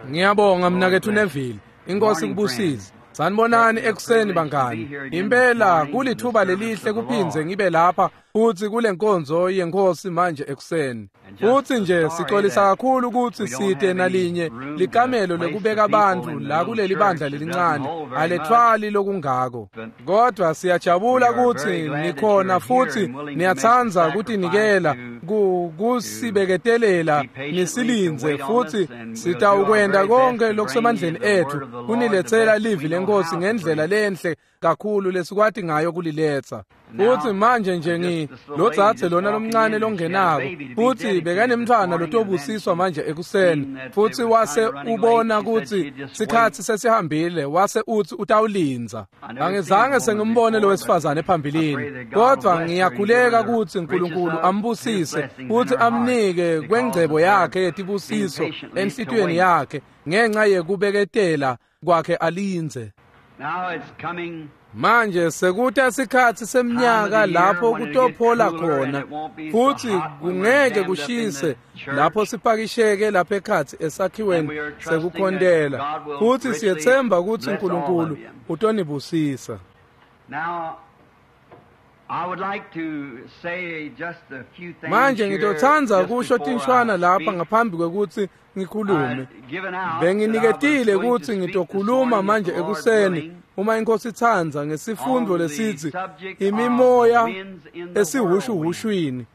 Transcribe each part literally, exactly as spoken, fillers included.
Ngiyabonga mnaketfu Neville. Inkosi kubusise. Sanibonani ekuseni bangani. Impela kulithuba lelihle kuphindze ngibe lapha futhi kule nkonzo yenkosi manje ekuseni. Futhi nje sixolisa kakhulu ukuthi site nalinye likamelo lekubeka abantu la kuleli bandla lelincane alethwali lokungako. Kodwa siyajabula ukuthi nikhona futhi niyatsandza kutinikela kusibeketelela nisilinze futhi sitawukwenda konke lokusemandleni ethu kunilethela livi lenkosi ngendlela lenhle kakhulu lesikwati ngayo kuliletha. Futhi manje nje ngi lodzadze lona lomncane longenako futhi bekanemntfwana lotobusiswa manje ekuseni futhi wase ubona ukuthi sikhatsi sesihambile wase uthi utawulindza. Angizange sengimbone lo wesifazane phambilini, kodwa ngiyakhuleka ukuthi uNkulunkulu ambusise futhi amnike kwengcebo yakhe yetibusiso enhlitiyweni yakhe ngenxa yekubeketela kwakhe alindze. Manje sekuta sikhatsi semnyaka lapho kutophola khona futhi kungeke kushise lapho sipakisheke lapha ekhatsi esakhiweni sekukhontela futhi siyethemba ukuthi uNkulunkulu utonibusisa. Manje ngitotsandza kusho tinshwana lapha ngaphambi kwekuthi ngikhulume. Benginiketile ukuthi ngitokhuluma manje ekuseni uma inkosi itsandza ngesifundo lesithi imimoya esihushuhushwini,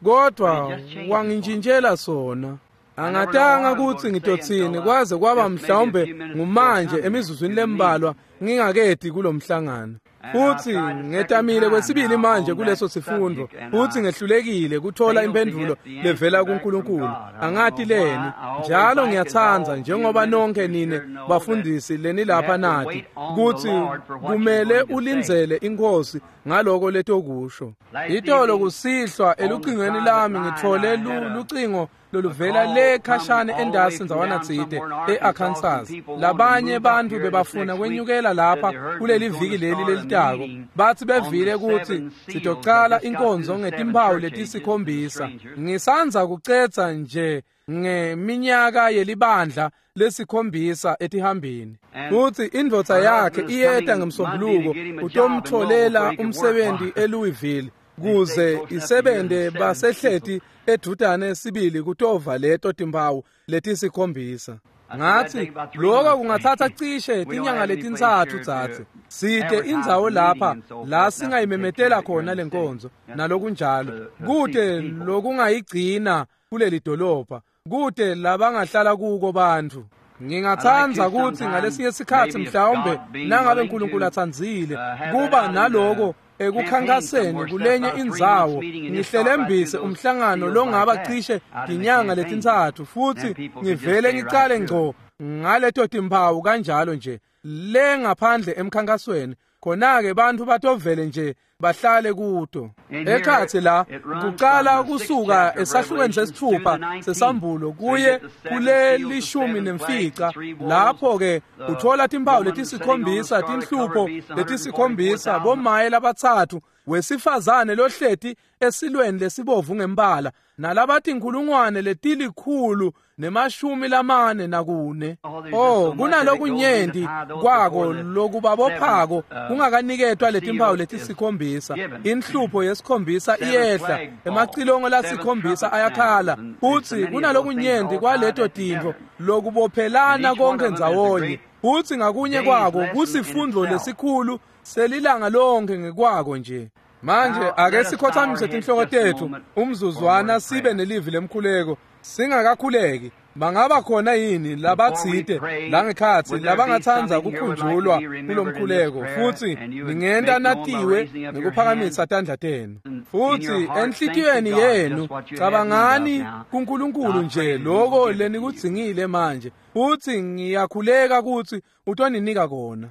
kodwa wangintshintshela sona. Angatanga ukuthi ngitothini kwaze kwaba mhlawumbe ngumanje emizuzwini lembalwa ngingakedi kulomhlangano. Futhi ngetamile kwesibili manje kuleso sifundo futhi ngehlulekile kuthola impendulo levela kuNkulunkulu. Angati leni njalo ngiyatsandza njengoba nonke nine bafundisi lenilapha nathi ukuthi kumele ulindzele inkosi ngaloko letokusho. Itolo kusihlwa elucingweni lami ngithole lucingo loluvela le khashane endasi ndzawana tsite e-Arkansas. Labanye bantu bebafuna kwenyukela lapha kuleli viki leli lelitako. Bathi bevile ukuthi sitocala inkonzo ngetimpawu letisikhombisa. Ngisandza kucetsa nje ngeminyaka yelibandla lesikhombisa etihambini. Futhi indvodza yakhe iyeta ngemsombuluko utomtholela umsebenzi eLouisville kuze isebente basehleti edudane sibili kutova leto timpawu letisikhombisa. Ngathi lokho kungathatha cishe tinyanga letintsatfu dzadze. Site indzawo lapha la singayimemetela khona lenkonzo nalokunjalo. Kute lokungayigcina kuleli dolobha, kute labangahlala kuko bantfu. Ngingatsandza ukuthi ngalesinye sikhatsi mhlawumbe nangabe uNkulunkulu atsandzile kuba naloko ekukhankaseni kulenye indzawo ngihlelembise umhlangano longaba cishe tinyanga letintsatfu futhi ngivele ngicale ngco ngaleto timpawu kanjalo nje le ngaphandle emkhankasweni. Khona-ke bantfu batovele nje bahlale kuto. Ekhatsi la kucala kusuka esahlukweni sesithupha sesambulo kuye kule lishumi nemfica lapho-ke uthola timpawu letisikhombisa tinhlupho letisikhombisa bomaye labatsatfu wesifazane lohleti esilweni lesibovu ngembala nalabatinkhulungwane letilikhulu nemashumi lamane nakune. Oh, kunalokunyenti kwako lokubabophako kungakaniketwa letimpawu letisikhombisa. Inhlupho yesikhombisa iyehla, emacilongo lasikhombisa ayakhala. Futhi kunalokunyenti kwaleto tintfo lokubophelana konke ndzawonye. Futhi ngakunye kwako kusifundo lesikhulu selilanga lonke ngekwako nje. Manje ake sikhothamise tinhloko tetfu umzuzwana sibe nelivi lemkhuleko singakakhuleki. Bangaba khona yini labatsite langekhatsi labangatsandza kukhunjulwa kulomkhuleko futhi ningenta natiwe ngekuphakamisa tandla tenu. Futhi enhlitiyweni yenu cabangani kuNkulunkulu nje loko lenikudzingile manje futhi ngiyakhuleka ukuthi utoninika kona.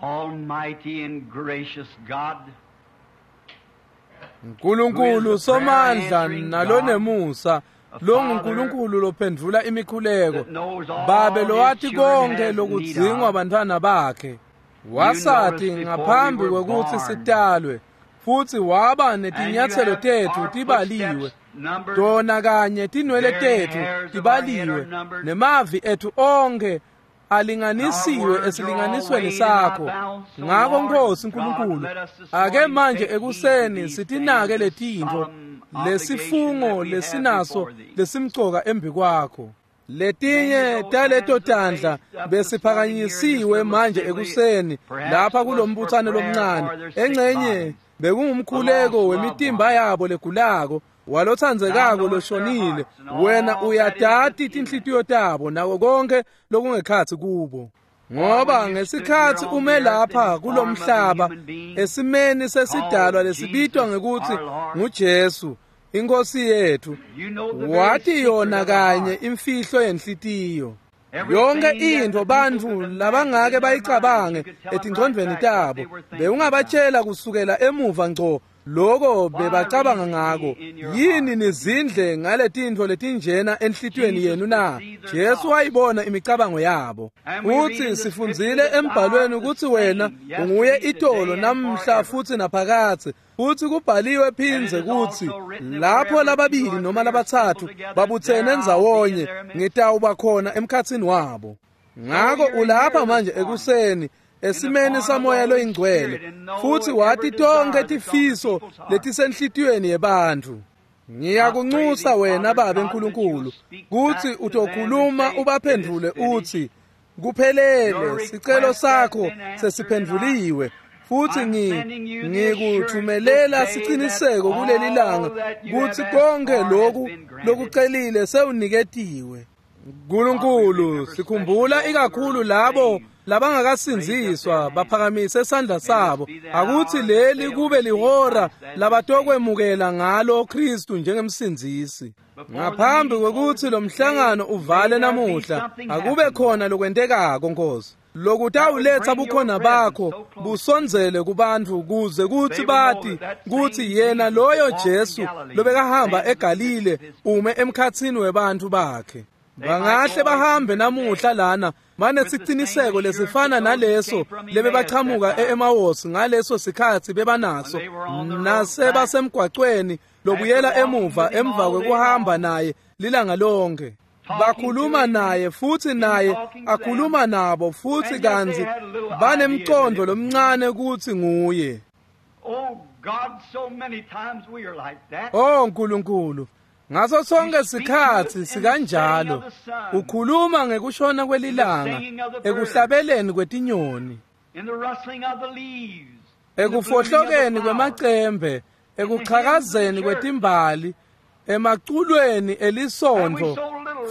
Almighty and gracious God, Nkulunkulu somandla nalonemusa longuNkulunkulu lophendvula imikhuleko, Babe lowati konke lokudzingwa bantfwana bakhe, wasati ngaphambi kwekutsi sitalwe futhi waba netinyatselo tetfu tibaliwe Tona kanye tinwele tetfu tibaliwe, nemavi etfu onkhe alinganisiwe esilinganisweni sakho. Ngako Nkosi Nkulunkulu, ake manje ekuseni sitinake letintfo, lesifungo lesinaso lesimcoka embikwakho. Letinye taleto tandla besiphakanyisiwe manje ekuseni lapha kulombutsano lomncane, engcenye bekungumkhuleko wemitimba yabo legulako, walotsandzekako loshonile. Wena uyatati tinhlitiyo tabo nako konke lokungekhatsi kubo. Ngoba ngesikhatsi ume lapha kulomhlaba esimeni sesidalwa lesibitwa ngekutsi nguJesu iNkosi yethu, wathi yona kanye imfihlo yenhlitiyo. Yonke intfo bantfu labangake bayicabange etingcondvweni tabo, bewungabatshela kusukela emuva ngco loko bebacabanga ngako. Yini nizindle ngaletintfo letinjena enhlitiyweni yenu na? Jesu wayibona imicabango yabo. Futsi sifundzile embhalweni ukuthi wena unguye itolo namhla futsi naphakadze. Futsi kubhaliwe phindze kutsi lapho lababili noma labatsatfu babutsene ndzawonye, ngitawuba khona emkhatsini wabo. Ngako ulapha manje ekuseni esimeni samoya loyingcwele, futsi wati tonke tifiso letisenhlitiyweni yebantfu. Ngiyakunxusa wena Babe Nkulunkulu kutsi utokhuluma ubaphendvule utsi, kuphelele, sicelo sakho sesiphendvuliwe. Futsi ngikuthumelela siciniseko kuleli langa kutsi konke loku lokucelile sewuniketiwe. Nkulunkulu, sikhumbula ikakhulu labo labangakasindziswa baphakamise sandla sabo. Akutsi leli kube lihora labatokwemukela ngalo Kristu njengemsindzisi. Ngaphambi kwekutsi lo mhlangano uvale namuhla, akube khona lokwentekako Nkosi, lokutawuletsa bukhona bakho busondzele kubantfu, kuze kutsi bati kutsi yena loyo Jesu lobekahamba eGalile ume emkhatsini webantfu bakhe. Bangahle bahambe namuhla lana banesiciniseko lesifana naleso lebebachamuka e-Emawusi ngaleso sikhatsi bebanaso, nasebasemgwacweni lobuyela emuva emva kwekuhamba naye lilanga lonke. Bakhuluma naye futsi naye akhuluma nabo, futsi kantsi banemcondvo lomncane kutsi nguye. Oh Nkulunkulu, ngaso sonke sikhatsi sikanjalo ukhuluma ngekushona kwelilanga, ekuhlabeleni kwetinyoni, ekufohlokeni kwemacembe, ekuchakazeni kwetimbali, emaculweni elisondvo,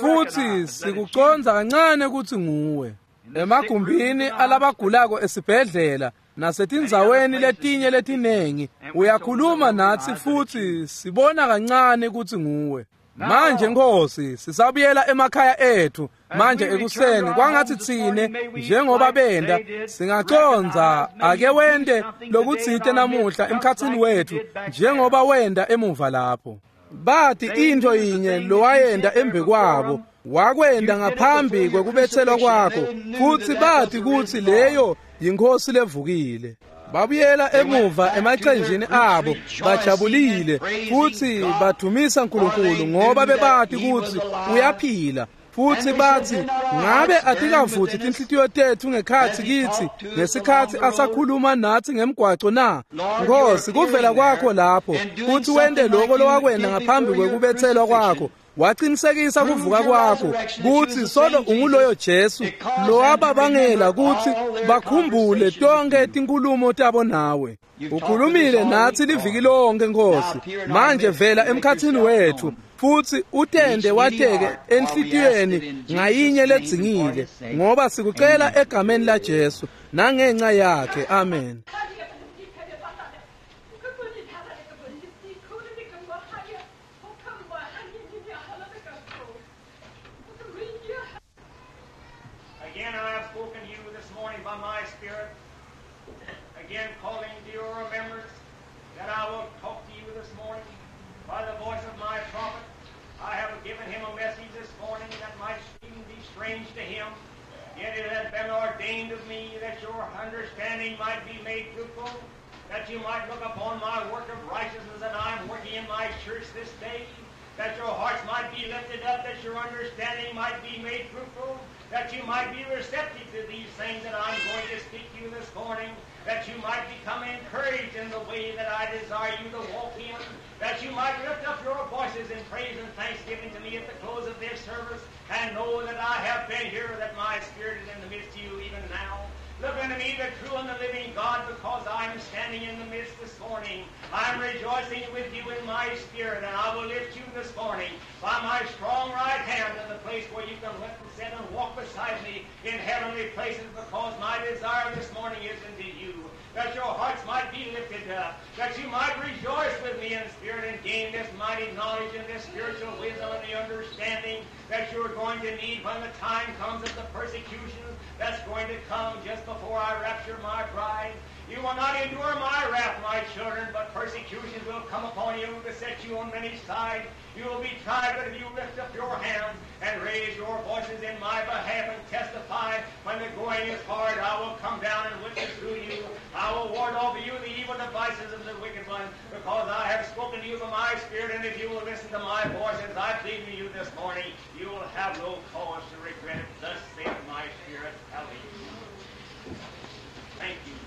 futsi sikucondza kancane kutsi nguwe. Emagumbini alabagulako esibhedlela nasetindzaweni letinye letinengi uyakhuluma natsi futsi sibona kancane kutsi nguwe. Manje Nkosi, sisabuyela emakhaya ethu manje ekuseni, kwangatsi tsine njengoba benda singacondza ake wente lokutsite namuhla emkhatsini wethu njengoba wenda emuva lapho. Bathi intfo yinye lowayenda embikwabo wakwenda ngaphambi kwekubetselwa kwakho, futsi bathi kutsi leyo yiNkhosi levukile. Babuyela emuva emacenjini abo bajabulile futsi badumisa Nkulunkulu ngoba bebati kutsi uyaphila. Futsi bathi, ngabe atikavuthi tinhlitiyo tetfu ngekhatsi kitsi ngesikhatsi asakhuluma natsi ngemgwaco na? Nkosi, kuvela kwakho lapho futsi wente loko lowakwenda ngaphambi kwekubetselwa kwakho, waqinisekisa kuvuka kwakho kutsi solo unguloyo Jesu lowababangela kutsi bakhumbule tonke tinkhulumo tabo nawe. Ukhulumile natsi liviki lonke Nkosi, manje vela emkhatsini wetfu futsi utende wateke enhlitiyweni ngayinye ledzingile, ngoba sikucela egameni la Jesu nangenca yakhe, amen. Again I have spoken to you this morning by my Spirit, again calling to your remembrance that I will talk to you this morning by the voice of my prophet. I have given him a message this morning that might seem to be strange to him, yet it hath been ordained of me that your understanding might be made fruitful, that you might look upon my work of righteousness that I am working in my church this day. that your hearts might be lifted up, that your understanding might be made fruitful, that you might be receptive to these things that I'm going to speak to you this morning, that you might become encouraged in the way that I desire you to walk in, that you might lift up your voices in praise and thanksgiving to me at the close of this service, and know that I have been here, that my spirit is in the midst of you even now. Look unto me, the true and the living God, because I am standing in the midst this morning. I am rejoicing with you in my spirit, and I will lift you this morning by my strong right hand to the place where you can lift and sit and walk beside me in heavenly places, because my desire this morning is unto you, that your hearts might be lifted up, that you might rejoice with me in spirit and gain this mighty knowledge and this spiritual wisdom and the understanding that you're going to need when the time comes of the persecution that's going to come just before I rapture my bride. You will not endure my wrath, my children, but persecutions will come upon you to beset you on many sides. You will be tried, but if you lift up your hands and raise your voices in my behalf and testify, when the going is hard, I will come down and witness to you. I will ward off you the evil devices of the wicked one, because I have spoken to you by my spirit, and if you will listen to my voice as I plead to you this morning, you will have no cause to regret it. Thus saith my spirit. Hallelujah. Thank you.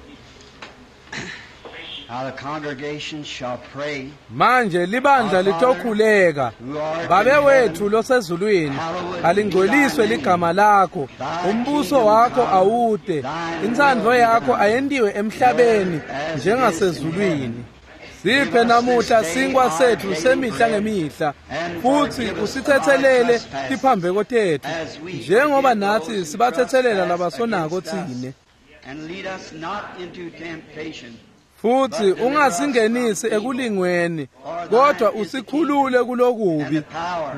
Now the congregation shall pray. Manje libandla litokhuleka. Babe wethu losezulwini, alingcweliswe ligama lakho, umbuso wakho awude, intsandvo yakho ayentiwe emhlabeni njengasezulwini. Siphe namuhla sinkwa sethu semihla ngemihla, futhi usithethelele tiphambeko tethu njengoba nathi sibathethelela labasonako tsine. And lead us not into temptation. Futhi ungasingenisi ekulingweni, kodwa usikhulule kulokubi,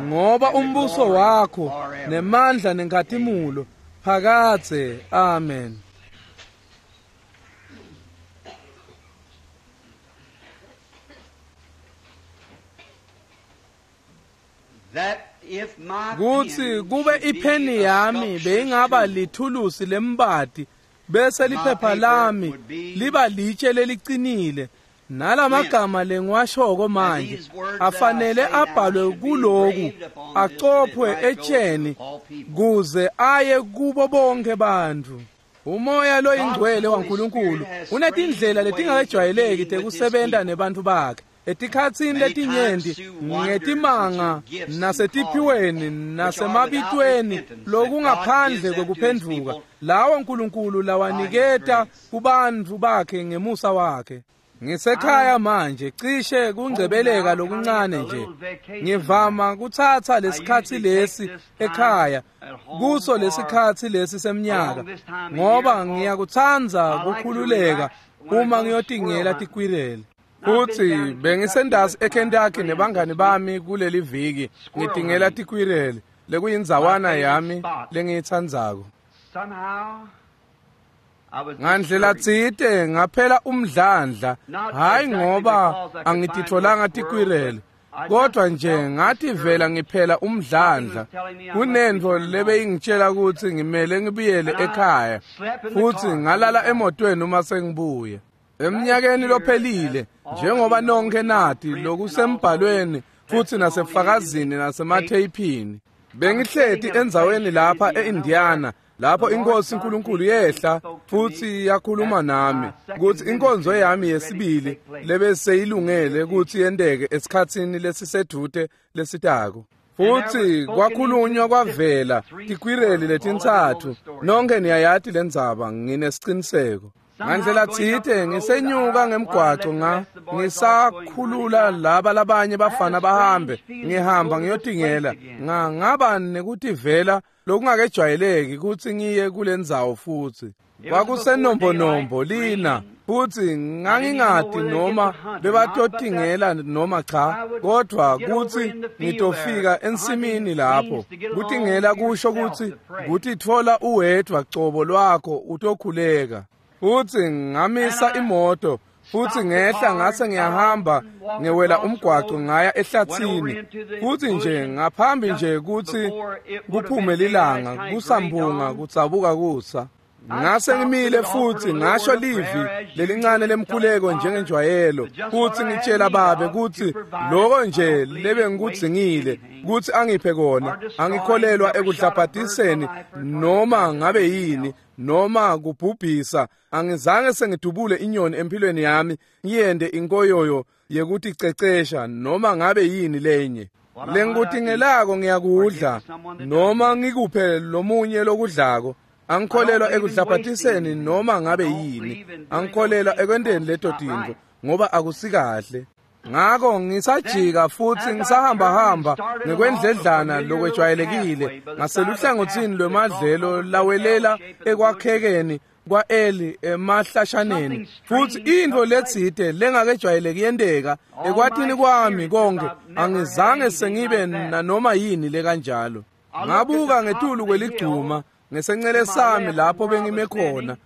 ngoba umbuso wakho nemandla nenkhatimulo phakadze. Amen. That if my Kuthi kube ipheni yami beyingaba lithulusi lembati, bese liphepha lami liba litshe leliqinile, nalamagama lengiwashoko manje afanele abhalwe kuloku, acophwe etsheni kuze aye kubo bonke bantfu. Umoya loyingcwele waNkulunkulu unetindlela letingakejwayeleki tekusebenta nebantfu bakhe. Etikhatsini letinyenti ngetimanga nasetiphiweni nasemabitweni lokungaphandle kwekuphendvuka lawo Nkulunkulu lawaniketa kubantfu bakhe ngemusa wakhe. Ngisekhaya manje cishe kungcebeleka lokuncane nje. Ngivama kutsatsa lesikhatsi lesi ekhaya kuso lesikhatsi lesi semnyaka, ngoba ngiyakutsandza kukhululeka uma ngiyotingela tikwirele. Futhi bengisendasi eKentucky nebangani bami kuleli viki ngitingela tikwirele lekuyindzawana yami lengiyitsandzako. Ngandlela tsite ngaphela umdlandla, hayi ngoba angititfolanga tikwirele, kodwa nje ngativela ngiphela umdlandla. Kunentfo lebeyingitshela kutsi ngimele ngibuyele ekhaya, futhi ngalala emotweni uma sengibuya. Eminyakeni lophelile, njengoba nonke nati lokusembhalweni futhi nasefakazini nasematheyiphini, bengihleti endzaweni lapha eIndiana lapho inkosi uNkulunkulu yehla futhi yakhuluma nami kutsi inkonzo yami yesibili lebeseyilungele kutsi yenteke esikhatsini lesisedvute lesitako. Futhi kwakhulunywa kwavela tikwireli letintsatfu. Nonke niyayati lendzaba, nginesiciniseko. Ngandlela tsite ngisenyuka ngemgwaco nga ngisakhulula laba labanye bafana bahambe, ngihamba ngiyotingela, nga ngaba nekutivela lokungakejwayeleki kutsi ngiye kulendzawo futhi. Kwakusenombonombo lina, futhi ngangingati noma bebatotingela noma cha, kodwa kutsi ngitofika ensimini lapho. Kutingela kusho kutsi kutitfola uwedvwa cobo lwakho utokhuleka. Futhi ngamisa imoto, futhi ngehla ngase ngiyahamba ngewela umgwaco ngaya ehlathini. Futhi nje ngaphambi nje kutsi kuphume lilanga, kusambunga kutsabuka kusa. Ngase ngimile futhi ngasho livi lelincane lemkhuleko njengenjwayelo futhi ngitshela babe kutsi loko nje lebengikudzingile kutsi angiphe kona. Angikholelwa ekudlabhadiseni noma ngabe yini noma kubhubhisa. Angizange sengidubule inyoni empilweni yami ngiyende inkoyoyo yekuticecesha noma ngabe yini lenye. Lengikutingelako ngiyakudla noma ngikuphe lomunye lokudlako. Angikholelwa ekudlabhadiseni noma ngabe yini. Angikholelwa ekwenteni leto tintfo ngoba akusikahle. Ngako ngisajika futhi ngisahamba-hamba ngekwendledlana lokwejwayelekile ngaseluhlangothini lwemadlelo lawelela ekwakhekeni kwa-Eli emahlashaneni, futhi intfo letsite lengakejwayeleki yenteka ekwatini kwami konke. Angizange sengibe nanoma yini lekanjalo. Ngabuka ngetulu kweligcuma ngesencele sami lapho bengime khona,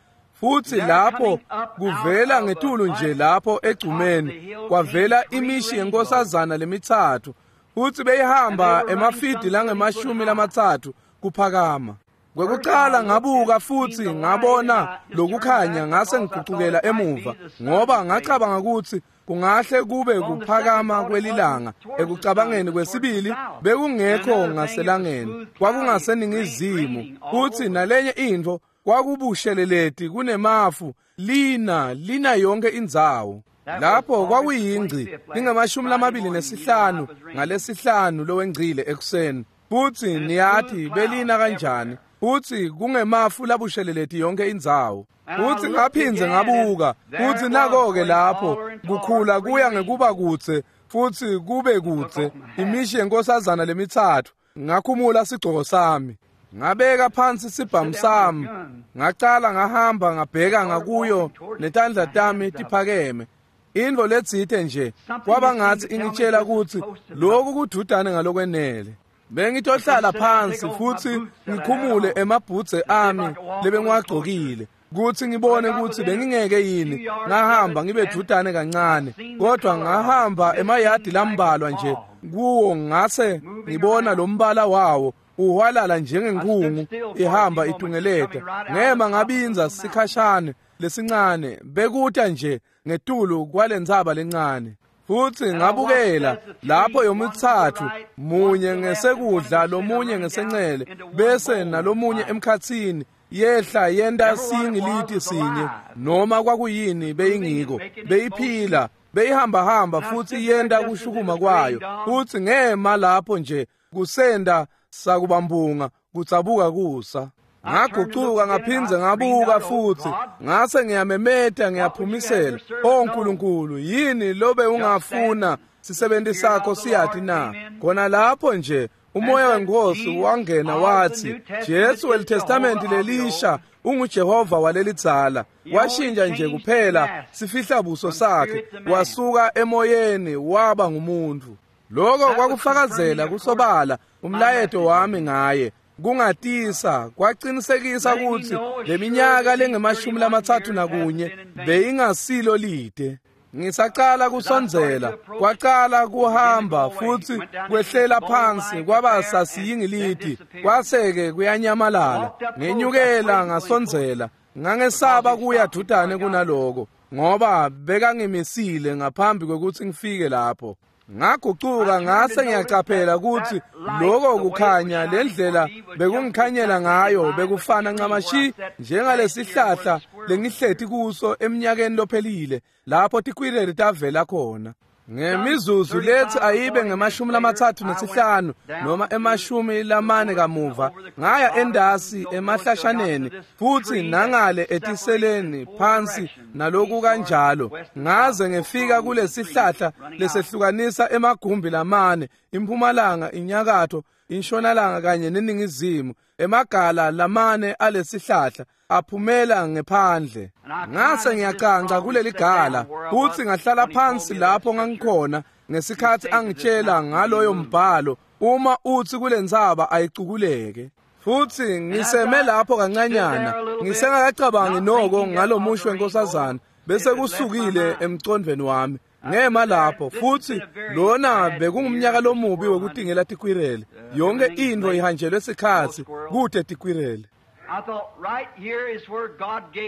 futhi lapho kuvela ngetulu nje lapho egcumeni kwavela imishi yenkosazana lemitsatfu, futhi beyihamba emafidi langemashumi lamatsatfu kuphakama. Kwekucala ngabuka futhi ngabona lokukhanya, ngase ngigucukela emuva ngoba ngacabanga ukuthi kungahle kube kuphakama kwelilanga. Ekucabangeni kwesibili bekungekho ngaselangeni, kwakungaseningizimu, futhi nalenye intfo kwakubusheleleti kunemafu lina lina yonke indzawo. Lapho kwakuyingci lingamashumi lamabili nesihlanu ngalesihlanu lowengcile ekuseni, futhi niyathi belina kanjani, futhi kungemafu labusheleleti yonke indzawo. Futhi ngaphindze ngabuka, futhi nako-ke lapho kukhula kuya ngekuba kudze futhi kube kudze imishi yenkosazana lemitsatfu. Ngakhumula sigcoko sami, ngabeka phansi sibhamu sami, ngacala ngahamba ngabheka ngakuyo netandla tami tiphakeme. Intfo letsite nje kwaba ngatsi ingitshela kutsi lokhu kududane ngalokwenele. Bengitohlala phansi futhi ngikhumule emabhudze ami lebengiwagcokile kutsi ngibone kutsi bengingeke yini ngahamba ngibe dudane kancane, kodwa ngahamba emayadi lambalwa nje kuwo ngase ngibona lo mbala wawo uhwalala njengenkhungu ihamba itungeleta. Ngema ngabinza sikhashane lesincane bekuta nje ngetulu kwalentsaba lencane, futhi ngabukela lapho yomitsatfu, munye ngesekudla lomunye ngesencele bese nalomunye emkhatsini, yehla yenta singiliti sinye noma kwakuyini beyingiko, beyiphila beyihamba-hamba futhi yenta kushukuma kwayo. Futhi ngema lapho nje kusenda sakubambunga kutsabuka kusa. Ngagucuka ngaphindze ngabuka futhi ngase ngiyamemeta ngiyaphumisela, "O Nkulunkulu, yini lobe ungafuna sisebenti sakho siyati na?" Khona lapho nje umoya wenkosi wangena wathi, Jesu welitestamenti lelisha unguJehova walelidzala. Washintsha nje kuphela sifihla buso sakhe, wasuka emoyeni waba ngumuntu. Lokho kwakufakazela kusobala umlayeto wami ngaye. Kungatisa kwaqinisekisa ukuthi leminyaka lengemashumi lamatsatfu nakunye beyingasilo lide. Ngisacala kusondzela, kwacala kuhamba futhi kwehlela phansi kwaba sasiyingiliti, kwase-ke kuyanyamalala. Ngenyukela ngasondzela, ngangesaba kuya dudane kunaloko ngoba bekangimisile ngaphambi kwekutsi ngifike lapho. Ngagucuka ngase ngiyacaphela ukuthi lokho kukhanya lendlela bekungikhanyela ngayo bekufana ncamashi njengalesihlahla lengihleti kuso eminyakeni lophelile lapho tikwireli tavela khona. Ngemizuzu lethi ayibe ngemashumi lamatsatfu nesihlanu noma emashumi lamane kamuva, ngaya endasi emahlashaneni futhi nangale etiseleni phansi naloku kanjalo, ngaze ngefika kulesihlahla lesehlukanisa emagumbi lamane, impumalanga, inyakatho, inshonalanga kanye neningizimu. Emagala lamane alesihlahla aphumela ngephandle. Ngase ngiyacanca kuleli gala futhi ngahlala phansi lapho ngangikhona ngesikhathi angitshela ngaloyo mbhalo, uma uthi kulentsaba ayicukuleke. Futhi ngiseme lapho kancanyana ngisengakacabangi noko ngalomusho wenkosazana, bese kusukile emcondvweni wami. Ngema lapho futhi lona bekungumnyaka lomubi wekutingela tikwirele. Yonke intfo ihanjelwe sikhatsi kute tikwirele.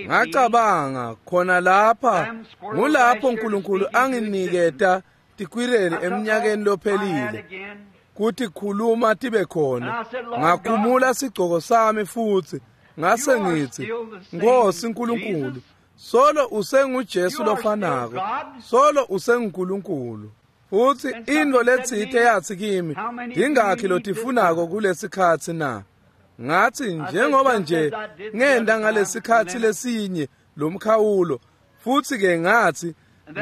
Ngacabanga khona lapha ngulapho uNkulunkulu anginiketa tikwireli eminyakeni lophelile kuthi khuluma tibe khona. Ngakhumula sigcoko sami futhi ngase ngithi, Nkosi uNkulunkulu, solo usenguJesu lofanako, solo usenguNkulunkulu. Futhi into letsite yathi kimi, ingakhi lotifunako kulesikhatsi na? Ngathi njengoba nje ngenda ngalesikhatsi lesinye lomkhawulo, futhi ke ngathi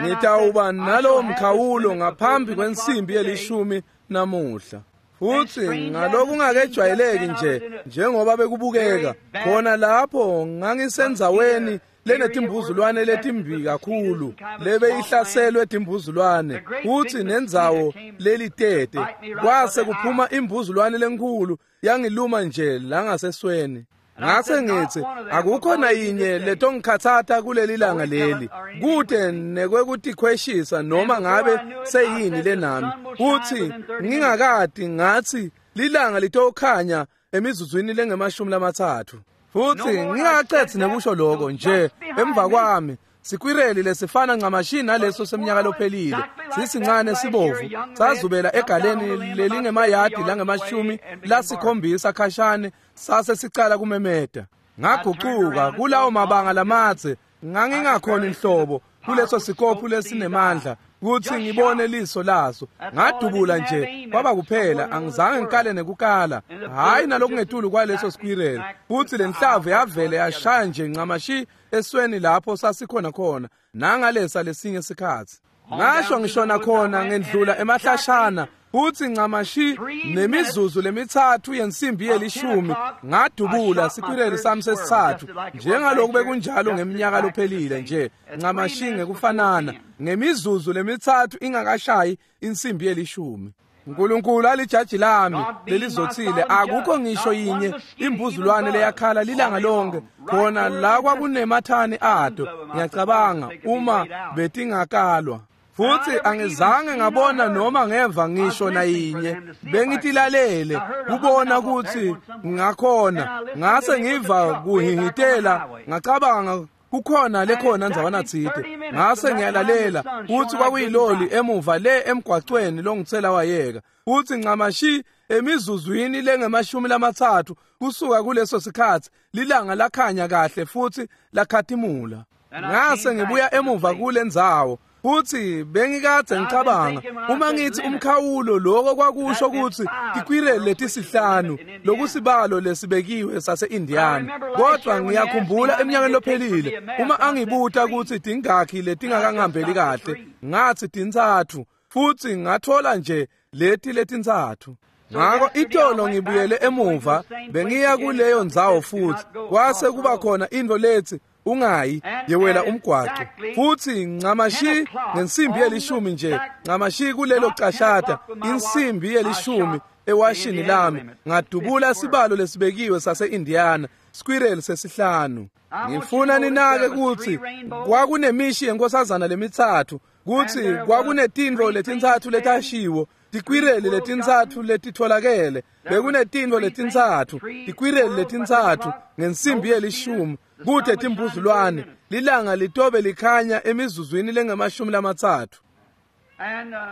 ngitawuba nalowo mkhawulo ngaphambi kwensimbi yelishumi namuhla. Futhi ngalokungakejwayeleki nje njengoba bekubukeka khona lapho ngangisendzaweni lenetimbuzulwane letimbi kakhulu lebeyihlaselwe timbuzulwane, futhi nendzawo lelitete kwase kuphuma imbuzulwane lenkulu yangiluma nje langasesweni. Ngase ngithi akukho nayinye letongikhathata kuleli langa leli, kude nekwekutikhweshisa noma ngabe seyini lenami. Futhi ngingakadi ngathi lilanga litokhanya emizuzwini lengemashumi lamathathu. Futhi ngingaqethi nekusho lokho nje emva kwami sikwireli lesifana ncamashi naleso seminyaka lophelile, sisincane sibovu, sazubela egaleni lelingemayadi langemashumi lasikhombisa khashane, sase sicala kumemeta. Ngagucuka kulawo mabanga lamadze, ngangingakhona inhlobo kuleso sikophu lesinemandla kuthi ngibone liso laso. Ngadubula nje kwaba kuphela, angizange ngikale nekukala, hayi nalokungetulu kwaleso squirrel. Futhi lenhlavu yavele yashaya nje ncamashi esweni lapho sasikhona khona nangalesa lesinye sikhatsi. Ngasho ngishona khona ngendlula emahlashana, futhi ncamashi nemizuzu lemithathu yensimbi yelishumi ngadubula sikwireli sami sesithathu, njengaloku bekunjalo ngeminyaka lophelile nje ncamashi ngekufanana, ngemizuzu lemithathu ingakashayi insimbi yelishumi. uNkulunkulu alijaji lami lelizothile, akukho ngisho yinye imbuzulwane leyakhala lilanga lonke khona la kwakunemathani ato, ngiyacabanga uma betingakalwa. Futhi angizange ngabona noma ngeva ngisho nayinye, bengitilalele kubona ukuthi ngakhona. Ngase ngiva kuhihitela, ngacabanga kukhona lekhona ndzawana tsite. Ngase ngiyalalela futhi kwakuyiloli emuva le emgwacweni longitsela wayeka. Futhi ncamashi emizuzwini lengemashumi lamathathu kusuka kuleso sikhatsi lilanga lakhanya kahle futhi lakhatimula. Ngase ngibuya emuva kulendzawo. Futhi bengikade ngicabanga uma ngithi umkhawulo lokho kwakusho ukuthi tikwireli letisihlanu lokusibalo lesibekiwe sase-Indiana. Kodwa ngiyakhumbula eminyakeni lophelile uma angibuta ukuthi tingakhi letingakangihambeli kahle, ngathi tintsatfu, futhi ngathola nje leti letintsatfu. Ngako itolo ngibuyele emuva, bengiya kuleyo ndzawo futhi kwase kuba khona into lethi ungayi yewela umgwaco. Futhi ncamashi ngensimbi yelishumi nje, ncamashi kulelo cashata insimbi yelishumi ewashini lami, ngadubula sibalo lesibekiwe sase-Indiana, squirrel sesihlanu. Ngifuna ninake ukuthi kwakunemishi yenkosazana lemithathu, kuthi kwakunetintfo letintsatfu letashiwo, tikwireli letintsatfu letitholakele, bekunetintfo letintsatfu, tikwireli letintsatfu ngensimbi yelishumi, kute timbuzulwane, lilanga litobe likhanya emizuzwini lengemashumi lamatsatfu.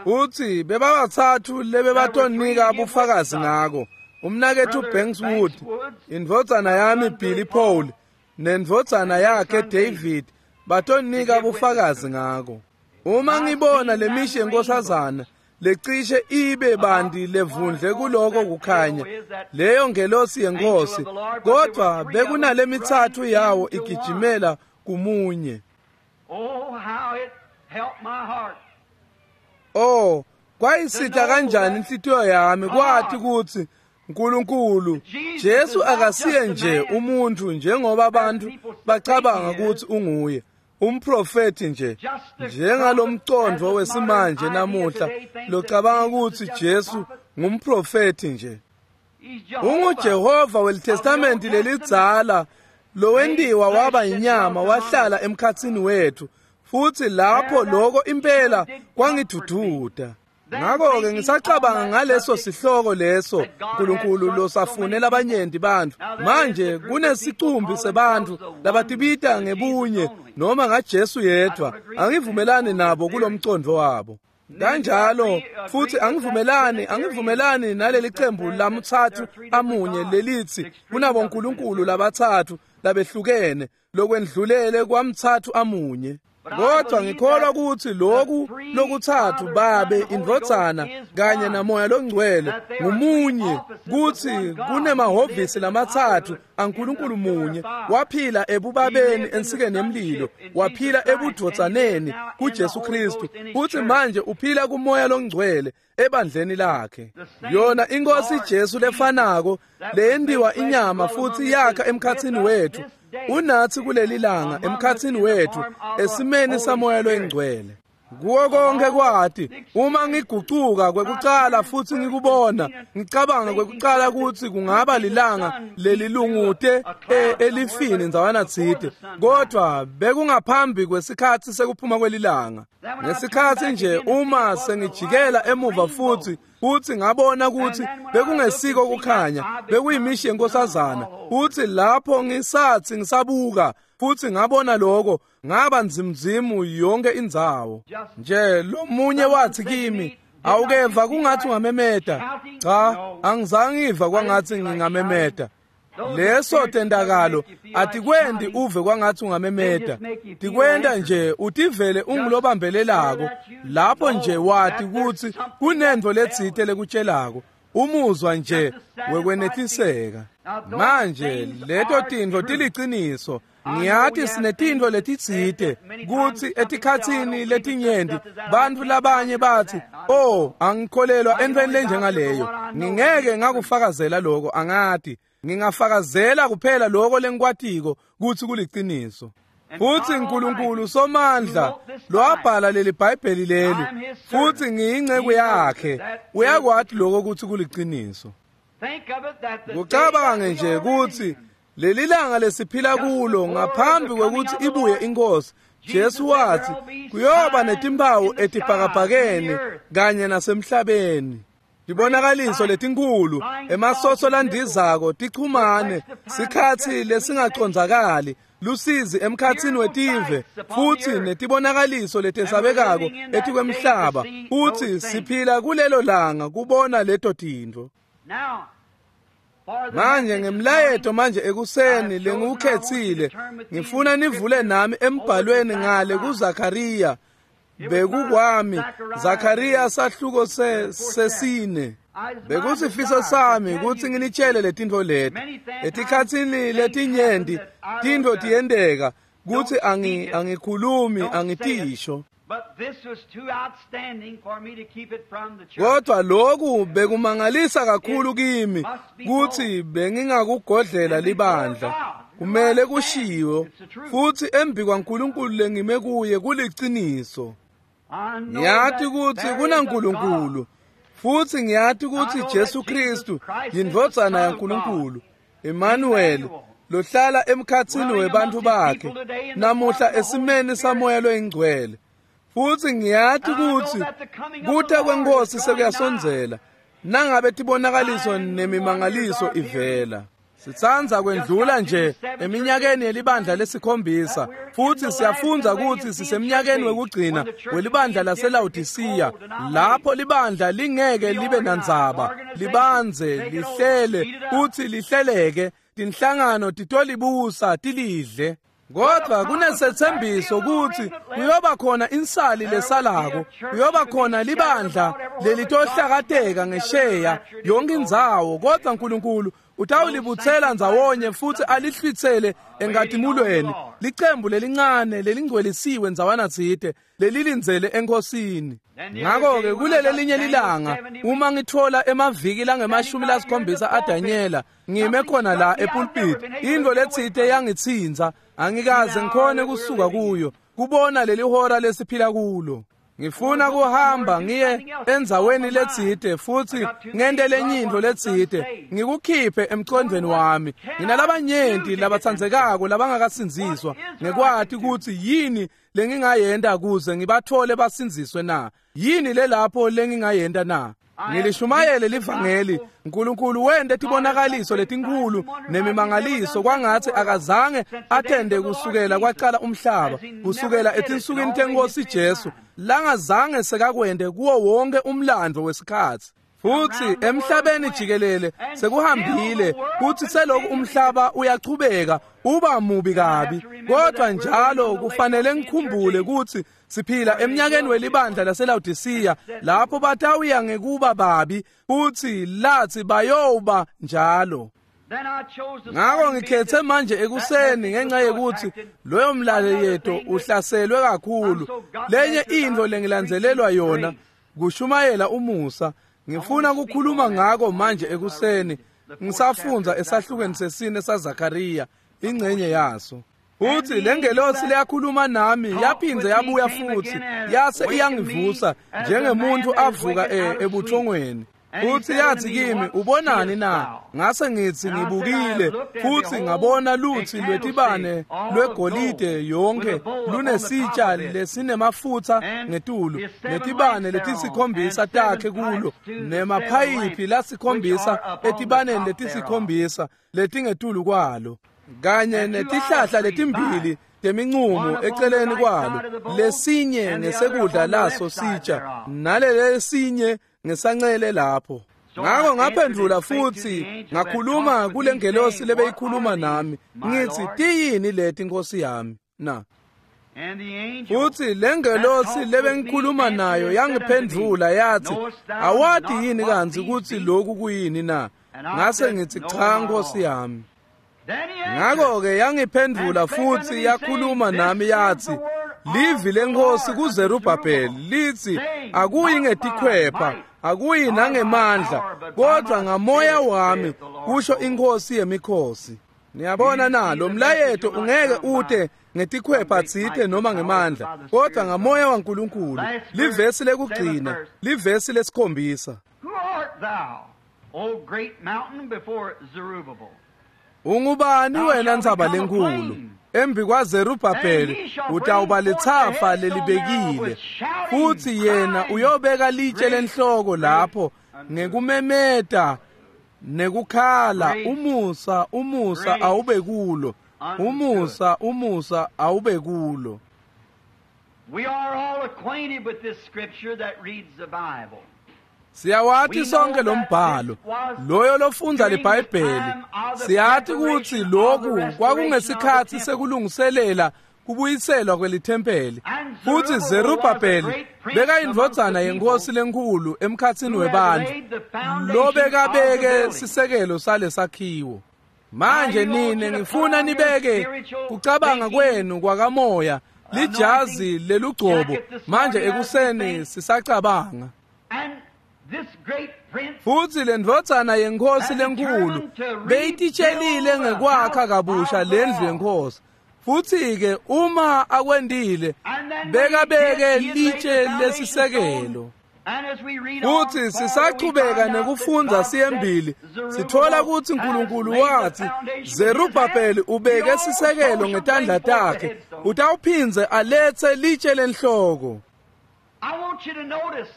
Uthi bebabatsatfu lebebatonika bufakazi ngako, umnaketfu Banks Wood, indvodzana yami Billy Paul, nendvodzana yakhe David, batonika bufakazi ngako. Uma ngibona lemishi yenkosazana lecishe ibe bandi levundle kuloko kukhanya, leyo ngelosi yenkosi, kodwa bekunale mithathu yawo igijimela kumunye. Oh, kwayisita kanjani inhlitiyo yami kwathi ukuthi uNkulunkulu Jesu akasiye nje umuntu njengoba abantu bacabanga ukuthi unguye, umprofeti nje, njengalomcondvo wesimanje namuhla locabanga ukuthi Jesu ngumprofeti nje. UnguJehova weliTestamenti lelidzala lowentiwa waba inyama wahlala emkhatsini wethu, futhi lapho lokho impela kwangidududa. Ngakho-ke ngisacabanga ngaleso sihloko leso Nkulunkulu losafune labanyenti bantfu. Manje kunesicumbi sebantfu labatibita ngebunye noma ngaJesu yedvwa. Angivumelani nabo kulomcondvo wabo. Kanjalo futhi angivumelani angivumelani naleli qembu lamtsatfu amunye lelithi kunabonkulunkulu labatsatfu labehlukene lokwendlulele kwamtsatfu amunye. Kodwa ngikholwa ukuthi lokhu lokutsatfu Babe, Indvodzana kanye naMoya loNgcwele ngumunye, kutsi kunemahhovisi lamatsatfu aNkulunkulu munye. Waphila ebubabeni ensikeni yemlilo, waphila ebudvodzaneni kuJesu Kristu, futhi manje uphila kuMoya loNgcwele ebandleni lakhe. Yona iNkosi Jesu lefanako leyendiwa inyama futhi yakha emkhatsini wethu, unathi kuleli langa emkhatsini wethu esimeni saMoya loNgcwele. Kuwo konke kwati uma ngigucuka kwekucala futhi ngikubona, ngicabanga kwekucala ukuthi kungaba lilanga lelilungute elifini ndzawana tsite, kodwa bekungaphambi kwesikhathi sekuphuma kwelilanga. Ngesikhathi nje uma sengijikela emuva futhi futhi ngabona ukuthi bekungesiko kukhanya, bekuyimishi yenkosazana. Futhi lapho ngisathi ngisabuka futhi ngabona lokho, ngaba nzimzimu yonke indzawo. Nje lomunye wathi kimi, awukeva kungathi ungamemeta? Cha, angizange ngiva kwangathi ngingamemeta. Leso tendakalo atikwendi uve kwangathi ungamemeta, tikwenda nje utivele ungulobambelelako. Lapho nje wati ukuthi kunento letsite lekutshelako, umuzwa nje wekwenetiseka. Manje leto tintfo tiliciniso. Ngiyati sinetintfo letitsite kutsi etikhatsini letinyenti bantfu labanye bathi, oh, angikholelwa entfweni lenjengaleyo, ngingeke ngakufakazela lokho, angati. Ngingafakazela kuphela lokho lengikwatiko kutsi kuliciniso. Futhi uNkulunkulu Somandla lowabhala leli Bhayibheli leli, futhi ngiyinceku yakhe, uyakwati lokho kutsi kuliciniso. Kucabange nje kutsi leli langa lesiphila kulo ngaphambi kwekutsi ibuye iNkosi, Jesu wathi kuyoba netimpawu etibhakabhakeni kanye nasemhlabeni. Tibonakaliso letinkulu, emasoso landizako, tichumane, sikhatsi lesingacondzakali, lusizi emkhatsini wetive, futhi netibonakaliso letesabekako etikwemhlaba. Futhi siphila kulelo langa kubona leto tintfo. Manje ngemlayeto manje ekuseni lengiwukhetsile, ngifuna nivule nami embhalweni ngale kuZakhariya. Bekukwami Zakhariya sahluko sesine. Bekusifiso sami ukuthi nginitshele letintfo leti. Etikhatsini letinyenti tintfo tiyenteka kutsi angi angikhulumi angitisho. Kodwa lokhu bekumangalisa kakhulu kimi kutsi bengingakugodlela libandla. Kumele kushiwo futhi embi kwaNkulunkulu lengime kuye kuliciniso. Ngiyati kutsi kunaNkulunkulu, futhi ngiyati kutsi Jesu Kristu yindvodzana yaNkulunkulu, Emmanuel, lohlala emkhatsini webantfu bakhe namuhla esimeni saMoya loyiNgcwele. Futhi ngiyati kutsi kuta kweNkosi sekuyasondzela, nangabe tibonakaliso nemimangaliso ivela. Sitsandza kwendlula nje eminyakeni yelibandla lesikhombisa, futhi siyafundza ukuthi sisemnyakeni wekugcina welibandla laseLawodisiya, lapho libandla lingeke libe nandzaba, libanze, lihlele, futhi lihleleke, tinhlangano titolibusa tilidle. Kodwa kunesethembiso ukuthi kuyoba khona insali lesalako, kuyoba khona libandla lelitohlakateka ngesheya yonke indzawo, kodwa uNkulunkulu utawulibutsela ndzawonye futhi alihlwitsele enkatimulweni, licembu lelincane lelingcwelisiwe ndzawana tsite lelilindzele enkosini. Ngakho-ke kulele linye lilanga uma ngithola emaviki langemashumi lasikhombisa aDanyela ngime khona la epulpit, intfo letsite yangitsintsa, angikaze ngikhone kusuka kuyo kubona leli hora lesiphila kulo. Ngifuna kuhamba ngiye endzaweni letsite futhi ngente lenye intfo letsite, ngikukhiphe emcondvweni wami. Nginalabanyenti labatsandzekako labangakasindziswa, ngekwati kutsi yini lengingayenta kuze ngibathole basindziswe na. Yini lelapho lengingayenta na? Ngilishumayele livangeli. uNkulunkulu wente tibonakaliso letinkulu nemimangaliso kwangathi akazange athende kusukela kwaqala umhlaba, kusukela etinsukwini tenkosi Jesu, langazange sekakwente kuwo wonke umlando wesikhatsi. Futhi emhlabeni jikelele sekuhambile kuthi seloku umhlaba uyachubeka uba mubi kabi, kodwa njalo kufanele ngikhumbule ukuthi siphila eminyakeni welibandla laseLaodicea lapho batawuya ngekuba babi futhi lathi bayoba njalo. Ngakho ngikhethe manje ekuseni ngenxa yokuthi loyo mlayeto uhlaselwe kakhulu. Lenye into lengilandzelelwa yona kushumayela umusa. Ngifuna ukukhuluma ngako manje ekuseni ngisafundza esahlukweni sesine saZakaria ingcenye yaso. Uthi lengelosi leyakhuluma nami yaphindze yabuya futhi yase iyangivusa njengemuntu avuka ebuthongweni. Uthi yathi kimi, ubonani na? Ngase ngithi ngibukile futhi ngabona luthi lwetibane lwegolide yonke lunesitsha lesinemafutha ngetulu, netibane letisikhombisa takhe kulo, nemaphayiphi lasikhombisa etibaneni letisikhombisa letingetulu kwalo, kanye netihlahla letimbili temincumo eceleni kwalo, lesinye ngesekudla laso sitsha nalelesinye ngesancele lapho. Ngakho ngaphendula futhi ngakhuluma kulengelosi lebeyikhuluma nami ngithi, tiyini leti Nkosi yami na? Futhi lengelosi lebengikhuluma nayo yangiphendula yathi, awati yini kantsi kutsi lokhu kuyini na? Ngase ngithi, cha Nkosi yami. Ngakho-ke yangiphendula futhi yakhuluma nami yathi, livi lenkosi kuZerubhabheli lithi, akuyi ngetikhwepha, akuyi nangemandla, kodwa ngamoya wami, kusho inkosi yemikhosi. Niyabona na, lo mlayeto ungeke ute ngetikhwepha tsite noma ngemandla, kodwa ngamoya waNkulunkulu. Livesi lekugcina, livesi lesikhombisa. O great mountain before Zerubbabel? Ungubani wena ntsaba lenkulu? Embi kwaZerubhabheli utawuba lithafa lelibekile, futhi yena uyobeka litshe lenhloko lapho ngekumemeta nekukhala, umusa umusa awube kulo, umusa umusa awube kulo. We are all acquainted with this scripture that reads the Bible. Siyawati sonke lo mbhalo, loyo lofundza liBhayibheli. Siyati kutsi lokhu kwakungesikhatsi sekulungiselela kubuyiselwa kwelithempeli. Futhi Zerubhabheli bekayindvodzana yenkosi lenkulu emkhatsini webantfu, lobekabeke sisekelo salesakhiwo. Manje nine ngifuna nibeke kucabanga kwenu kwakamoya lijazi lelugcobo manje ekuseni sisacabanga. Futhi lendvodzana yenkosi lenkulu beyititshelile ngekwakha kabusha lendlu yenkosi. Futhi-ke uma akwendile bekabeke litshe lesisekelo. Futhi sisachubeka nekufundza siyembili, sithola kutsi uNkulunkulu wathi Zerubhabheli ubeke sisekelo ngetandla takhe, utawuphindze alethe litshe lenhloko. I want you to notice,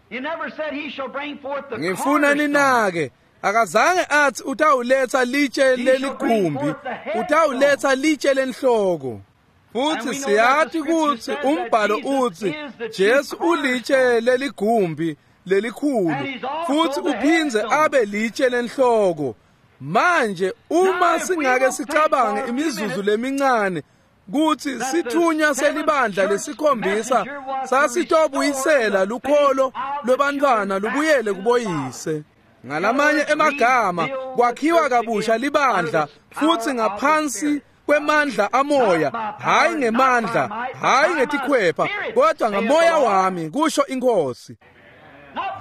he never said he shall bring forth the Ngifuna ninake, akazange athi utawuletha litshe leligumbi, utawuletha litshe lenhloko. Futhi siyati kutsi umbhalo utsi Jesu ulitshe leligumbi lelikhulu, futhi uphindze abe litshe lenhloko. Manje uma singake sicabange imizuzu lemincane kutsi sithunywa selibandla lesikhombisa sasitobuyisela lukholo lwebantfwana lubuyele kuboyise. Ngalamanye emagama, kwakhiwa kabusha libandla futhi ngaphansi kwemandla amoya, hayi ngemandla, hayi ngetikhwepha, kodwa ngamoya wami, kusho inkosi.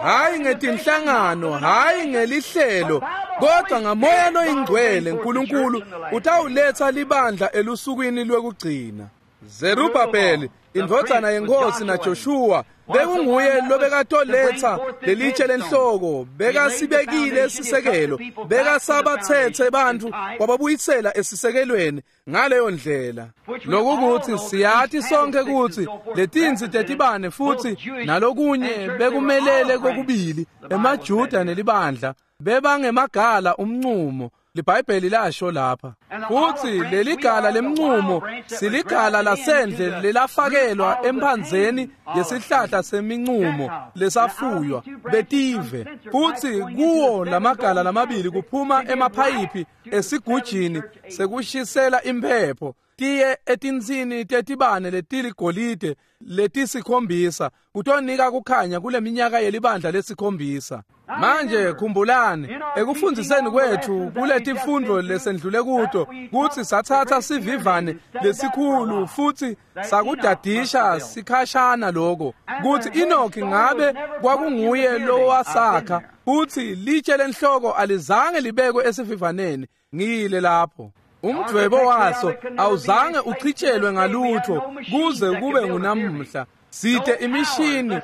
Hayi ngetinhlangano, hayi ngelihlelo, kodwa ngamoya loyingcwele uNkulunkulu utawuletha libandla elusukwini lwekugcina. Zerubhabheli indvodzana yenkosi naJoshua bekunguye lobekatoletsa lelitshe lenhloko, bekasibekile sisekelo, bekasabatsetse bantfu wababuyisela esisekelweni ngaleyo ndlela. Lokukuthi siyati sonke kutsi letinsi tetibane futhi nalokunye bekumelele kokubili emaJuda nelibandla bebangemagala umnqumo. LiBhayibheli lasho lapha futhi leligala lemnqumo siligala lasendle lelafakelwa emphandzeni yesihlahla seminqumo lesafuywa betive, futhi kuwo lamagala lamabili kuphuma emaphayiphi esigujini sekushisela imphepho tiye etinsini tetibane letiligolide letisikhombisa kutonika kukhanya kuleminyaka yelibandla lesikhombisa. Manje khumbulani ekufundziseni kwethu kuletifundvo lesendlule kuto kutsi sathatha sivivane lesikhulu futhi sakudadisha sikhashana lokho kutsi Enoch ngabe kwakunguye lowasakha, futhi litshe lenhloko alizange libekwe esivivaneni. Ngiyile lapho umdvwebo waso awuzange uchitshelwe ngalutho kuze kube ngunamuhla. Site imishini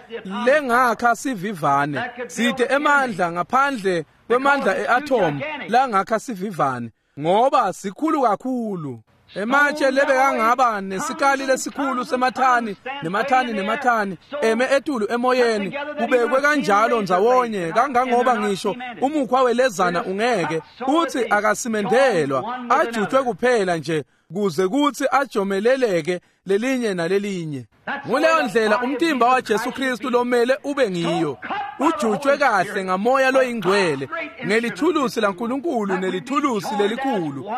lengakha sivivane, site emandla ngaphandle kwemandla eatom langakha sivivane, ngoba sikhulu kakhulu. Ematshe lebekangaba nesikali lesikhulu semathani nemathani nemathani eme etulu emoyeni kubekwe kanjalo ndzawonye kangangoba ngisho umukhwa welezana ungeke uthi akasimendelwa, ajutshwe kuphela nje kuze kuthi ajomeleleke lelinye nalelinye. Nguleyo ndlela umtimba wa Jesu Kristu lomele ube ngiyo, ujutshwe kahle ngamoya loyingcwele ngelithulusi laNkulunkulu nelithulusi lelikhulu,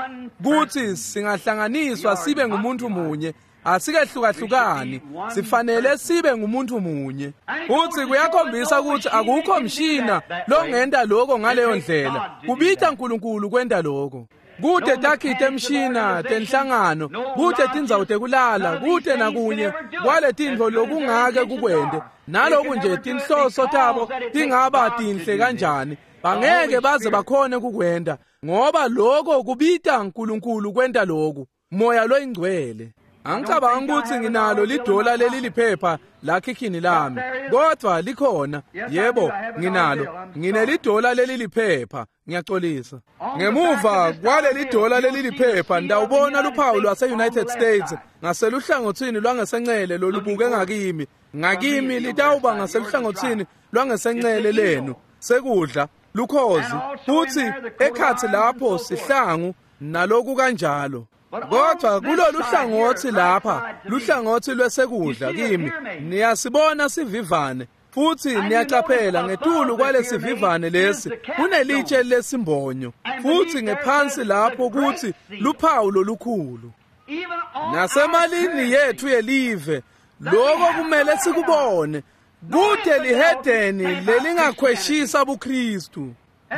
kuthi singahlanganiswa sibe ngumuntu munye. Asikehlukahlukani, sifanele sibe ngumuntu munye. Futhi kuyakhombisa ukuthi akukho mshina longenta lokho ngaleyo ndlela, kubita uNkulunkulu kwenta lokho. Kute takhi temshina tenhlangano, kute tindzawo tekulala, kute nakunye kwaletintfo lokungake kukwente. Naloku nje tinhloso tabo tingaba tinhle kanjani, bangeke baze bakhone kukwenta, ngoba lokho kubita uNkulunkulu kwenta lokhu, moya loyingcwele. Angicabanga ukuthi nginalo lidola leli liphepha lakhikhini lami, kodwa likhona. Yebo, nginalo, nginelidola leli liphepha. Ngiyaxolisa. Ngemuva kwaleli dola leli liphepha ndawubona luphawu lwase-United States ngaseluhlangothini lwangesencele lolubuke ngakimi. Ngakimi litawuba ngaseluhlangothini lwangesencele lenu sekudla lukhozi, futhi ekhatsi lapho sihlangu naloku kanjalo. Kodwa kulolu hlangothi lapha, luhlangothi lwesekudla kimi, niyasibona sivivane, futhi niyaqaphela ngetulu kwalesivivane lesi kunelitshe lesimbonyo, futhi ngephansi lapho kuthi luphawu lolukhulu. Nasemalini yethu yelive lokho kumele sikubone, kude lihedeni lelingakhweshisa buKristu.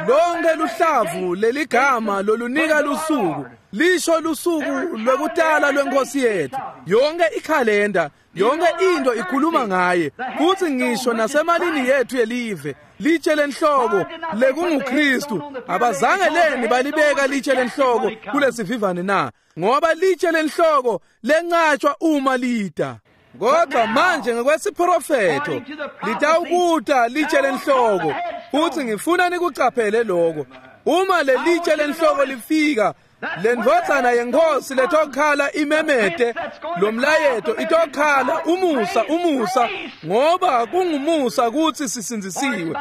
Lonke luhlavu leligama lolunika lusuku lisho lusuku lwekutala lwenkosi yethu. Yonke ikhalenda, yonke into ikhuluma ngaye, futhi ngisho nasemalini yethu yelive litshe lenhloko lekunguKristu. Abazange leni balibeka litshe lenhloko kulesivivane na? Ngoba litshe lenhloko lencatshwa uma lida. Kodwa manje ngokwesiprofetho litawukuta litshe lenhloko, futhi ngifuna nikucaphele lokho. Uma lelitshe lenhloko lifika, lendvodzana yenkosi letokhala imemete lomlayeto itokhala umusa umusa, ngoba kungumusa kuthi sisindzisiwe.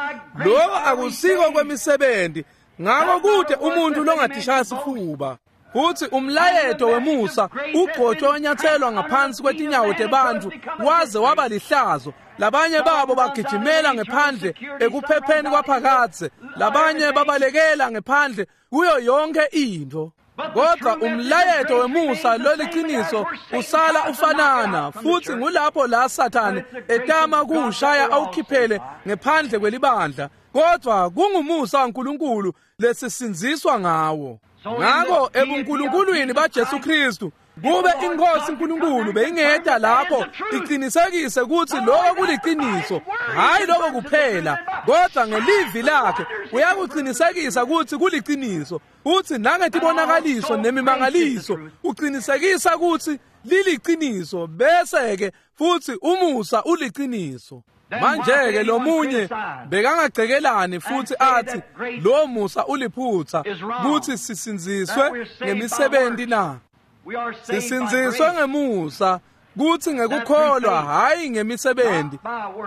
Lokho akusiko kwemisebenzi, ngako kude umuntu longatishaya sifuba. Futhi umlayeto wemusa ugcotshwe wanyathelwa ngaphansi kwetinyawo tebantu waze waba lihlazo. Labanye babo bagijimela ngephandle ekuphepheni kwaphakadze, labanye babalekela ngephandle kuyo yonke into. Kodwa umlayeto wemusa loliqiniso usala ufanana, futhi ngulapho la Sathane etama kuwushaya awukhiphele ngephandle kwelibandla. Kodwa kungumusa waNkulunkulu lesisindziswa ngawo. Ngako ebunkulunkulwini baJesu Kristu, kube inkosi uNkulunkulu beyingeda lapho iqinisekise ukuthi lokho kuliqiniso, hayi lokho kuphela, kodwa ngelivi lakhe uyakuqinisekisa ukuthi kuliqiniso. Uthi nangetibonakaliso nemimangaliso uqinisekisa ukuthi liliqiniso, bese ke futhi umusa uliqiniso. Manje ke lomunye bekangagcekelani futhi athi lo musa uliphutha kuthi sisinziswe ngemisebenzi na? Sisinziswe ngemusa kuthi ngekukholwa, hayi ngemisebenzi.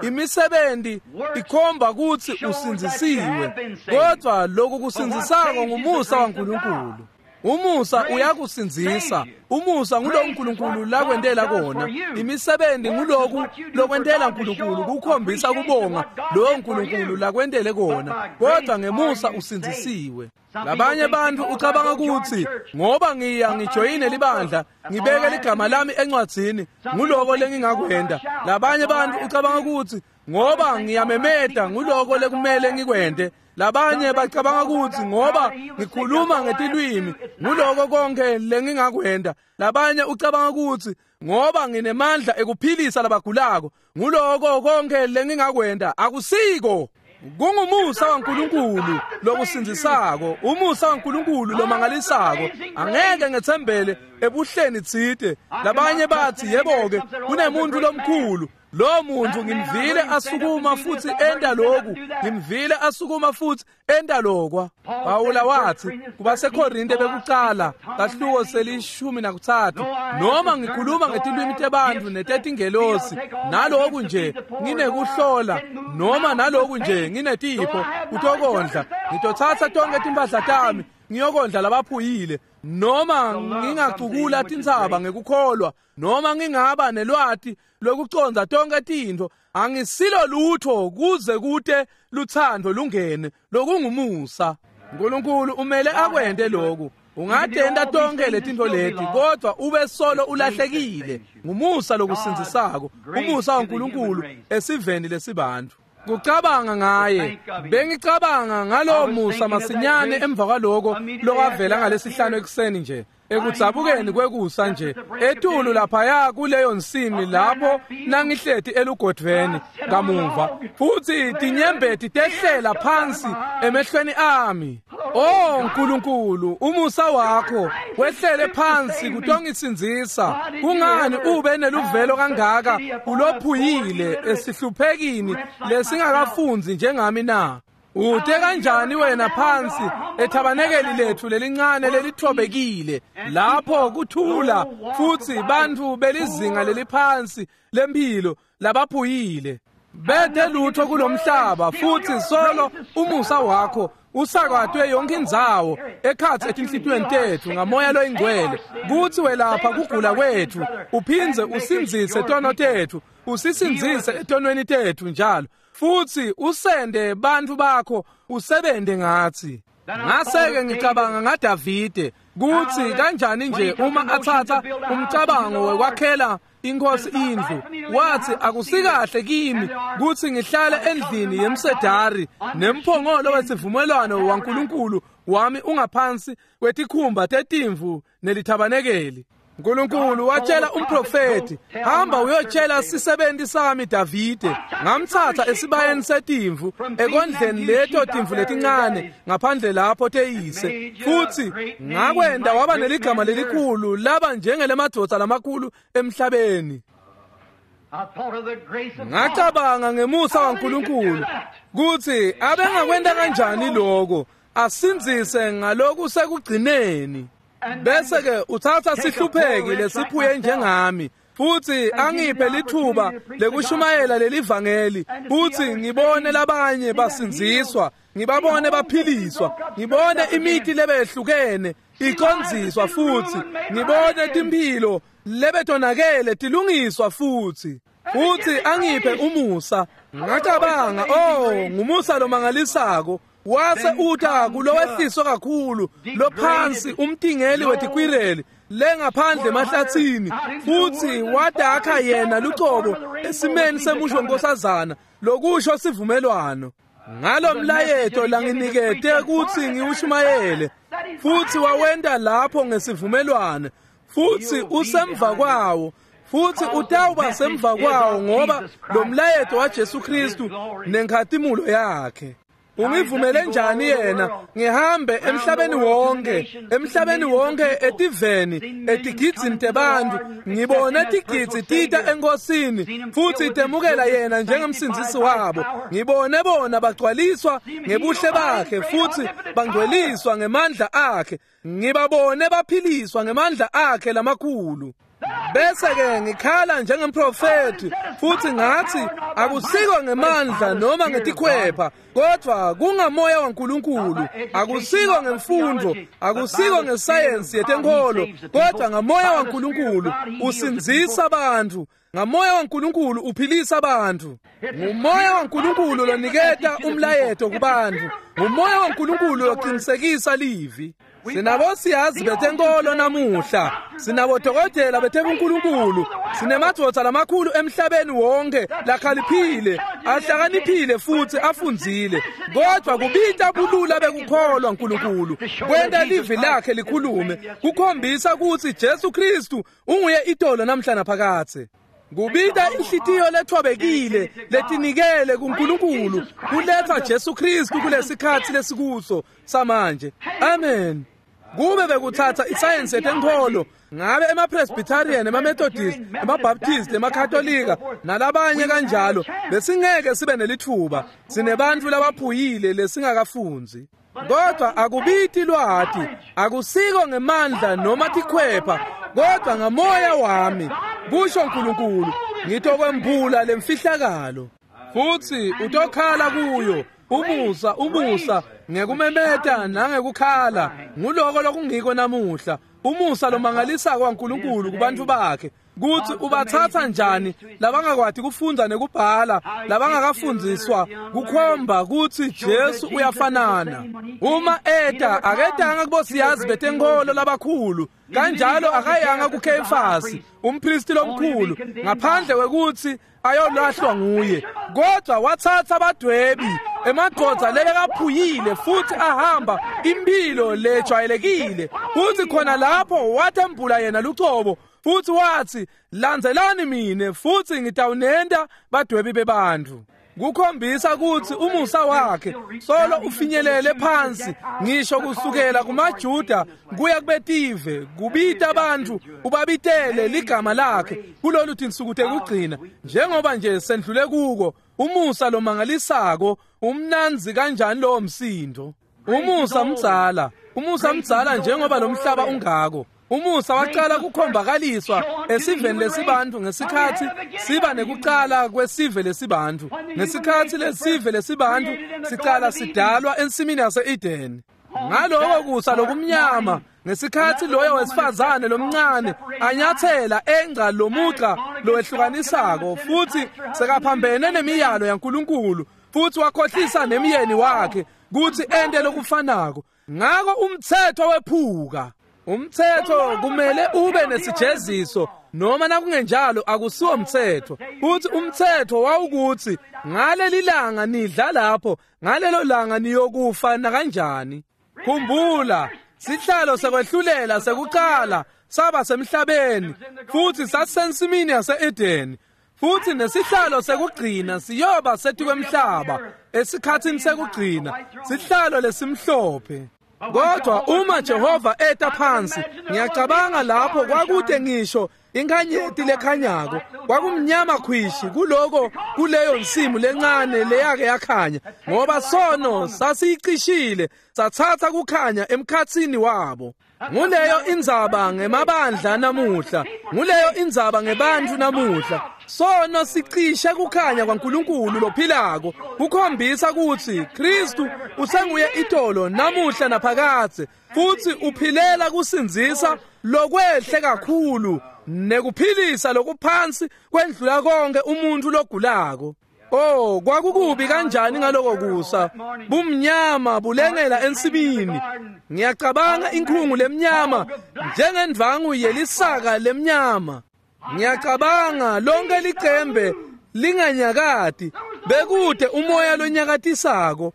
Imisebenzi ikhomba kuthi usinzisiwe, kodwa lokhu kusinzisako ngumusa waNkulunkulu. Umusa uyakusinzisa. Umusa ngulo uNkulunkulu lakwentela kona. Imisebenzi nguloku lokwentela uNkulunkulu kukhombisa kubonga lo uNkulunkulu lakwentele kona, kodwa ngemusa usinzisiwe. Labanye bantu ucabanga ukuthi ngoba ngiya ngijoyine libandla ngibeke ligama lami encwadzini nguloko lengingakwenda. Labanye bantu ucabanga ukuthi ngoba ngiyamemeda nguloko lekumele ngikwende. Labanye bacabanga ukuthi ngoba ngikhuluma ngetilwimi nguloko konke lengingakwenda. Labanye ucabanga ukuthi ngoba nginemandla ekuphilisa labagulako nguloko konke lengingakwenda. Akusiko. Kungumusa waNkulunkulu lokusinzisako, umusa waNkulunkulu lomangalisako. Angeke ngethembele ebuhleni tsite. Labanye bathi yebo-ke kunemuntu lomkhulu, lo muntu ngimvile asukuma futhi enda lokhu, ngimvile asukuma futhi enda lokwa. Pawula wathi kubaseKorinte bekucala kahluko selishumi nakuthathu, noma ngikhuluma ngetilwimi tebantu netetingelosi, naloku nje nginekuhlola, noma naloku nje nginetipho kutokondla, ngitothatha tonke timpahla tami ngiyokondla labaphuyile, noma ngingacukula tintsaba ngekukholwa, noma ngingaba nelwati lokuconza tonke tintfo, angisilo lutho kuze kute luthando lungene lokungumusa. uNkulunkulu umele akwente lokhu. Ungatenda tonke letintfo leti kodwa ube solo ulahlekile. Ngumusa lokusinzisako, umusa waNkulunkulu esiveni lesibantu. Kucabanga ngaye, bengicabanga ngalo musa masinyane emva kwaloko lokwavela ngalesihlanu ekuseni nje, ekudzabukeni kwekusa nje, etulu laphaya kuleyo nsimi lapho nangihleti elugodvweni kamuva, futhi tinyembeti tehlela phansi emehlweni ami. Oh Nkulunkulu, umusa wakho wehlele phansi kutongisindzisa. Kungani ube neluvelo kangaka ulophuyile esihluphekini lesingakafunzi njengami na? Ute kanjani wena phansi ethabanekeli lethu lelincane lelithobekile lapho kuthula futhi bantu belizinga leliphansi lempilo labaphuyile bete lutho kulomhlaba, futhi solo umusa wakho usakatwe yonke indzawo ekhatsi etinhlitiyweni tethu ngamoya loyingcwele, kuthi welapha kugula kwethu uphindze usindzise tono tethu, usisindzise etonweni tethu njalo, futhi usende bantu bakho usebente ngathi. Ngase-ke ngicabanga ngaDavide kuthi kanjani nje uma athatha umcabango wekwakhela inkosi indlu, wathi akusikahle kimi kuthi ngihlale endlini yemsedari nemphongolo wesivumelwano waNkulunkulu wami ungaphansi kwetikhumba tetimvu nelithabanekeli. uNkulunkulu watshela umprofeti, hamba uyotshela sisebenti sami Davide, ngamthatha esibayeni setimvu ekondleni leto timvu letincane ngaphandle lapho teyise, futhi ngakwenda waba neligama lelikhulu laba njengelemadvodza lamakhulu emhlabeni. Ngacabanga ngemusa waNkulunkulu kuthi abengakwenta kanjani lokho, asindzise ngaloku sekugcineni. Bese ke uthatha sihlupheki lesiphuye njengami futhi angiphe lithuba lekushumayela lelivangeli, futhi ngibone labanye basindziswa, ngibabone baphiliswa, ngibone imithi lebehlukene icondziswa futhi, ngibone timphilo lebetonakele tilungiswa futhi, futhi angiphe umusa. Ngacabanga, oh, ngumusa lomangalisako. Wase uta kulowehliswa kakhulu lophansi umtingeli wetikwireli lengaphandle emahlathini, futhi wadakha yena lucobo esimeni semusho nkosazana lokusho sivumelwano ngalo mlayeto langinikete kutsi ngiwushumayele, futhi wawenta lapho ngesivumelwano, futhi usemva kwawo, futhi utawuba semva kwawo, ngoba lo mlayeto waJesu Kristu nenkhatimulo yakhe. Ungivumele njani yena ngihambe emhlabeni wonke, emhlabeni wonke etiveni, etigidzini tebantfu, ngibone tigidzi tita enkosini futhi temukela yena njengemsindzisi wabo. Ngibone bona bagcwaliswa ngebuhle bakhe futhi bangcweliswa ngemandla akhe. Ngibabone baphiliswa ngemandla akhe lamakhulu. Bese-ke ngikhala njengemprofethi futhi ngathi akusiko ngemandla noma ngetikhwepha, kodwa kungamoya waNkulunkulu. Akusiko ngemfundo, akusiko ngesayensi yetenkholo, kodwa ngamoya waNkulunkulu usindzisa bantfu. Ngamoya waNkulunkulu uphilisa bantfu. Ngumoya waNkulunkulu loniketa umlayeto kubantfu. Ngumoya waNkulunkulu loqinisekisa livi. Sinabosiyazi betenkolo namuhla, sinabodokotela betebunkulunkulu, sinemadvodza lamakhulu emhlabeni wonke lakhaliphile, ahlakaniphile futhi afundzile, kodwa kubita bulula bekukholwa Nkulunkulu kwenta livi lakhe likhulume, kukhombisa kutsi Jesu Kristu unguye itolo namhla naphakadze. Kubita inhlitiyo lethobekile letinikele kuNkulunkulu kuletha Jesu Kristu kulesikhatsi lesikuso samanje. Amen. Kube bekuthatha isayensi yetenkholo, ngabe ema-Presbyterian, ema-Methodist, ema-Baptist, emaKatolika nalabanye kanjalo, besingeke sibe nelitfuba. Sinebantfu labaphuyile lesingakafundzi. Kodwa akubiti lwati, akusiko ngemandla noma tikhwepha, kodwa ngamoya wami, kusho Nkulunkulu, ngitokwembula lemfihlakalo. Futhi utokhala kuyo umusa, umusa ngekumemeta nangekukhala. Nguloko lokungiko namuhla, umusa lomangalisako waNkulunkulu kubantfu bakhe, kutsi ubatsatsa njani labangakwati kufundza nekubhala, labangakafundziswa, kukhomba kutsi Jesu uyafanana. Uma eta, aketanga kubosiyazi betenkholo labakhulu, kanjalo akayanga kuKheyifasi umpristi lomkhulu, ngaphandle kwekutsi ayolahlwa nguye, kodwa watsatsa badwebi, emadvodza lebekaphuyile futhi ahamba impilo lejwayelekile, futhi khona lapho wathembula yena lucobo futhi wathi, landzelani mine futhi ngitawunenta badwebi bebantfu. Kukhombisa kutsi umusa wakhe solo ufinyelele phansi ngisho kusukela kumaJuda kuya kubetive, kubita bantfu ubabitele ligama lakhe kulolu tinsuku tekugcina, njengoba nje sendlule kuko. Umusa lomangalisako, umnandzi kanjani lowo msindo. Umusa mdzala, umusa mdzala njengoba lo mhlaba ungako. Umusa waqala kukhombakaliswa esiveni lesibantfu ngesikhatsi siba nekucala kwesive lesibantfu. Ngesikhatsi lesive lesibantfu sicala sidalwa ensimini yase-Edeni. Ngaloko kusa lokumnyama, ngesikhatsi loyo wesifazane lomncane anyathela engca lomugca lowehlukanisako, futhi sekaphambene nemiyalo yaNkulunkulu, futhi wakhohlisa nemyeni wakhe kutsi ente lokufanako. Ngako umtsetfo wephuka. Umtsetfo kumele ube nesijeziso, noma nakungenjalo akusiwo umtsetfo. Futhi umtsetfo wawukuthi ngaleli langa nidla lapho, ngalelo langa niyokufa nakanjani. Khumbula, sihlalo sekwehlulela sekucala saba semhlabeni, futhi sasisensimini yase-Edeni, futhi nesihlalo sekugcina siyoba setikwemhlaba esikhatsini sekugcina, sihlalo lesimhlophe. Kodwa uma Jehova eta phansi, ngiyacabanga lapho kwakude ngisho inkanyeti lekhanyako, kwakumnyama khwishi kuloko kuleyo nsimu lencane leyake yakhanya, ngoba sono sasiyicishile satsatsa kukhanya emkhatsini wabo. Nguleyo indzaba ngemabandla namuhla, nguleyo indzaba ngebantfu namuhla. Sono sicishe kukhanya kwaNkulunkulu lophilako, kukhombisa kutsi Kristu usenguye itolo namuhla naphakadze, futhi uphilela kusindzisa lokwehle kakhulu nekuphilisa lokuphansi kwendlula konke umuntu logulako. Oh, kwakukubi kanjani ngaloko kusa, bumnyama bulengela ensimini. Ngiyacabanga inkhungu lemnyama njengendvangu yelisaka lemnyama. Ngiyacabanga lonke licembe linganyakati, bekude umoya lonyakatisako.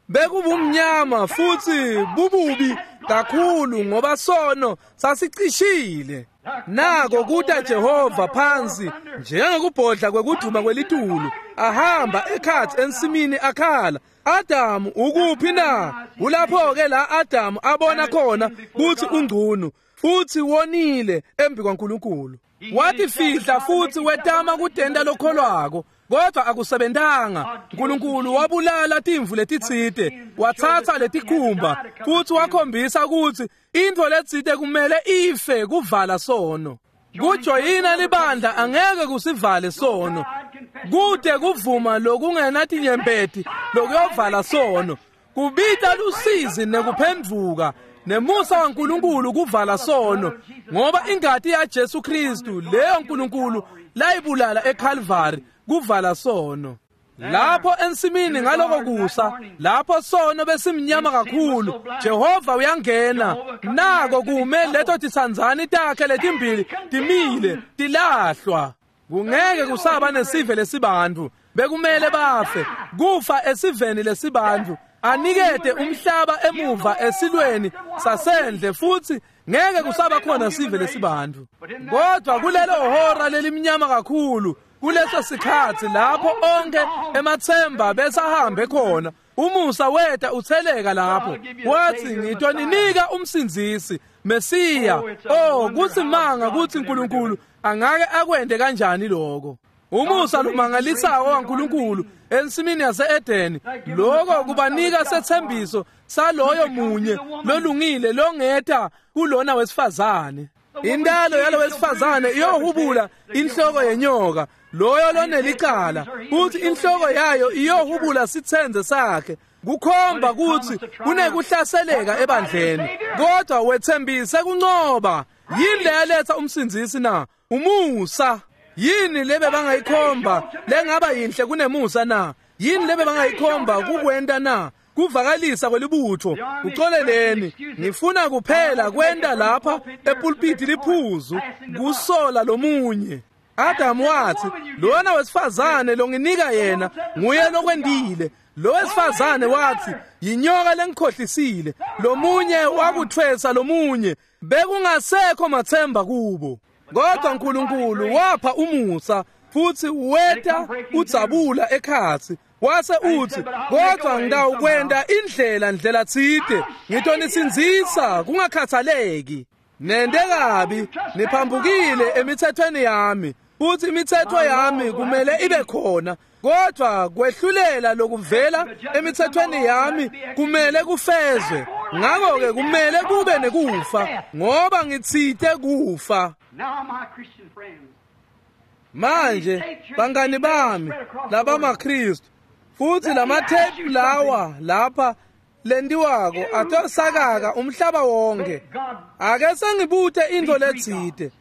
Bekubumnyama futhi bububi kakhulu ngoba sono sasicishile. Nako kuta Jehova phansi njengokubhodla kwekuduma kwelitulu, ahamba ekhatsi ensimini akhala, Adamu ukuphi na? Kulapho-ke la Adamu abona khona kutsi ungcunu futsi wonile embi kwaNkulunkulu. Watifihla futsi wetama kutenta lokholwako, kodwa akusebentanga. Nkulunkulu wabulala timvu letitsite, watsatsa letikhumba futsi wakhombisa kutsi intfo letsite kumele ife kuvala sono. Kujoyina libandla angeke kusivale sono. Kute kuvuma lokungenatinyembeti lokuyovala sono. Kubita lusizi nekuphendvuka nemusa waNkulunkulu kuvala sono, ngoba ingati yaJesu Kristu leyo Nkulunkulu layibulala eCalvary kuvala sono. Lapho ensimini ngaloko kusa, lapho sono besimnyama kakhulu, Jehova uyangena. Nako kume leto tisandzani takhe letimbili timile tilahlwa. Kungeke kusaba nesive lesibantfu, bekumele bafe kufa esiveni lesibantfu, anikete umhlaba emuva esilweni sasendle, futsi ngeke kusaba khona sive lesibantfu. Kodwa kulelo hora lelimnyama kakhulu, kuleso sikhatsi lapho onke ematsemba besahambe khona, umusa weta utheleka lapho, wathi ngitoninika umsindzisi Mesiya. Oh, kusimanga kutsi Nkulunkulu angake akwente kanjani lokho. Umusa lumangalisako waNkulunkulu ensimini yase-Edeni, lokho kubanika sethembiso saloyo munye lolungile longeta kulona wesifazane. Intalo yalo wesifazane iyohubula inhloko yenyoka, loyo lonelicala, futhi inhloko yayo iyohubula sitsenze sakhe. Kukhomba kutsi kunekuhlaseleka ebandleni, kodwa wethembise kuncoba. Yini leyaletha umsindzisi na? Umusa. Yini lebe bangayikhomba lengaba yinhle kunemusa na? Yini lebe bangayikhomba kukwenta na? Kuvakalisa kwelibutho. Uxoleleni, ngifuna kuphela kwenta lapha epulpiti liphuzu kusola lomunye. Adamu wathi, lona wesifazane longinika yena nguye lokwendile. Lo wesifazane wathi, yinyoka lengikhohlisile. Lomunye wakuthwesa lomunye, bekungasekho matsemba kubo. Kodwa Nkulunkulu wapha umusa futsi weta udzabula ekhatsi, wase uthi, kodwa ngitawukwenta indlela ndlela tsite, ngitonisindzisa kungakhathaleki. Nente kabi, niphambukile emithethweni yami, futhi imithetho yami kumele ibe khona, kodwa kwehlulela lokuvela emithethweni yami kumele kufezwe. Ngakho-ke kumele kube nekufa, ngoba ngitsite kufa. Manje bangani bami labamaKristu, futhi lamathephu lawa lapha lentiwako atosakaka umhlaba wonke. Ake sengibute intfo letsite.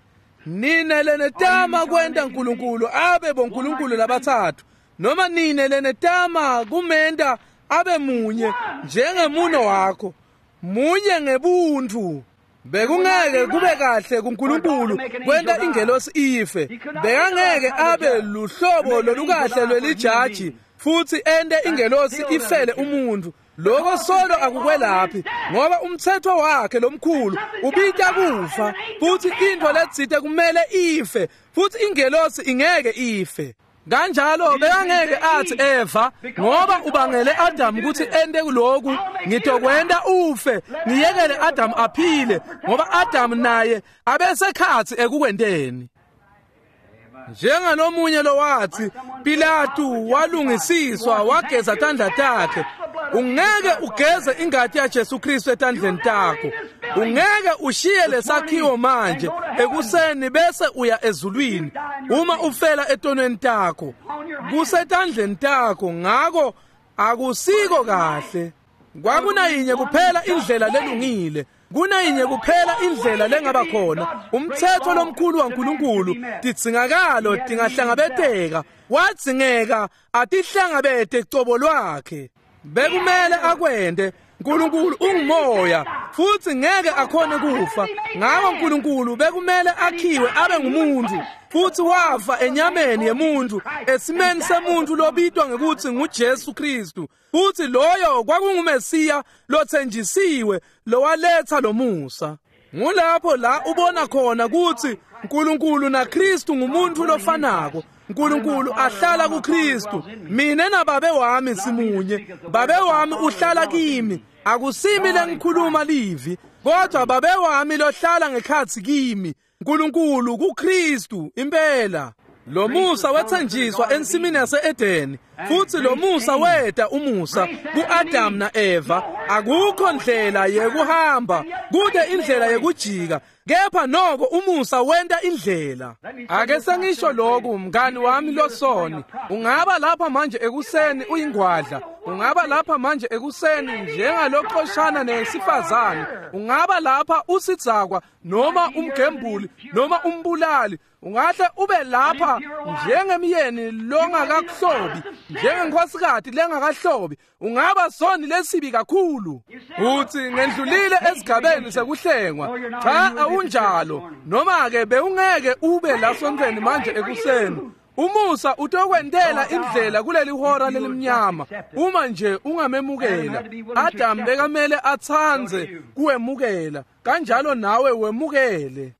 Nine lenetama kwenta Nkulunkulu abe bonkulunkulu labatsatfu, noma nine lenetama kumenta abe munye njengemuno wakho, munye ngebuntfu. Bekungeke kube kahle kuNkulunkulu kwenta ingelosi ife. Bekangeke abe luhlobo lolukahle lwelijaji futsi ente ingelosi ifele umuntu. Lokho solo akukwelaphi, ngoba umthetho wakhe lomkhulu ubita kufa, futhi intfo letsite kumele ife, futhi ingelosi ingeke ife. Kanjalo bekangeke athi Eva, ngoba ubangele Adam kutsi ente kuloku, ngitokwenta ufe, ngiyekele Adam aphile, ngoba Adam naye abesekhatsi ekukwenteni. Njengalomunye lowathi Pilatu walungisiswa wageza tandla takhe. Ungeke ugeze ingati yaJesu Kristu etandleni takho. Ungeke ushiye lesakhiwo manje ekuseni bese uya ezulwini uma ufela etonweni takho. Kusetandleni takho, ngako akusiko kahle. Kwakunayinye kuphela indlela lelungile, kunayinye kuphela indlela lengaba khona. Umthetho lomkhulu waNkulunkulu, tidzingakalo tingahlangabeteka, wadzingeka atihlangabete cobo lwakhe. Bekumele akwente. Nkulunkulu ungumoya futsi ngeke akhone kufa. Ngako Nkulunkulu bekumele akhiwe abe ngumuntu, futsi wafa enyameni yemuntu, esimeni semuntu lobitwa ngekutsi nguJesu Kristu. Futsi loyo kwakunguMesiya lothenjisiwe lowaletha lomusa. Ngulapho la ubona khona kutsi Nkulunkulu naKristu ngumuntu lofanako. Nkulunkulu ahlala kuKristu. Mina nababe wami simunye. Babe wami uhlala kimi. Akusimi lengikhuluma livi, kodwa babe wami lohlala ngekhatsi kimi. Nkulunkulu kuKristu impela. Lo musa wethenjiswa ensimini yase-Edeni, futhi lo musa weta umusa ku-Adam na-Eva. Akukho ndlela yekuhamba, kude indlela yekujika, kepha noko umusa wenta indlela. Ake sengisho lokhu, mngani wami losoni, ungaba lapha manje ekuseni uyingwadla, ungaba lapha manje ekuseni njengaloxoshana nesifazane, ungaba lapha usidzakwa noma umgembuli noma umbulali, ungahle ube lapha njengemyeni longakakuhlobi, njengenkosikati lengakahlobi, ungaba soni lesibi kakhulu. Uthi ngendlulile esigabeni sekuhlengwa. Cha, awunjalo. Noma ke bewungeke ube la sontweni manje ekuseni. Umusa utokwentela indlela kuleli hora lelimnyama uma nje ungamemukela. Adam bekamele atsandze kuwemukela, kanjalo nawe wemukele.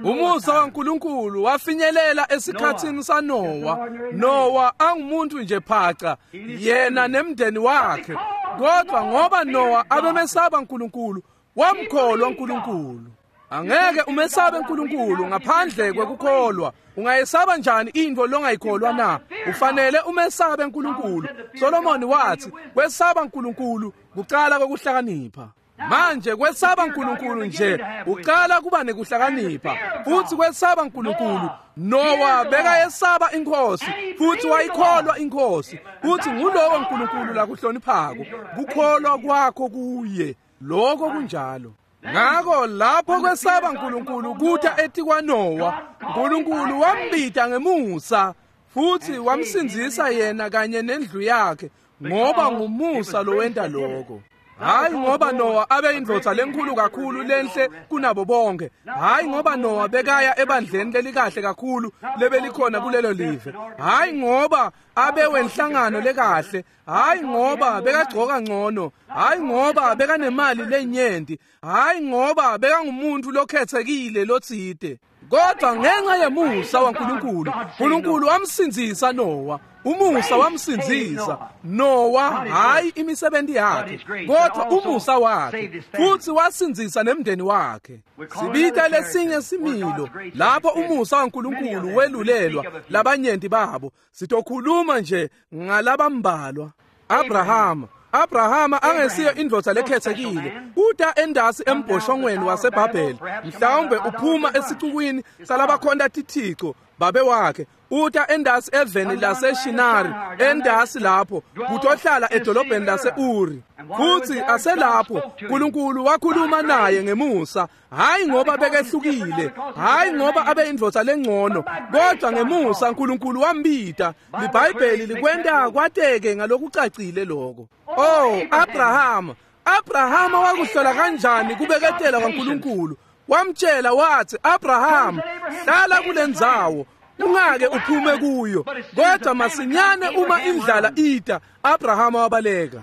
Umusa waNkulunkulu wafinyelela esikhatsini saNowa. Nowa angumuntu nje phaca, yena nemndeni wakhe. Kodwa ngoba Nowa abemesaba uNkulunkulu, wamkholwa uNkulunkulu. Angeke umesabe uNkulunkulu ngaphandle kwekukholwa. Ungayesaba njani into longayikholwa na? Ufanele umesabe uNkulunkulu. Solomoni wathi, kwesaba uNkulunkulu kuqala kokuhlakanipha. Manje kwesaba uNkulunkulu nje uqala kuba nekuhlakanipha. Futhi kwesaba uNkulunkulu, Nowa bekayesaba inkosi futhi wayikholwa inkosi. Futhi ngulowo uNkulunkulu lakuhloniphako, kukholwa kwakho kuye. Lokho kunjalo. Ngako lapho kwesaba uNkulunkulu kutha etikwaNowa, uNkulunkulu wambita ngemusa futhi wamsindzisa yena kanye nendlu yakhe, ngoba ngumusa lowenta lokho. Hayi ngoba Nowa abe indvodza lenkulu kakhulu lenhle kunabo bonke. Hayi ngoba Nowa bekaya ebandleni lelikahle kakhulu lebelikhona kulelo live. Hayi ngoba abe wenhlangano lekahle. Hayi ngoba bekagcoka ngcono. Hayi ngoba bekanemali lenyenti. Hayi ngoba bekangumuntu lokhethekile lotsite. Kodwa ngenxa yemusa waNkulunkulu, uNkulunkulu wamsindzisa Nowa. Umusa wamsindzisa Nowa, hayi imisebenzi yakhe, kodwa umusa wakhe, futhi wasindzisa nemndeni wakhe. Sibita lesinye similo lapho umusa waNkulunkulu welulelwa labanyenti babo. Sitokhuluma nje ngalabambalwa. Abrahama Abrahama angesiyo indvodza lekhethekile. Uta endasi embhoshongweni waseBhabheli, mhlawumbe uphuma esicukwini salabakhonta tithixo babe wakhe. Uta endasi eveni laseShinari, endasi lapho kutohlala edolobheni lase-Uri. Futhi aselapho uNkulunkulu wakhuluma naye ngemusa, hayi ngoba bekehlukile, hayi ngoba abe indvodza lengcono, kodwa ngemusa uNkulunkulu wambita. LiBhayibheli likwenta kwateke ngalokucacile lokho. Oh, Abrahama, Abrahama wakuhlola kanjani kubeketela kwaNkulunkulu? Wamtshela wathi, Abraham, hlala kulendzawo, ungake uphume kuyo. Kodwa masinyane uma indlala ita, Abrahama wabaleka.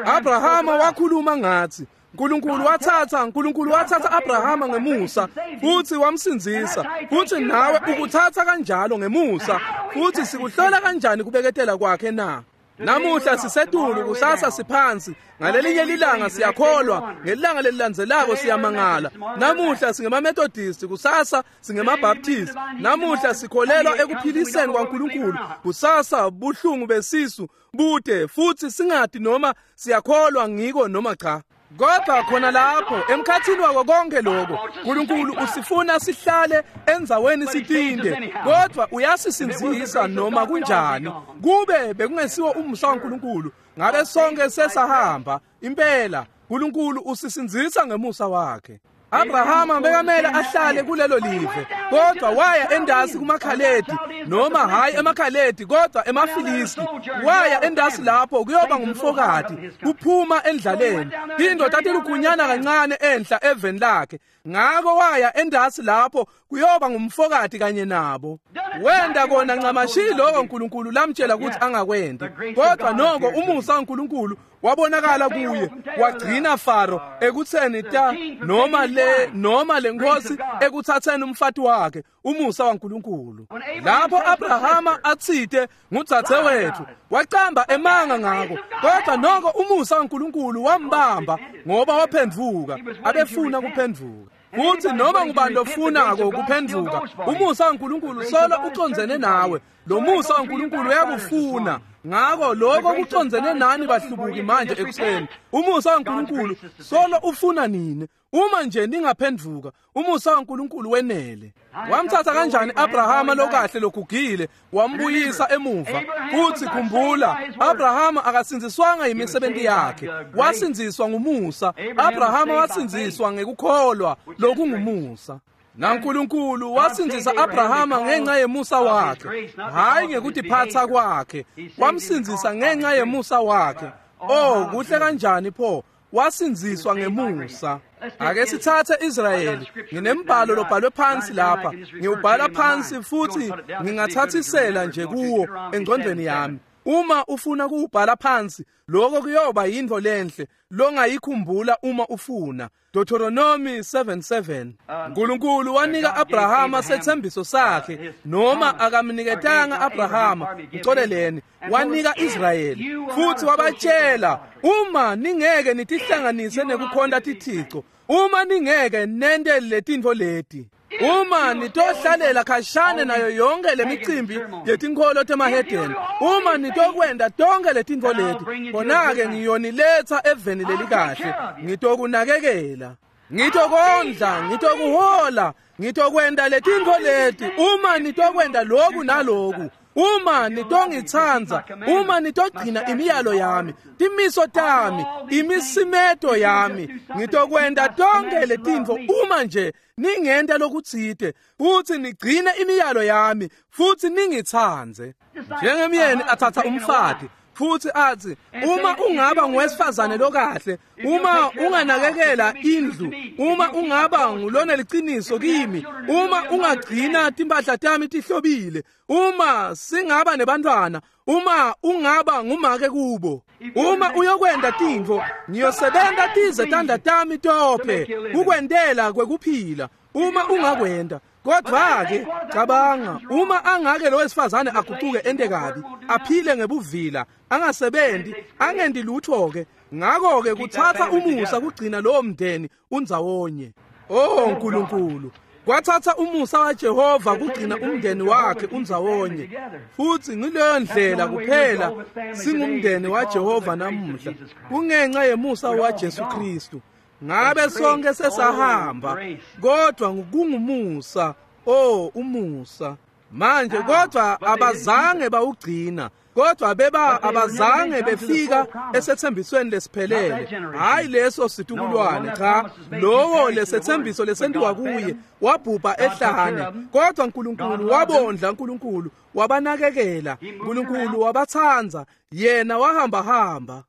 Abrahama wakhuluma ngathi Nkulunkulu wathatha Nkulunkulu wathatha Abrahama ngemusa futhi wamsindzisa. Futhi nawe ukuthatha kanjalo ngemusa. Futhi sikuhlola kanjani kubeketela kwakhe na? Namuhla sisetulu, kusasa siphansi. Ngalelinye lilanga siyakholwa, ngelanga lelilandzelako siyamangala. Namuhla singemaMethodist, kusasa singemaBaptist. Namuhla sikholelwa ekuphiliseni kwaNkulunkulu, kusasa buhlungu besisu bude, futhi singadi noma siyakholwa ngiko noma cha. Kodwa khona lapho emkhathini wako konke lokho, uNkulunkulu usifuna sihlale endzaweni sitinde, kodwa uyasisindzisa noma kunjani. Kube bekungesiwo umusa waNkulunkulu, ngabe sonke sesahamba. Impela uNkulunkulu usisindzisa ngemusa wakhe. Abrahama bekamele ahlale kulelo live, kodwa waya endasi kumaKhaledi, noma hayi emaKhaledi kodwa emaFilisti. Waya endasi lapho kuyoba ngumfokati, kuphuma endlaleni. Indoda tilugunyana kancane enhla eveni lakhe, ngako waya endasi lapho kuyoba ngumfokati kanye nabo. Wenda kona ncamashi lokho uNkulunkulu lamtshela ukuthi angakwendi, kodwa noko umusa waNkulunkulu wabonakala kuye wagcina Faro ekutseni ta noma le noma lenkosi ekuthatheni umfati wakhe umusa waNkulunkulu. Lapho Abrahama atsite ngudzadze wethu wacamba emanga ngako, kodwa noko umusa waNkulunkulu wambamba ngoba waphendvuka, abefuna kuphendvuka. Kuthi noma ngubani lofunako kuphendvuka, umusa waNkulunkulu solo ucondzene nawe. Lo musa waNkulunkulu uyakufuna. Ngako lokho kucondzene nani bahlubuki manje ekuseni. Umusa waNkulunkulu solo ufuna nini. Uma nje ningaphendvuka, umusa waNkulunkulu wenele. Wamthatha kanjani Abrahama lokahle logugile wambuyisa emuva? Kuthi khumbula, Abrahama akasindziswanga imisebenzi yakhe, wasindziswa ngumusa. Abrahama wasindziswa ngekukholwa lokungumusa. NaNkulunkulu wasindzisa Abrahama ngenxa yemusa wakhe, hayi ngekutiphatsa kwakhe. Wamsindzisa ngenxa yemusa wakhe. Oh, kuhle kanjani pho! Wasindziswa ngemusa. Ake sithathe Israyeli. Nginembhalo lobhalwe phansi lapha, ngiwubhala phansi futhi ngingathathisela nje kuwo engqondweni yami. Uma ufuna kuwubhala phansi, lokho kuyoba yintfo lenhle longayikhumbula uma ufuna. Deuteronomy seven seven. Nkulunkulu wanika Abrahama sethembiso sakhe, noma akamniketanga Abrahama, mxoleleni, wanika Israyeli futhi wabatshela, uma ningeke nitihlanganise nekukhonta tithixo, uma ningeke nente letintfo leti, uma nitohlalela khashane nayo yonke lemicimbi yetinkholo temahedeni, uma nitokwenda tonke letintfo leti, khona-ke ngiyoniletsa eveni lelikahle, ngitokunakekela, ngitokondla, ngitokuhola, ngitokwenda letintfo leti, uma nitokwenda loku naloku, uma nitongitsandza, uma nitogcina imiyalo yami, timiso tami, imisimeto yami, ngitokwenda tonke letintfo uma nje ningenta lokutsite, futhi nigcine imiyalo yami, futhi ningitsandze. Njengemyeni athatha umfati futhi athi, uma ungaba ngowesifazane lokahle, uma unganakekela indlu, uma ungaba ngulona liciniso kimi, uma ungagcina timpahla tami tihlobile, uma singaba nebantwana, uma ungaba ngumake kubo, uma uyokwenda tintfo, ngiyosebenta tize tandla tami tophe kukwentela kwekuphila, uma ungakwenda. Kodwa-ke cabanga, uma angake lo wesifazane aguquke ente kabi, aphile ngebuvila, angasebenzi, angendi lutho-ke, ngakho-ke kuthatha umusa kugcina lowo mndeni undzawonye. Oh Nkulunkulu, kwathatha umusa waJehova kugcina umndeni wakhe undzawonye. Futhi ngileyo ndlela kuphela singumndeni waJehova namuhla, kungenxa yemusa waJesu Kristu. Ngabe sonke sesahamba, kodwa kungumusa. Oh, umusa. Manje kodwa abazange bawugcina, kodwa beba abazange befika esethembisweni lesiphelele. Hayi leso situkulwane, cha, lowo lesethembiso lesentiwa kuye wabhubha ehlane. Kodwa uNkulunkulu wabondla, uNkulunkulu wabanakekela, uNkulunkulu wabathandza, yena wahamba hamba.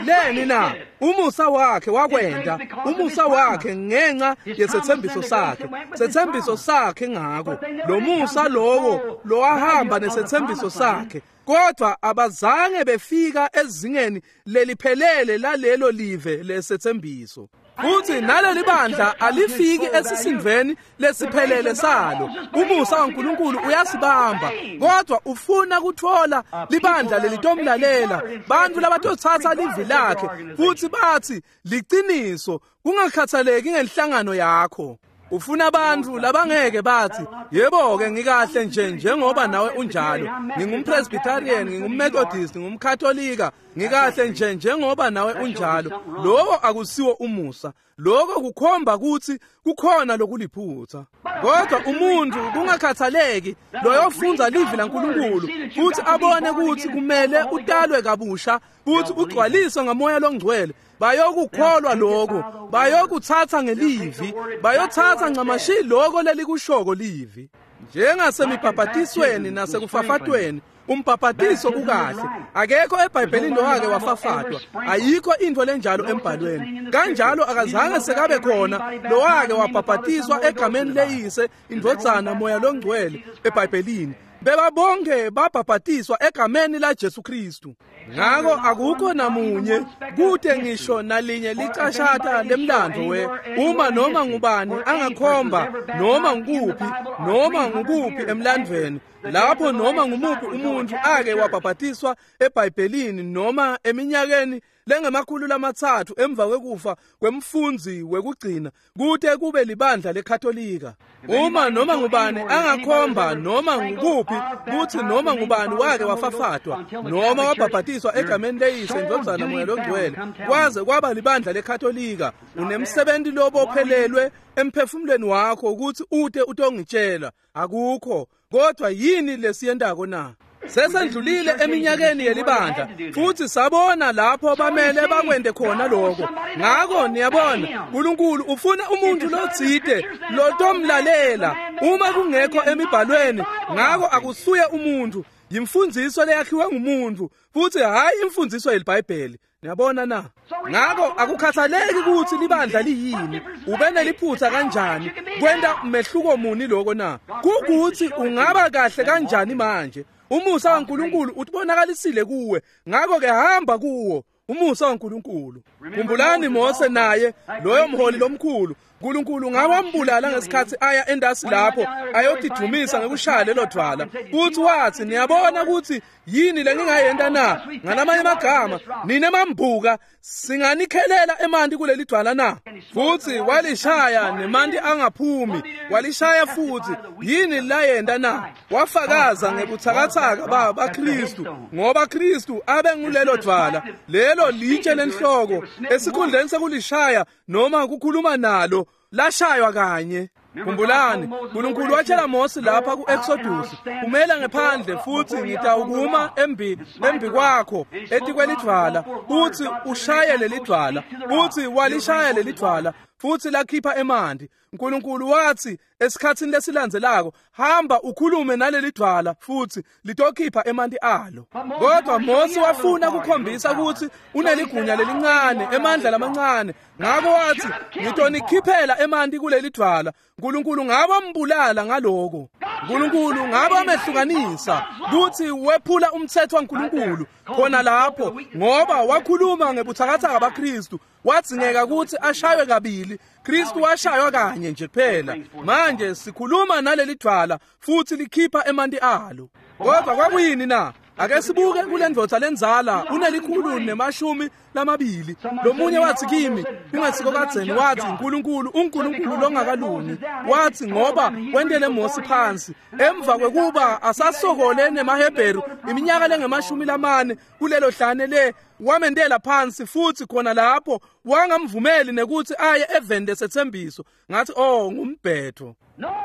Leni na? Umusa wakhe wakwenda, umusa wakhe ngenxa yesethembiso sakhe, sethembiso sakhe ngako lo musa lowo lowahamba nesethembiso sakhe. Kodwa abazange befika ezingeni leliphelele lalelo live lesethembiso. Futhi naleli bandla alifiki esisindveni lesiphelele salo. Umusa waNkulunkulu uyasibamba, kodwa ufuna kuthola libandla lelitomlalela, bantu labatothatha livi lakhe futhi bathi liciniso, kungakhathaleki ngenhlangano yakho. Ufuna abantu labangeke bathi, yebo-ke ngikahle nje njengoba nawe unjalo, ngingumpresbyterian, ngingummethodist, ngingumkatolika, ngikahle nje njengoba nawe unjalo. Lokho akusiwo umusa. Lokho kukhomba ukuthi kukhona lokuliphutha. Kodwa umuntu kungakhathaleki loyofundza livi laNkulunkulu futhi abone ukuthi kumele utalwe kabusha futhi ugcwaliswe ngamoya longcwele, bayokukholwa lokho, bayokuthatha ngelivi, bayothatha ncamashi lokho lelikushoko livi. Njengasemibhabhatisweni nasekufafatweni, umbhabhatiso ukahle. Akekho eBhayibhelini lowake wafafatwa, ayikho into lenjalo embhalweni. Kanjalo akazange sekabe khona lowake wabhabhatiswa egameni leyise, indvodzana, moya longcwele eBhayibhelini. Bebabonke babhabhatiswa egameni la Jesu Kristu. Ngako akukho namunye kute ngisho nalinye licashata lemlandvo we uma noma ngubani angakhomba noma ngukuphi noma ngukuphi emlandvweni lapho noma ngumuphi umuntu ake wabhabhatiswa eBhayibhelini noma eminyakeni lengemakhulu lamatsatfu emva kwekufa kwemfundzi wekugcina kute kube libandla leKatolika. Uma noma ngubani angakhomba noma ngukuphi kutsi noma ngubani wake wafafatwa noma wabhabhatiswa egameni leyise indvodzana Moya Longcwele kwaze kwaba libandla leKatolika, unemsebenzi lobophelelwe emphefumulweni wakho ukuthi ute utongitshela. Akukho. Kodwa yini lesiyentako na? Sesendlulile eminyakeni yelibandla futhi sabona lapho bamele bakwende khona lokho. Ngako niyabona uNkulunkulu ufuna umuntu lotsite lotomlalela uma kungekho emibhalweni. Ngako akusuye umuntu, yimfundiso leyakhiwe ngumuntu futhi hayi imfundiso yeliBhayibheli. Niyabona na? Ngako akukhathaleki ukuthi libandla liyini, ube neliphutha kanjani, kwenta mehluko muni lokho na? Kukuthi ungaba kahle kanjani manje. Umusa waNkulunkulu utibonakalisile kuwe, ngako ke hamba kuwo umusa waNkulunkulu. Khumbulani Mose naye loyo mholi lomkhulu, uNkulunkulu ngawambulala ngesikhathi aya endasi lapho ayotidumisa ngekushaya lelo dwala. Kuthi wathi, niyabona ukuthi yini lengingayenta na? Ngalamanye amagama, nine mambuka singanikhelela emanti kuleli dwala na? Futhi walishaya nemanti angaphumi, walishaya futhi. Yini layenta na? Wafakaza ngebuthakathaka ba baKristu, ngoba Kristu abe ngulelo dwala, lelo litshe lenhloko. Esikhundleni sekulishaya noma kukhuluma nalo, lashaywa kanye. Khumbulani, uNkulunkulu watshela Mose lapha ku-Exodus, umela ngephandle futhi ngitawukuma embi embi kwakho etikwelidvwala, uthi ushaye lelidvwala. Uthi walishaya lelidvwala futhi lakhipha emanti. uNkulunkulu wathi esikhatsini lesilandzelako, hamba ukhulume nalelidvwala futhi litokhipha emanti alo. Kodwa Mose wafuna kukhombisa ukuthi uneligunya lelincane, emandla lamancane. Ngako wathi, ngitonikhiphela emanti kulelidvwala. uNkulunkulu ngabe ambulala ngaloko. uNkulunkulu ngabe amehlukanisa kuthi wephula umthetho waNkulunkulu khona lapho, ngoba wakhuluma ngebuthakathaka baKristu. Wadzingeka ukuthi ashaywe kabili. Kristu washaywa kanye nje kuphela. Manje sikhuluma naleli dvwala futhi likhipha emanti alo. Kodwa kwakuyini na? Ake sibuke kule ndvodza lenzala, unelikhulu nemashumi lamabili. Lomunye wathi kimi, kungesiko kadzeni, wathi uNkulunkulu uNkulunkulu longakalungi. Wathi ngoba wentele Mose phansi emva kwekuba asasokole nemaHebheru iminyaka lengemashumi lamane kulelo hlane le, wamentela phansi futhi khona lapho wangamvumeli nekuthi aye eveni lesethembiso. Ngathi oh, ngumbhetho.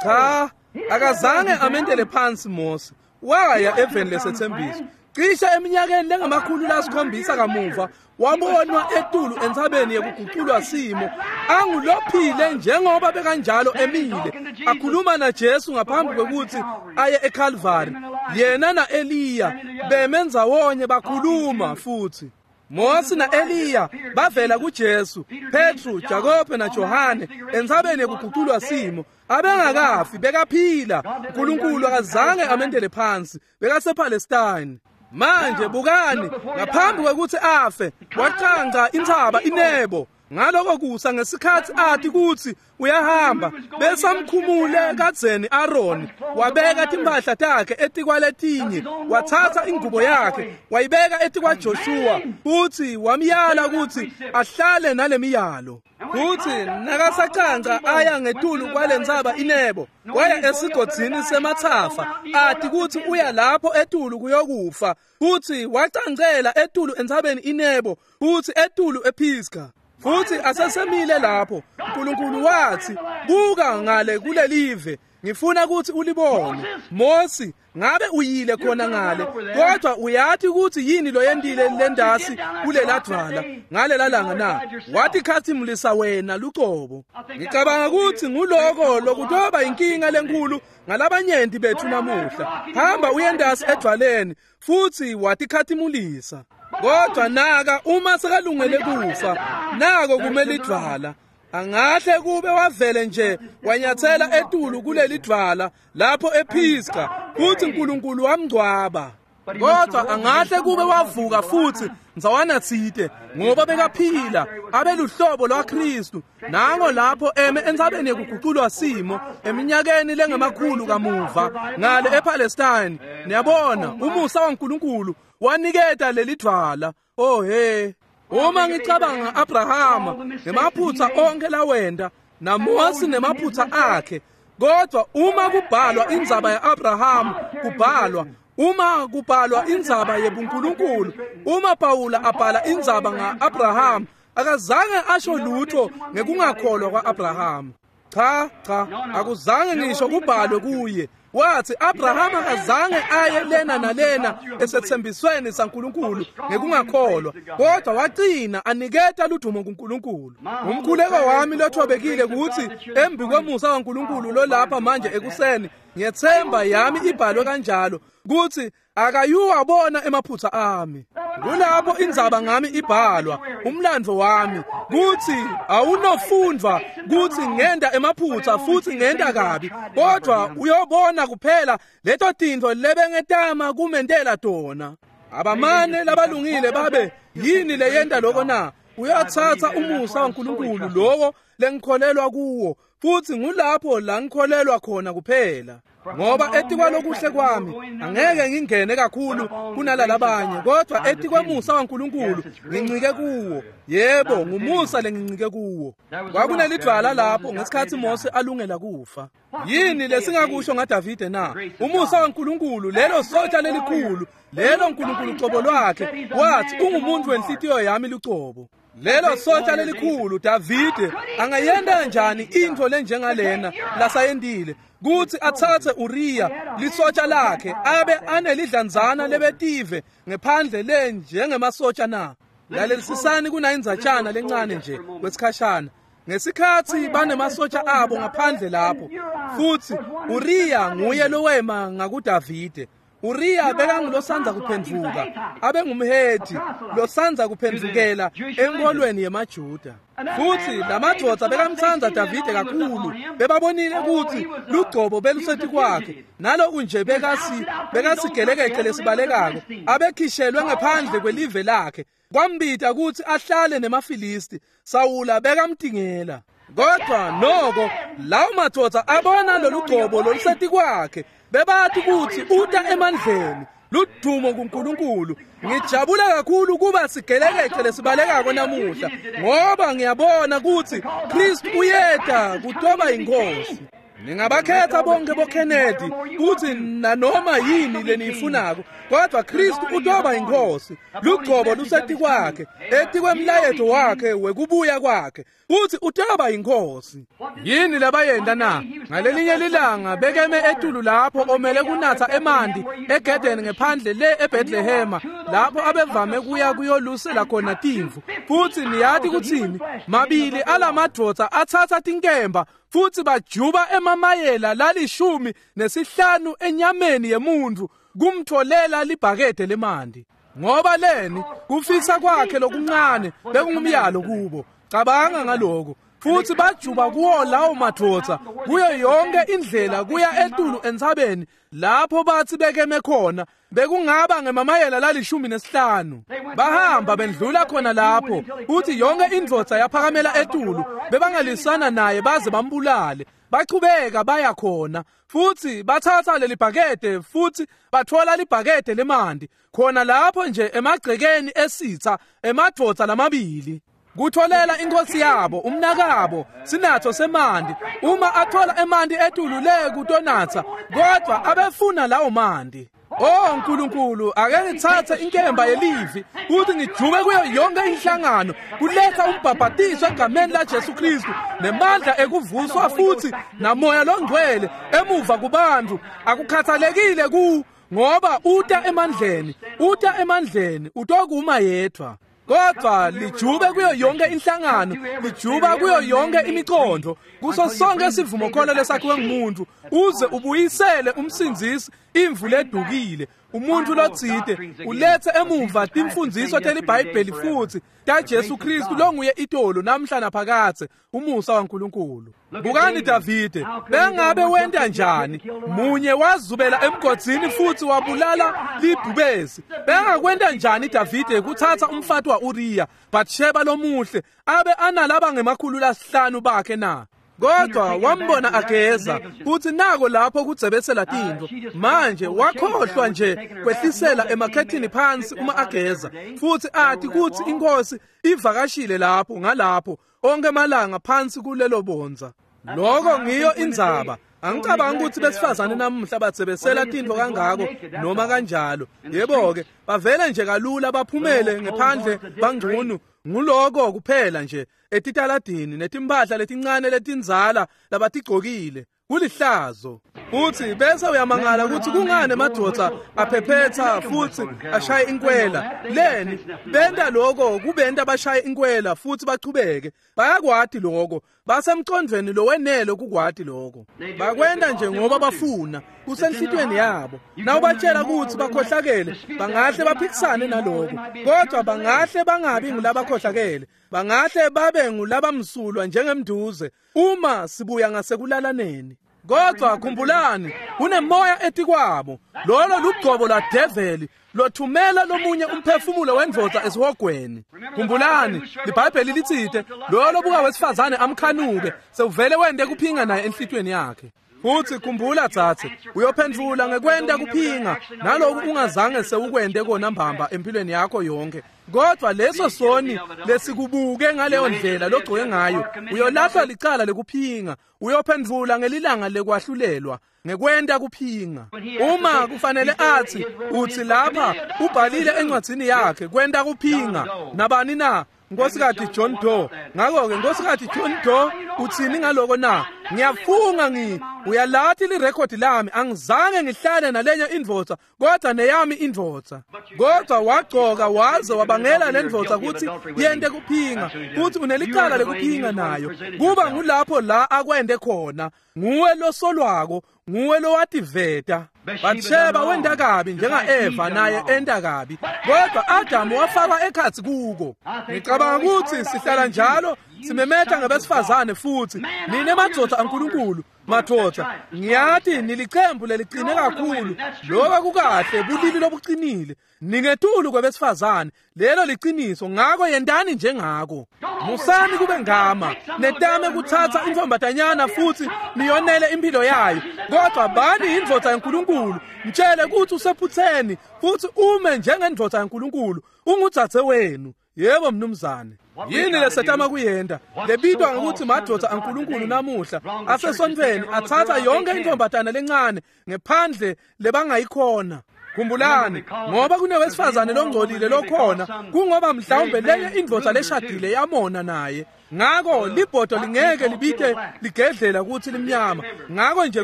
Cha, akazange amentele phansi Mose. Waya eveni lesethembiso. Cishe eminyakeni lengamakhulu lasikhombisa kamuva wabonwa etulu entsabeni yekuguculwa simo, angulophile njengoba bekanjalo emile, akhuluma naJesu ngaphambi kwekuthi aye eCalvary. Yena naEliya bemendzawonye bakhuluma futhi. Mose naEliya bavela kuJesu, Petru, Jakobe naJohane entsabeni yekuguculwa simo. Abengakafi, bekaphila. uNkulunkulu akazange amendele phansi, bekasePalestine. Manje bukani, ngaphambi kwekuthi afe, wacanca intsaba iNebo. Ngaloko kusa ngesikhathi athi kuthi uyahamba, besamkhumule kadzeni Aaron, wabeka timphahla takhe etikwaletinye, wathatha ingubo yakhe wayibeka etikwa Joshua, futhi wamyala ukuthi ahlale nalemiyalo. Futhi nakasacanca aya ngetulu kwalentsaba iNebo, waya esigodzini semathafa, athi kuthi uya lapho etulu kuyokufa. Futhi wacancela etulu entsabeni iNebo, futhi etulu ePisgah. Futhi asesemile lapho, uNkulunkulu wathi, buka ngale kulelive, ngifuna ukuthi ulibone. Mose, ngabe uyile khona ngale, kodwa uyathi ukuthi yini loyendile lendasi kuleladvwala ngalela langa na? Wathi khathimulisa wena lucobo. Ngicabanga ukuthi nguloko lokutoba inkinga lenkulu ngalabanyenti bethu namuhla. Hamba uyendasi edvwaleni futhi wathi khathimulisa. Kodwa naka uma sekalungele kufa, nako kumele idvwala. Angahle kube wavele nje wanyathela etulu kuleli dwala lapho ePisga, futhi uNkulunkulu wamngcwaba. Kodwa angahle kube wavuka futhi ndzawana tsite, ngoba bekaphila abeluhlobo lwaKristu. Nango lapho eme entsabeni yekuguculwa simo eminyakeni lengemakhulu kamuva ngale ePalestine. Niyabona, umusa waNkulunkulu waniketa leli dwala. Oh he, uma ngicabanga Abrahama nemaphutsa onke lawenda, naMose nemaphutsa akhe, kodwa uma kubhalwa indzaba ya-Abraham, kubhalwa uma kubhalwa indzaba yebuNkulunkulu, uma Pawula abhala indzaba nga-Abraham, akazange asho lutho ngekungakholwa kwa-Abraham. Cha, cha, akuzange ngisho kubhalwe kuye. Wathi Abraham akazange aye lena nalena esethembisweni saNkulunkulu ngekungakholwa, kodwa wagcina aniketa ludumo kuNkulunkulu. Umkhuleko wami lothobekile ukuthi embi kwemusa waNkulunkulu lolapha manje ekuseni, ngiyethemba yami ibhalwe kanjalo ukuthi akayuwabona emaphutsa ami. Kulapho indzaba ngami ibhalwa, umlando wami, kuthi awunofundwa kuthi ngenda emaphutsa futhi ngenda kabi, kodwa uyobona kuphela leto tintfo lebengetama kumentela tona. Abamane labalungile babe yini leyenta lokho na? Uyathatha umusa waNkulunkulu lowo lengikholelwa kuwo, futhi ngulapho la ngikholelwa khona kuphela. Ngoba etikwalokuhle kwami angeke ngingene kakhulu kunalalabanye, kodwa etikwemusa waNkulunkulu ngincike kuwo. Yebo, ngumusa lengincike kuwo. Kwakunelidwala lapho ngesikhathi Mose alungela kufa. Yini lesingakusho ngaDavide na? Umusa waNkulunkulu, lelo sotsha lelikhulu, lelo Nkulunkulu ucobo lwakhe, wathi ungumuntu wenhlitiyo yami lucobo. Lelo sotsha lelikhulu Davide angayenda kanjani into lenjengalena lasayendile, kuthi athathe Uriya lisotsha lakhe abe anelidlanzana lebetive ngephandle le njengemasotsha na? Lalelisisani kunayindzatshana lencane nje kwesikhashana. Ngesikhathi banemasotsha abo ngaphandle lapho, futhi Uriya nguye lowema ngakuDavide. Uriya bekangulosanza kuphendvuka, abengumHethi losanza kuphendvukela enkolweni yemaJuda. Futhi lamadvodza bekamtsandza Davide kakhulu, bebabonile ukuthi lugcobo beluseti kwakhe, naloku nje bekasi bekasigelekece lesibalekako, abekhishelwe ngephandle kwelive lakhe. Kwambita ukuthi ahlale nemaFilisti. Sawula bekamtingela. Kodwa noko lawo madvodza abona lolugcobo loluseti kwakhe, bebathi ukuthi uta emandleni, ludumo kuNkulunkulu. Ngijabula kakhulu kuba sigelekece lesibalekako namuhla, ngoba ngiyabona ukuthi Kristu uyeta kutoba inkosi. Ningabakhetha bonke boKennedy kuthi nanoma yini leniyifunako, kodwa Kristu utoba inkosi. Lugcobo luseti kwakhe, etikwemlayeto wakhe wekubuya kwakhe, futhi utoba inkosi. Yini labayenda na? Ngalelinye lilanga bekeme etulu lapho omele kunatha emanti egedeni ngephandle le eBethlehema, lapho abevame kuya kuyolusela khona timvu. Futhi niyati kuthini? Mabili alamadvodza athatha tinkemba futhi bajuba emamayela lalishumi nesihlanu enyameni yemuntu kumtholela libhakede lemanti. Ngoba leni kufisa kwakhe lokuncane bekungumyalo kubo. Cabanga ngaloko. Futhi bajuba kuwo lawo madvodza kuyo yonke indlela kuya etulu entsabeni lapho bathi bekeme khona, bekungaba ngemamayela lalishumi nesihlanu. Bahamba bendlula khona lapho, futhi yonke indvodza yaphakamela etulu, bebangalisana naye baze bambulale. Bachubeka baya khona, futhi bathatha leli bhakede futhi bathola libhakede lemanti khona lapho nje emagcekeni esitha emadvodza lamabili. Kutholela inkosi yabo umnakabo sinatho semanti. Uma athola emanti etulu le kutonatsa, kodwa abefuna lawo manti. Oh Nkulunkulu, ake ngithathe inkemba yelivi futhi ngijube kuyo yonke inhlangano kuletha umbhabhatiso egameni la Jesu Kristu nemandla ekuvuswa futhi namoya longcwele emuva kubantu. Akukhathalekile ku ngoba uta emandleni, uta emandleni, utokuma yedwa. Kodwa lijube kuyo yonke inhlangano, lijuba kuyo yonke imiqondo, kuso sonke isivumokholo lesakhiwe ngumuntu, uze ubuyisele umsindzisi imvu ledukile, Umuntfu lotsite ulethe emuva timfundziso teliBhayibheli futsi taJesu Kristu longuye itolo namhla naphakadze, umusa waNkulunkulu. Bukani Davide, bengabe wenta njani? Munye wazubela emgodzini futsi wabulala libhubesi. Bengakwenta njani Davide kuthatha umfati wa-Uriya, Bathsheba lomuhle, abe analaba ngemakhulu lasihlanu bakhe na? Kodwa wambona ageza kutsi nako lapho kudzebesela tintfo. Manje wakhohlwa nje kwehlisela emakhethini phansi uma ageza, futsi ati kutsi inkosi ivakashile lapho ngalapho onke malanga phansi kulelo bondza. Lokho ngiyo indzaba. Angicabangi ukuthi besifazane namuhla batsebesela tintfo kangako noma kanjalo. Yebo-ke, bavele nje kalula baphumele ngephandle bangcunu. Nguloko kuphela nje etitaladini netimpahla letincane letindzala labatigcokile. Kulihlazo. Futsi bese uyamangala ukuthi kungani emadvodza aphephetha futsi ashaye inkwela. Leni benta lokho kubenta bashaye inkwela futsi bachubeke. Bayakwati lokho, basemcondvweni lowenele kukwati lokho. Bakwenta nje ngoba bafuna, kusenhlitweni yabo. Nawubatshela ukuthi bakhohlakele, bangahle baphikisane naloko, kodwa bangahle bangabi ngulabakhohlakele, bangahle babe ngulabamsulwa njengemduze uma sibuya ngasekulalaneni. Kodwa khumbulani, kunemoya etikwabo, lolo lugcobo lwadeveli lothumela lomunye umphefumulo wendvodza esihogweni. Khumbulani, liBhayibheli litsite lolo buka wesifazane amkhanuke sewuvele wente kuphinga naye enhlitweni yakhe. Futsi khumbula dzadze, uyophendvula ngekwenta kuphinga naloku ungazange sewukwente kona mbamba empilweni yakho yonke. Kodwa leso soni lesikubuke ngaleyo ndlela logcoke ngayo, uyolahlwa licala lekuphinga, uyophendvula ngelilanga lekwahlulelwa ngekwenta kuphinga. Uma kufanele athi uthi lapha ubhalile encwadzini yakhe kwenta kuphinga nabani na? Nkosikati John Doe. Ngakho-ke Nkosikati John Doe uthini ngaloko na? Ngiyafunga ngi uyalathi lirekhodi lami, angizange ngihlale nalenye indvodza kodwa neyami indvodza. Kodwa wagcoka waze wabangela le ndvodza kutsi yente kuphinga, kutsi unelicala lekuphinga nayo. Kuba ngulapho la akwente khona, nguwe losolwako, nguwe lowativeta. Bathsheba wenta kabi njenga-Eva naye enta kabi, kodwa Adamu wafakwa ekhatsi kuko. Ngicabanga kutsi sihlala njalo simemeta ngabesifazane futsi nine madvodza aNkulunkulu. Madvodza, ngiyati nilicembu lelicine kakhulu, lokho kukahle, bulili lobuqinile, ningetulu kwebesifazane, lelo liciniso. Ngako yentani njengako. Musani kube ngama netame kuthatha intfombatanyana futsi niyonele impilo yayo, kodwa bani indvodza yaNkulunkulu, mtshele kutsi usephutheni futsi ume njengendvodza yaNkulunkulu, ungudzadze wenu. Yebo mnumzane. Yini lesetama kuyenta lebitwa ngekutsi madvodza aNkulunkulu namuhla asesontfweni atsatsa yonke intfombatana lencane ngephandle lebangayikhona? Khumbulani, ngoba kunewesifazane longcolile lokhona, kungoba mhlawumbe lenye indvodza leshadile yamona naye. Ngako libhodo lingeke libite ligedlela kutsi limnyama. Ngako nje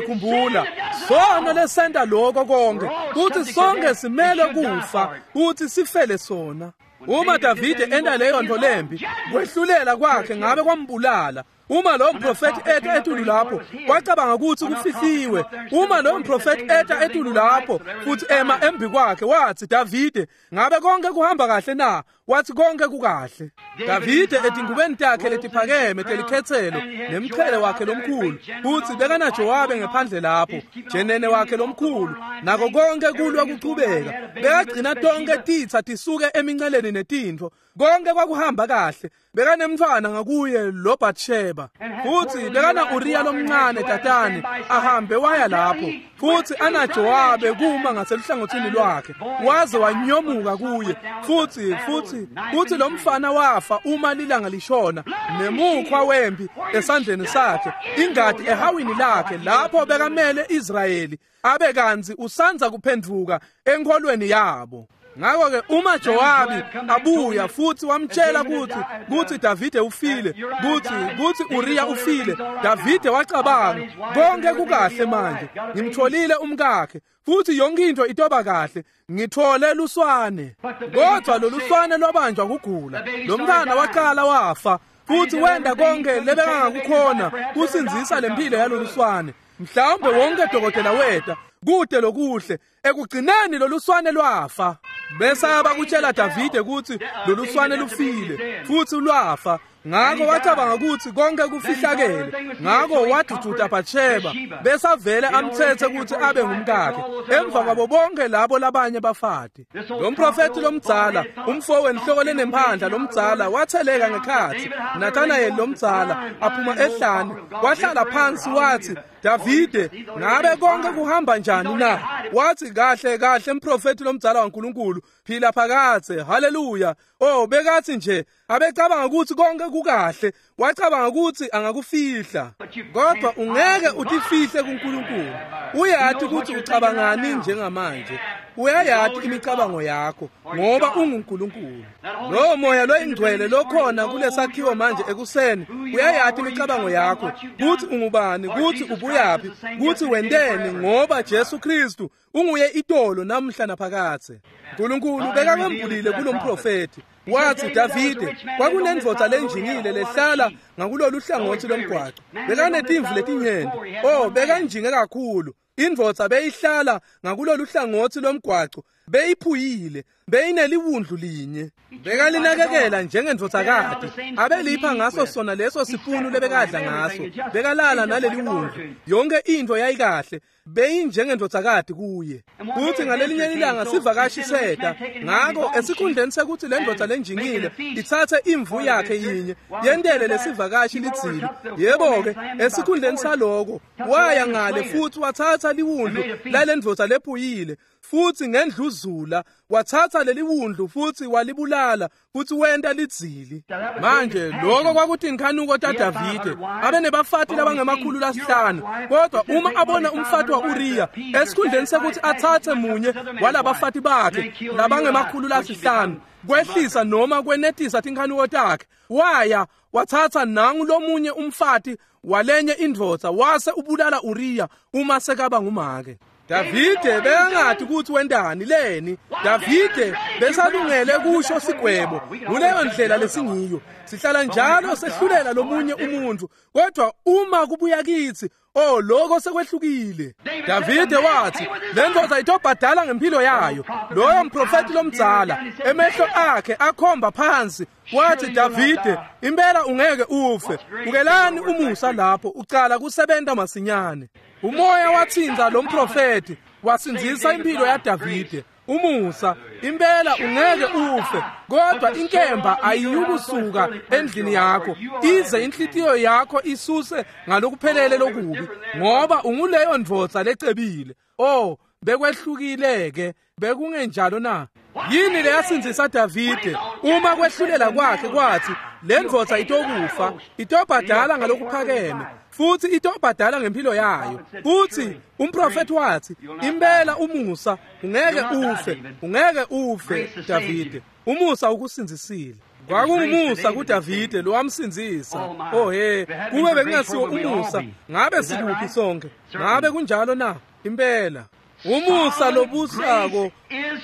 khumbula, sono lesenta lokho konke, kutsi sonke simele kufa, kutsi sifele sona. Uma Davide enta leyo nto lembi, kwehlulela kwakhe ngabe kwambulala. Uma lo mprofeti eta etulu lapho, wacabanga kutsi kufihliwe. Uma lo mprofeti eta etulu lapho futsi ema embi kwakhe, wathi, Davide, ngabe konke kuhamba kahle na? Wathi konke kukahle. Davide etingubeni takhe letiphakeme telikhetselo nemqhele wakhe lomkhulu, futsi bekana Jowabe ngephandle lapho, jenene wakhe lomkhulu, nako konke kulwa kuchubeka. Bekagcina tonke titsa tisuke eminceleni netintfo, konke kwakuhamba kahle. Bekanemntfwana ngakuye lo Bathsheba, futsi bekana Uriya lomncane tatane ahambe waya lapho, futsi ana Jowabe kuma ngaseluhlangothini lwakhe, waze wanyomuka kuye, futsi futsi futsi lo mfana wafa uma lilanga lishona, nemukhwa wempi esandleni sakhe, ingati ehawini lakhe, lapho bekamele Israyeli abe kantsi usandza kuphendvuka enkholweni yabo. Ngakho-ke uma Jowabi abuya futsi wamtshela kutsi kutsi Davide ufile, kutsi kutsi Uriya ufile, Davide wacabanga konke kukahle manje, ngimtholile umkakhe futsi yonke into itoba kahle, ngithole luswane. Kodwa loluswane lwabanjwa kugula, lo mntwana waqala wafa, futsi wenta konke lebekangakukhona kusindzisa lempilo yaloluswane. Mhlawumbe wonke dokotela weta kude lokuhle Ekugcineni loluswane lwafa. Besaba kutshela Davide ukuthi loluswane lufile futhi lwafa. Ngakho wacabanga ukuthi konke kufihlakele. Ngakho wadududa Bathsheba besavele amthethe ukuthi abe ngumkakhe emva kwabo bonke labo labanye bafati. Lo mprofeti lomdzala, umfo wenhloko lenemphandla lomdzala watheleka ngekhathi Nathanael lomdzala aphuma ehlane, wahlala phansi wathi, Davide, ngabe konke kuhamba njani na? Wathi, kahle kahle mprofeti lomdzala waNkulunkulu, phila phakadze. Haleluya. Oh, bekathi nje abecabanga ukuthi konke kukahle, wacabanga ukuthi angakufihla. Kodwa ungeke utifihle kuNkulunkulu. Uyati ukuthi ucabangani njengamanje. Uyayati imicabango yakho ngoba unguNkulunkulu. Lo moya loyingcwele lokhona kulesakhiwo manje ekuseni uyayati imicabango yakho, kuthi ungubani, kuthi ubuyaphi, kuthi wenteni, ngoba Jesu Kristu unguye itolo namhla naphakadze. uNkulunkulu bekakwembulile kulomprofeti. Wathi, Davide, kwakunendvodza lenjingile lehlala ngakulolu hlangothi lomgwaco. Bekanetimvu letinyenti. Oh, bekanjinge kakhulu. Indvodza beyihlala ngakulolu hlangothi lomgwaco, beyiphuyile, beyineliwundlu linye. Bekalinakekela njengendvodzakati, abelipha ngaso sona leso sipunu lebekadla ngaso. Bekalala naleliwundlu. Yonke into yayikahle, beyinjengendvodzakati kuye. Kuthi ngalelinye ilanga sivakashi seta, ngakho esikhundleni sekuthi le ndvodza lenjingile ithathe imvu yakhe yinye yentele lesivakashi lidzili, yebo-ke esikhundleni saloko waya ngale futhi wathatha liwundlu lale ndvodza lephuyile, futhi ngendluzula wathatha leliwundlu futhi walibulala futhi wenta lidzili. Manje lokho kwakuthi inkhanuko taDavide. Abenebafati labangemakhulu lasihlanu, kodwa uma abona umfati wa-Uriya, esikhundleni sekuthi athathe munye walabafati bakhe labangemakhulu lasihlanu kwehlisa noma kwenetisa tinkhanuko takhe, waya wathatha nangu lomunye umfati walenye indvodza wase ubulala Uriya uma sekaba ngumake. Davide bekangathi ukuthi wentani leni. Davide besalungele kusho sigwebo. Kuleyo ndlela lesingiyo, sihlala njalo sehlulela lomunye umuntu, kodwa uma kubuya kithi, oh, lokho sekwehlukile. Davide wathi le ndvodza itobhadala ngempilo yayo. Loyo mprofeti lomdzala emehlo akhe akhomba phansi, wathi, Davide, impela ungeke ufe. Bukelani umusa lapho ucala kusebenta masinyane. Umoya wathinza lo mprofeti wasindzisa impilo yaDavide. Umusa, impela ungeke ufe, kodwa inkemba ayiyukusuka endlini yakho ize inhlitiyo yakho isuse ngalokuphelele lokubi, ngoba unguleyo ndvodza lecebile. Oh, bekwehlukile-ke, bekungenjalo na? Yini leyasindzisa Davide uma kwehlulela kwakhe kwathi le ndvodza itokufa, itobhadala ngalokuphakeme futhi itobhadala ngempilo yayo? Futhi umprofeti wathi, impela umusa ungeke ufe, ungeke ufe Davide, umusa ukusindzisile. Kwakungumusa kuDavide lowamsindzisa. Oh he, kube bekungasiwo umusa ngabe sikuphi sonke? Ngabe kunjalo na? Impela umusa lobusako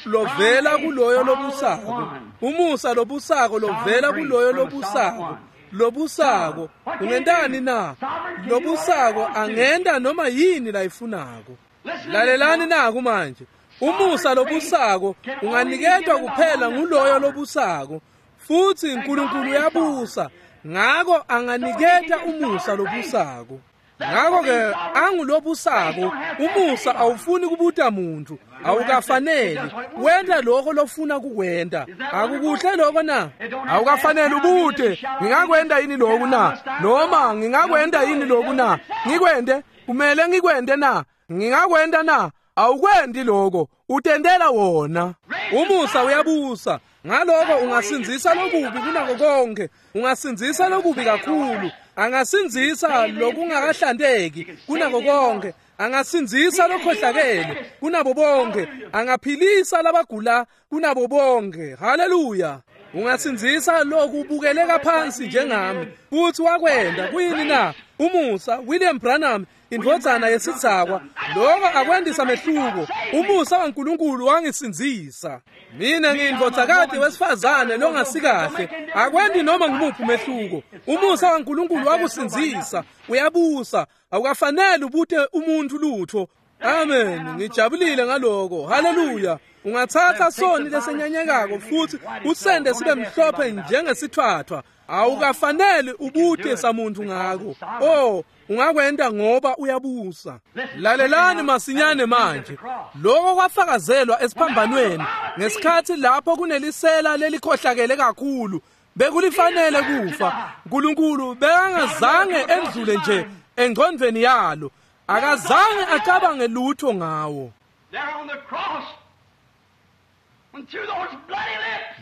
lovela kuloyo lobusako, umusa lobusako lovela kuloyo lobusako. Lobusako ungentani na? Lobusako angenta noma yini layifunako. Lalelani naku manje. Umusa lobusako unganiketwa kuphela nguloyo lobusako, futhi uNkulunkulu uyabusa, ngakho anganiketa umusa lobusako. Ngakho-ke angulobusako, umusa awufuni kubuta muntu, awukafaneli wenta lokho lofuna kukwenta. Akukuhle lokho na? Awukafaneli ubute, ngingakwenta yini lokhu na? Noma ngingakwenta yini lokhu na? Ngikwente, kumele ngikwente na? Ngingakwenta na? Awukwendi lokho, utendela wona. Umusa uyabusa. Ngaloko ungasindzisa lokubi kunako konke, ungasindzisa lokubi kakhulu, angasindzisa lokungakahlanteki kunako konke, angasindzisa lokhohlakele kunabo bonke, angaphilisa labagula kunabo bonke. Haleluya. Ungasindzisa lokubukeleka phansi njengami, futhi wakwenda. Kuyini na? Umusa. William Branham, indvodzana yesidzakwa, lokho akwendisa mehluko. Umusa waNkulunkulu wangisindzisa. Mina ngiyindvodzakati wesifazane longasikahle, akwendi noma ngimuphi umehluko. Umusa waNkulunkulu wakusindzisa, uyabusa. Awukafanele ubute umuntu lutho. Amen. Ngijabulile ngaloko. Haleluya. Ungathatha soni lesenyanyekako futhi usende sibe mhlophe njengesithwathwa. Awukafanele ubute samuntu ngako. Oh, ungakwenda ngoba uyabusa. Lalelani masinyane manje. Lokho kwafakazelwa esiphambanweni ngesikhathi lapho kunelisela lelikhohlakele kakhulu. Bekulifanele kufa. uNkulunkulu bekangazange endlule nje engqondweni yalo. Akazange acabange lutho ngawo.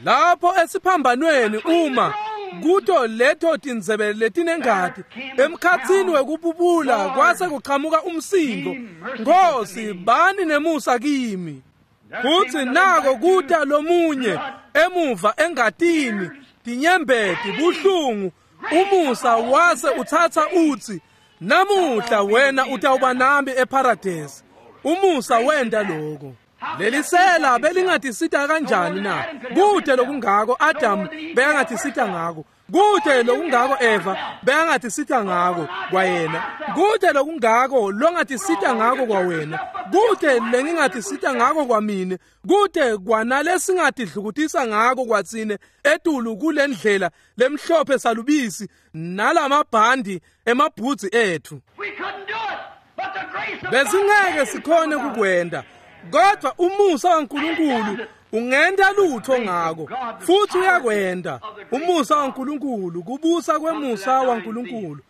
Lapho esiphambanweni uma kuto leto tindzebe letinengati emkhatsini wekububula kwase kuqhamuka umsindo, Nkosi bani nemusa kimi. Futhi nako kuta lomunye emuva engatini, tinyembeti, buhlungu, umusa wase uthatha uthi, namuhla wena utawuba nami eparadesi. Umusa wenda lokho. Lelisela belingatisita kanjani na? Kude lokungako Adam bekangatisita ngako. Kude lokungako Eva bekangatisita ngako kwayena. Kude lokungako longatisita ngako kwawena. Kude lengingatisita ngako kwamine. Kude kwanalesingatidlukutisa ngako kwatsine etulu kulendlela lemhlophe salubisi nalamabhandi emabhudzi ethu. Besingeke sikhone kukwenda. Kodwa umusa waNkulunkulu ungenta lutho ngako, futhi uyakwenda. Umusa waNkulunkulu, kubusa kwemusa waNkulunkulu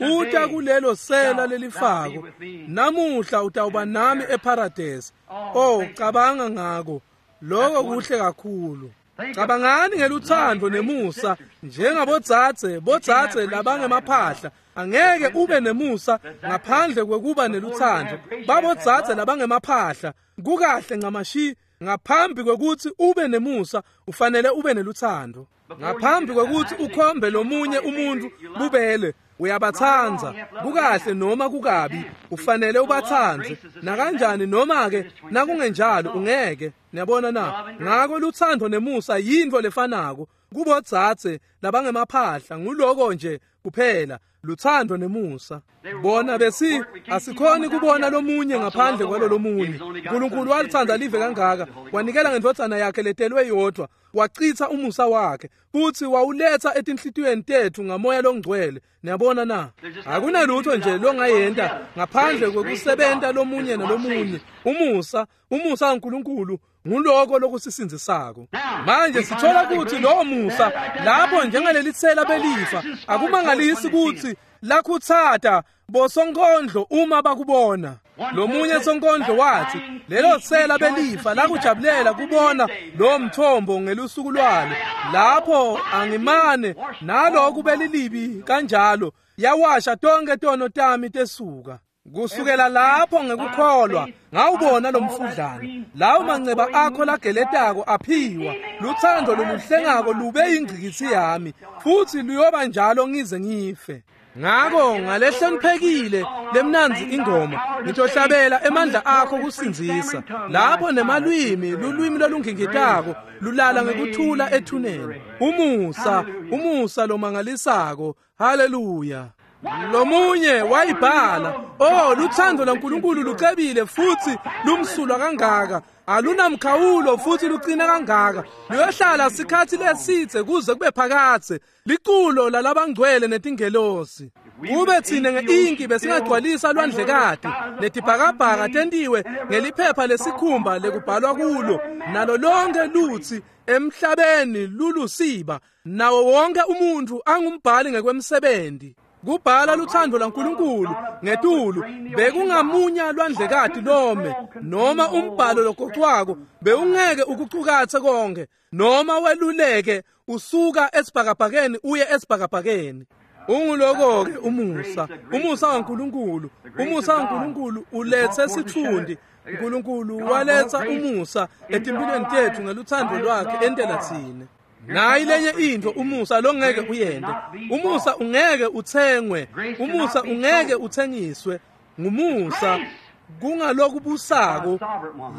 uta kulelo sela lelifako. Namuhla utawuba nami eparadesi. Oh, cabanga ngako. Lokho kuhle kakhulu. Cabangani ngeluthando nemusa njengabodzadze, bodzadze labangemaphahla. Angeke ube nemusa ngaphandle kwekuba neluthando. Babodzadze labangemaphahla kukahle ncamashi. Ngaphambi kwekuthi ube nemusa ufanele ube neluthando. Ngaphambi kwekuthi ukhombe lomunye umuntu bubele, uyabatsandza. Kukahle noma kukabi ufanele ubatsandze nakanjani, noma ke nakungenjalo ungeke. Niyabona na? Ngako luthando nemusa yintfo lefanako kubodzadze labangemaphahla. Nguloko nje kuphela, luthando nemusa. Bona besi asikhoni kubona lomunye ngaphandle kwalo lomunye. uNkulunkulu walithanda live kangaka, wanikela ngendvodzana yakhe letelwe yodwa, wachitha umusa wakhe futhi wawuletha etinhlitiyweni tethu ngamoya longcwele. Niyabona na? Akunalutho nje longayenta ngaphandle kwekusebenta lomunye nalomunye. Umusa, umusa waNkulunkulu nguloko lokusisindzisako. Manje sithola ukuthi lo musa lapho njengalelitsela belifa, akumangalisi ukuthi lakhutsata bosonkondlo uma bakubona. Lomunye sonkondlo wathi lelo tsela belifa lakujabulela kubona lo mthombo ngelusuku lwalo. Lapho angimane naloku belilibi kanjalo, yawasha tonke tono tami tesuka. Kusukela lapho ngekukholwa ngawubona lo mfudlana. Lawo manceba akho lageletako aphiwa. Luthando loluhlengako lube ingcikitsi yami, futhi luyoba njalo ngize ngife. Ngako ngalehloniphekile lemnanzi ingoma ngitohlabela emandla akho kusindzisa. Lapho nemalwimi, lulwimi lolungingitako lulala ngekuthula ethuneni. Umusa, umusa lomangalisako. Haleluya. Lomunye wayibhala, oh, luthando lwaNkulunkulu lucebile futhi lumsulwa kangaka, alunamkhawulo futhi lucina kangaka, luyohlala sikhathi lesitse kuze kube phakadze. Liculo lalabangcwele netingelosi. Kube thine ngeinki besingagcwalisa lwandlekati netibhakabhaka tentiwe ngeliphepha lesikhumba lekubhalwa kulo, nalo lonke lutsi emhlabeni lulusiba, nawo wonke umuntu angumbhali ngekwemsebenzi. Kubhala luthando lwaNkulunkulu ngetulu bekungamunya lwandlekati lome, noma umbhalo logocwako bewungeke ukucukatse konke, noma weluleke usuka esibhakabhakeni uye esibhakabhakeni. Unguloko ke umusa, umusa waNkulunkulu. Umusa waNkulunkulu ulethe sithundi. uNkulunkulu waletha umusa etimpilweni tethu ngeluthando lwakhe entela tsine. Nayi lenye into umusa longeke uyende. Umusa ungeke uthengwe, umusa ungeke uthengiswe. Ngumusa kungalokubusako.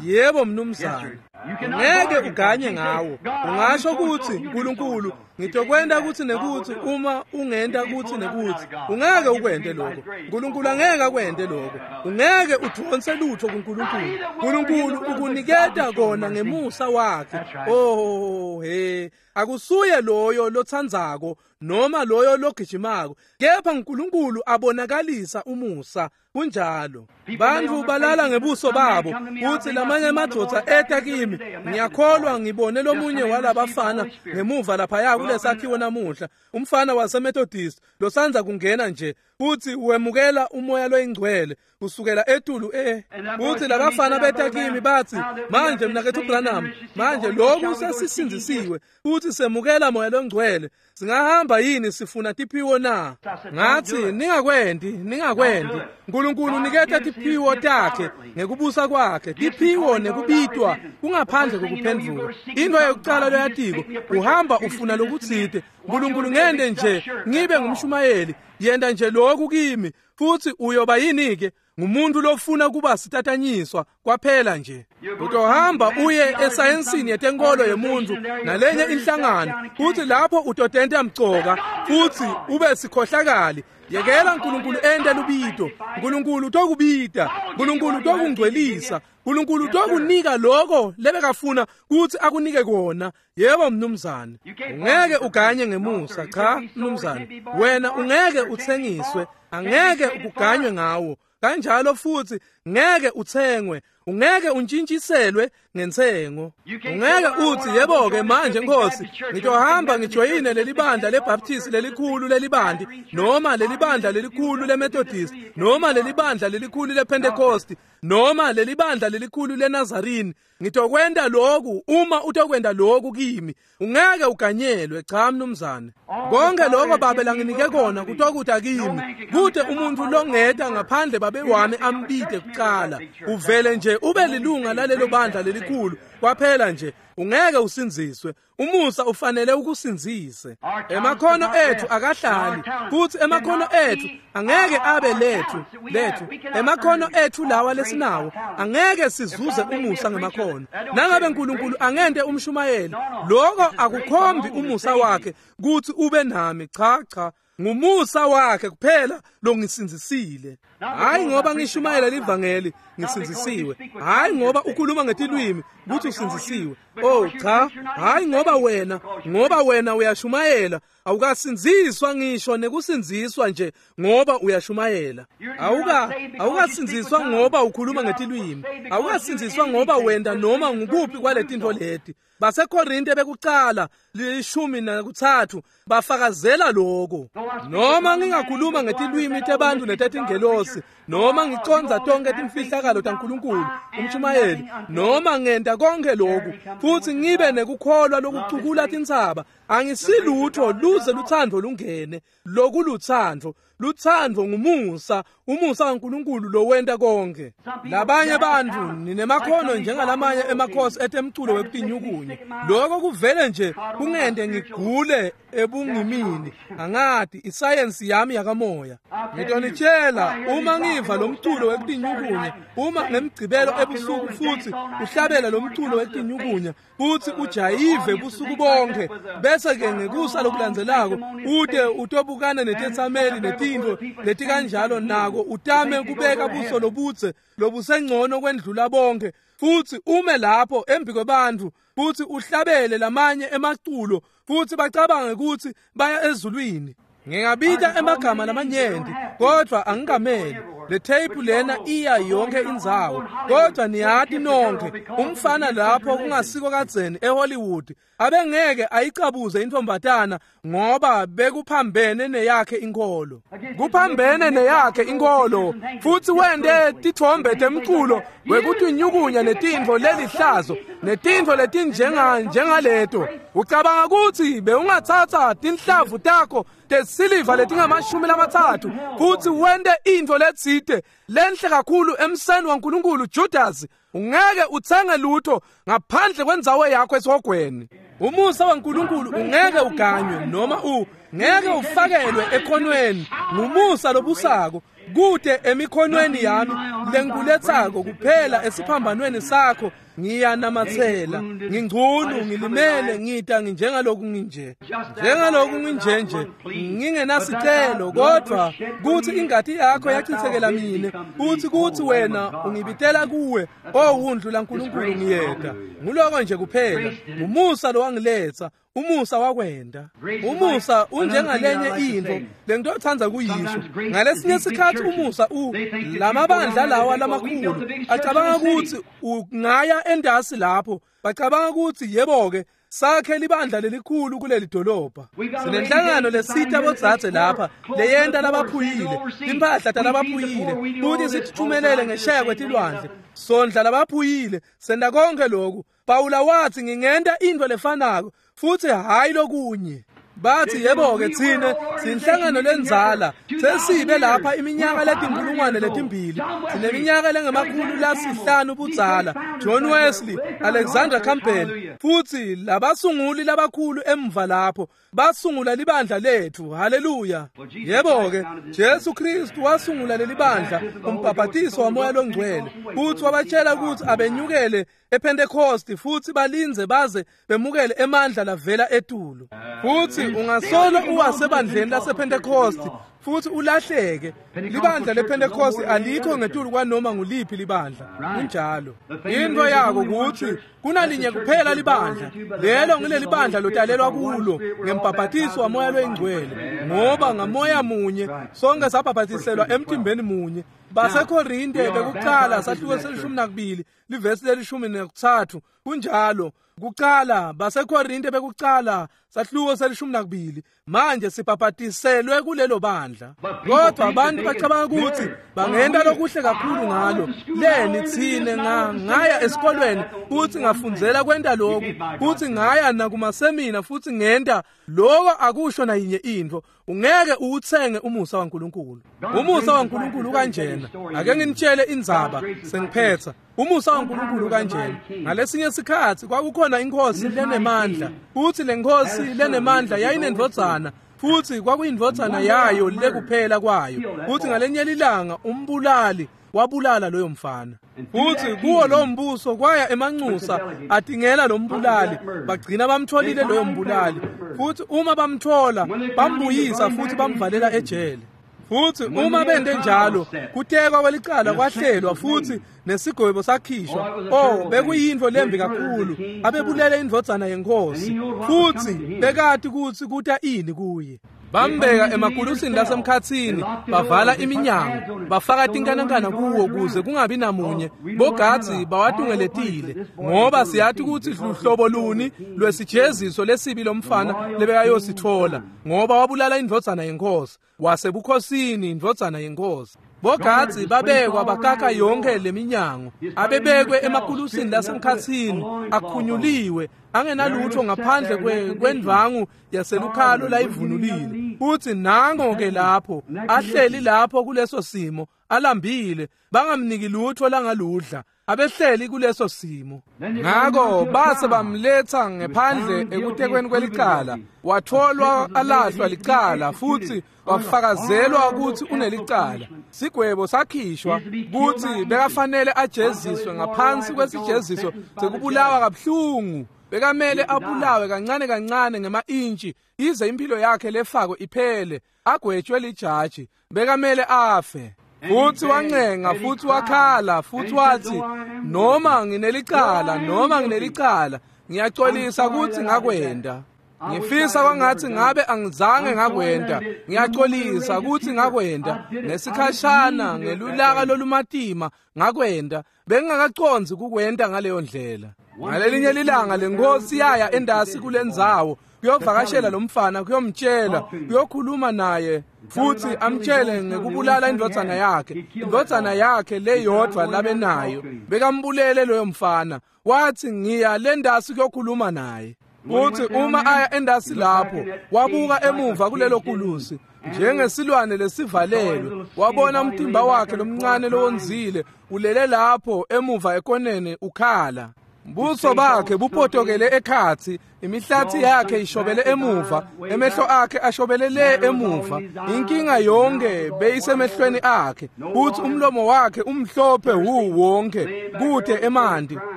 Yebo mnumzane. Ungeke uganye ngawo. Ungasho kutsi Nkulunkulu ngitokwenta kutsi nekutsi uma ungenta kutsi nekutsi. Ungeke ukwente lokho. Nkulunkulu angeke akwente lokho. Ungeke udvonse lutho kuNkulunkulu. Nkulunkulu ukuniketa kona ngemusa wakhe. Oh he, akusuye loyo lotsandzako noma loyo logijimako, kepha uNkulunkulu abonakalisa umusa. Kunjalo. Bantfu balala ngebuso babo kutsi lamanye emadvodza eta kimi. Ngiyakholwa ngibone lomunye walabafana ngemuva laphaya kulesakhiwo namuhla, umfana waseMethodist losandza kungena nje futhi wemukela umoya loyingcwele kusukela etulu eh futhi labafana beta kimi bathi, manje mnaketfu Branham, manje lokhu sesisindzisiwe futhi semukela moya longcwele, singahamba yini sifuna tiphiwo na? Ngathi ningakwenti, ningakwenti. Nkulunkulu uniketa tiphiwo takhe ngekubusa kwakhe. Tiphiwo nekubitwa kungaphandle kokuphendvuka. Into yokucala loyatiko, uhamba ufuna lokutsite. Nkulunkulu ngende nje ngibe ngumshumayeli, yenda nje lokhu kimi, futhi uyoba yini ke? Ngumuntu lofuna kuba sitatanyiswa kwaphela nje. Utohamba uye esayensini yetenkolo yemuntu nalenye inhlangano, futhi lapho utotenta mcoka futhi ube sikhohlakali. Yekela uNkulunkulu ente lubito. uNkulunkulu utokubita, uNkulunkulu utokungcwelisa, uNkulunkulu utokunika lokho lebekafuna kuthi akunike kona. Yebo mnumzane, ungeke uganye ngemusa. Cha mnumzane, wena ungeke uthengiswe, angeke ukuganywe ngawo. Kanjalo futhi ngeke uthengwe, ungeke untshintshiselwe ngentsengo. Ungeke uthi yebo ke manje Nkosi ngitohamba ngijoyine leli bandla leBaptist lelikhulu lelibandi, noma leli bandla lelikhulu leMethodist, noma leli bandla lelikhulu lePentecost, noma leli bandla lelikhulu leNazarene. Ngitokwenta lokhu uma utokwenta lokhu kimi. Ungeke uganyelwe. Cha mnumzane, konke lokho babe langinike kona kutokuta kimi. Kude umuntu longeta ngaphandle babe wami ambite kuqala. Uvele nje ube lilunga lalelo bandla lelikhulu kwaphela nje, ungeke usindziswe. Umusa ufanele ukusindzise. Emakhono ethu akahlali, futhi emakhono ethu angeke abe lethu lethu emakhono ethu lawa lesinawo angeke sizuze umusa ngemakhono. Nangabe uNkulunkulu angente umshumayeli, lokho akukhombi umusa wakhe kuthi ube nami. Cha cha, ngumusa wakhe kuphela longisindzisile. Hayi ngoba ngishumayela livangeli ngisindzisiwe, hayi ngoba ukhuluma ngetilwimi kuthi usindzisiwe. Oh cha, hayi ngoba wena ngoba wena uyashumayela awukasindziswa ngisho nekusindziswa nje ngoba uyashumayela. Awuka awukasindziswa ngoba ukhuluma ngetilwimi, awukasindziswa ngoba wenda noma ngukuphi kwaletintfo leti. BaseKorinte bekucala lishumi nakuthathu bafakazela lokho. Noma ngingakhuluma ngetilwimi tebantu netetingelosi, noma ngicondza tonke timfihlakalo taNkulunkulu umshumayeli, noma ngenta konke lokhu futhi ngibe nekukholwa lokucukula tintsaba, angisilutho luze luthando lungene. Lokuluthando, luthando ngumusa, umusa kaNkulunkulu lowenta konke. Labanye bantfu ninemakhono njengalamanye emakhosi etemculo wekutinyukunya. Lokho kuvele nje kungente ngigule ebungimini. Angati isayensi yami yakamoya. Ngitonitshela, uma ngiva lo mculo wekutinyukunya, uma ngemgcibelo ebusuku futhi uhlabela lo mculo wekutinyukunya futhi ujayive busuku bonke, bese ke ngekusa lokulandzelako ude utobukana netetsameli netintfo letikanjalo, nako utame kubeka buso lobudze lobusengcono kwendlula bonke, futhi ume lapho embi kwebantfu futhi uhlabele lamanye emaculo futhi bacabange ukuthi baya ezulwini. Ngingabita emagama lamanyenti kodwa angikameli. Le tape lena iya yonke indzawo, kodwa niyati nonke umfana lapho kungasiko kadzeni eHollywood abengeke ayicabuze intombatana ngoba bekuphambene neyakhe inkolo, kuphambene neyakhe inkolo, futhi wente tithombe temculo wekutinyukunya netintfo lelihlazo netintfo letinjenga njengaleto. Ucabanga ukuthi bewungatsatsa tinhlavu takho tesiliva letingamashumi lamatsatfu futhi wente intfo letsite lenhle kakhulu emseni waNkulunkulu? Judas, ungeke utsenge lutho ngaphandle kwendzawo yakho esihogweni. Umusa waNkulunkulu ungeke uganywe noma u ngeke ufakelwe ekhonweni. Ngumusa lobusako. Kute emikhonweni yami lengikuletsako kuphela esiphambanweni sakho ngiyanamatsela. Ngingcunu, ngilimele, ngita nginjengaloku nginje. Njengaloku nginje nje, ngingenasicelo, kodwa kuthi ingati yakho yachithekela mine, uthi kuthi wena ungibitela kuwe, owundlu laNkulunkulu ngiyeda. Nguloko nje kuphela, ngumusa lowangiletsa. Umusa wakwenda. Umusa unjengalenye intfo lengitotsandza kuyisho. Ngalesinye sikhatsi umusa u lamabandla lawa lamakhulu acabanga kutsi ungaya endasi lapho, bacabanga kutsi yebo-ke sakhe libandla lelikhulu kuleli dolobha. Sinenhlangano lesita bodzadze lapha leyenta labaphuyile, timphahla talabaphuyile, kuthi sitithumelele ngesheya kwetilwandle. Sondla labaphuyile, senta konke lokhu. Pawula wathi ngingenta intfo lefanako futhi hayi lokunye. Bathi yebo-ke tsine sinhlangano lendzala, sesibe lapha iminyaka letinkulungwane letimbili, sineminyaka lengemakhulu lasihlanu budzala, John Wesley, Alexander Campbell, futhi labasunguli labakhulu emva lapho basungula libandla lethu. Haleluya. Yebo-ke Jesu Kristu wasungula leli bandla, umbhabhatiso waMoya loNgcwele, futhi wabatshela ukuthi abenyukele ePentecost futhi balinze baze bemukele emandla lavela etulu. Futhi ungasolo uwasebandleni lasePentecost futhi ulahleke. Libandla lePentecost alikho ngetulu kwanoma nguliphi libandla. Kunjalo. Into yako kuthi kunalinye kuphela libandla, lelo ngileli bandla lotalelwa kulo ngembhabhatiso waMoya loyiNgcwele, ngoba ngamoya munye sonke sabhabhatiselwa emtimbeni munye. BaseKorinte bekuqala sahluko selishumi nakubili livesi lelishumi nekuthathu. Kunjalo. Kuqala baseKorinte bekuqala sahluko selishumi nakubili. Manje sibhabhatiselwe kulelo bandla. Kodwa abantu bacabanga ukuthi bangenta lokuhle kakhulu ngalo. Leni tsine ngaya esikolweni futhi ngafundzela kwenta lokhu, futhi ngaya nakumasemina futhi ngenta lokho. Akusho nayinye intfo. Ungeke uwutsenge umusa waNkulunkulu. Umusa waNkulunkulu kanjena. Ake nginitshele indzaba sengiphetha. Umusa waNkulunkulu kanjena. Ngalesinye sikhatsi kwakukhona inkosi lenemandla, futhi lenkosi lenemandla yayinendvodzana, futhi kwakuyindvodzana yayo lekuphela kwayo. Futhi ngalenye lilanga umbulali wabulala loyo mfana. Futhi kuwo lo mbuso kwaya emanxusa atingela lo mbulali, bagcina bamtholile loyo mbulali. Futhi uma bamthola bambuyisa futhi bamvalela ejele. Futhi uma bende njalo kutekwa kwelicala kwahlelwa futhi nesigwebo sakhishwa. Oh, bekuyintfo lembi kakhulu. Abebulele indvodzana yenkosi, futhi bekati kutsi kuta ini kuye. Bambeka emakulusini lasemkhatsini, bavala iminyango, bafaka tinkanankana kuwo kuze kungabi namunye. Bogadzi bawatungeletile, ngoba siyati kutsi luhlobo luni lwesijeziso lesibi lomfana lebekayositfola, ngoba wabulala indvodzana yenkosi, wasebukhosini indvodzana yenkosi. Bogadzi babekwa bakaka yonke leminyango, abebekwe emakulusini lasemkhatsini, akhunyuliwe, angenalutho ngaphandle kwendvangu yaselukhalo layivunulile. Futhi nango-ke lapho ahleli lapho kuleso simo, alambile, bangamniki lutho langaludla, abehleli kuleso simo. Ngako base bamletha ngephandle ekutekweni kwelicala, watholwa alahlwa licala futhi wafakazelwa ukuthi unelicala. Sigwebo sakhishwa kuthi bekafanele ajeziswe ngaphansi kwesijeziso sekubulawa kabuhlungu. Bekamele abulawe kancane kancane ngema-intshi ize impilo yakhe lefako iphele, agwetshwe lijaji. Bekamele afe. Futhi wancenga, futhi wakhala, futhi wathi, noma nginelicala, noma nginelicala, ngiyaxolisa ukuthi ngakwenda. Ngifisa kwangathi ngabe angizange ngakwenda. Ngiyaxolisa ukuthi ngakwenda. Ngesikhashana ngelulaka lolumatima ngakwenda. Bengingakacondzi kukwenda ngaleyo ndlela. Ngalelinye lilanga lenkosi yaya endasi kulendzawo kuyovakashela lo mfana, kuyomtshela, kuyokhuluma naye, futhi amtshele ngekubulala indvodzana yakhe, indvodzana yakhe leyodvwa labenayo. Bekambulele loyo mfana. Wathi, ngiya lendasi kuyokhuluma naye. Futhi uma aya endasi lapho, wabuka emuva kulelo kulusi njengesilwane lesivalelwe, wabona umtimba wakhe lomncane lowonzile ulele lapho emuva ekoneni ukhala. Buso bakhe bupotokele ekhatsi, imihlathi yakhe ishobele emuva, emehlo akhe ashobele le emuva. Inkinga yonke beyisemehlweni akhe, futhi umlomo wakhe umhlophe hu wonke, kude emanti,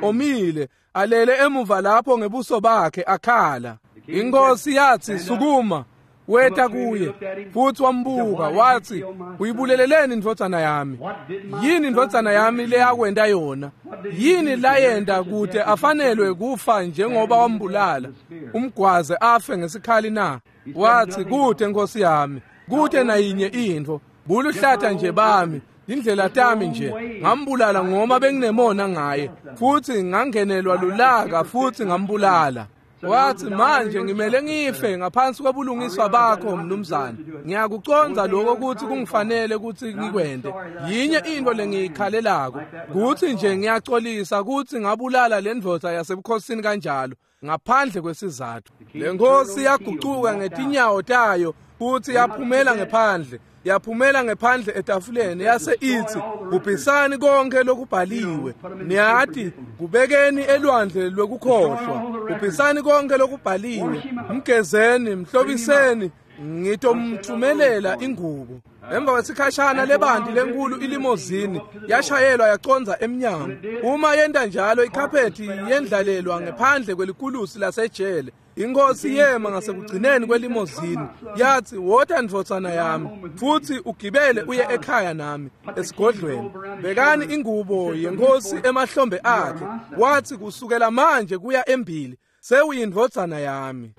omile, alele emuva lapho ngebuso bakhe akhala. Inkosi yathi, sukuma. Weta kuye futhi wambuka wathi, uyibuleleleni indvodzana yami? Yini indvodzana yami leyakwenta yona? Yini layenta kute afanelwe kufa njengoba wambulala, umgwaze afe ngesikhali na? Wathi, kute Nkosi yami, kute nayinye intfo, buluhlata nje bami, indlela tami nje, ngambulala ngoma benginemona ngaye, futhi ngangenelwa lulaka futhi ngambulala. Wathi, manje ngimele ngife ngaphansi kwebulungiswa bakho mnumzane. Ngiyakucondza lokho ukuthi kungifanele ukuthi ngikwente. Yinye into lengiyikhalelako, kuthi nje ngiyaxolisa ukuthi ngabulala le ndvodza yasebukhosini kanjalo ngaphandle kwesizathu. Le nkosi yagucuka ngetinyawo tayo futhi yaphumela ngephandle. Yaphumela ngephandle etafuleni yase ithi, bhubhisani konke lokubhaliwe. Niyathi, kubekeni elwandle lwekukhohlwa. Bhubhisani konke lokubhaliwe. Mgezeni, mhlobiseni, ngitomthumelela ingubo. Emva kwesikhashana lebanti lenkulu ilimozini yashayelwa yaconza emnyango. Uma yenta njalo ikhaphethi yendlalelwa ngephandle kwelikulusi lasejele. Inkosi yema ngasekugcineni kwelimozini yathi, wota ndvodzana yami, futhi ugibele uye ekhaya nami esigodlweni. Bekani ingubo yenkosi emahlombe akhe. Wathi, kusukela manje kuya embili sewuyindvodzana yami.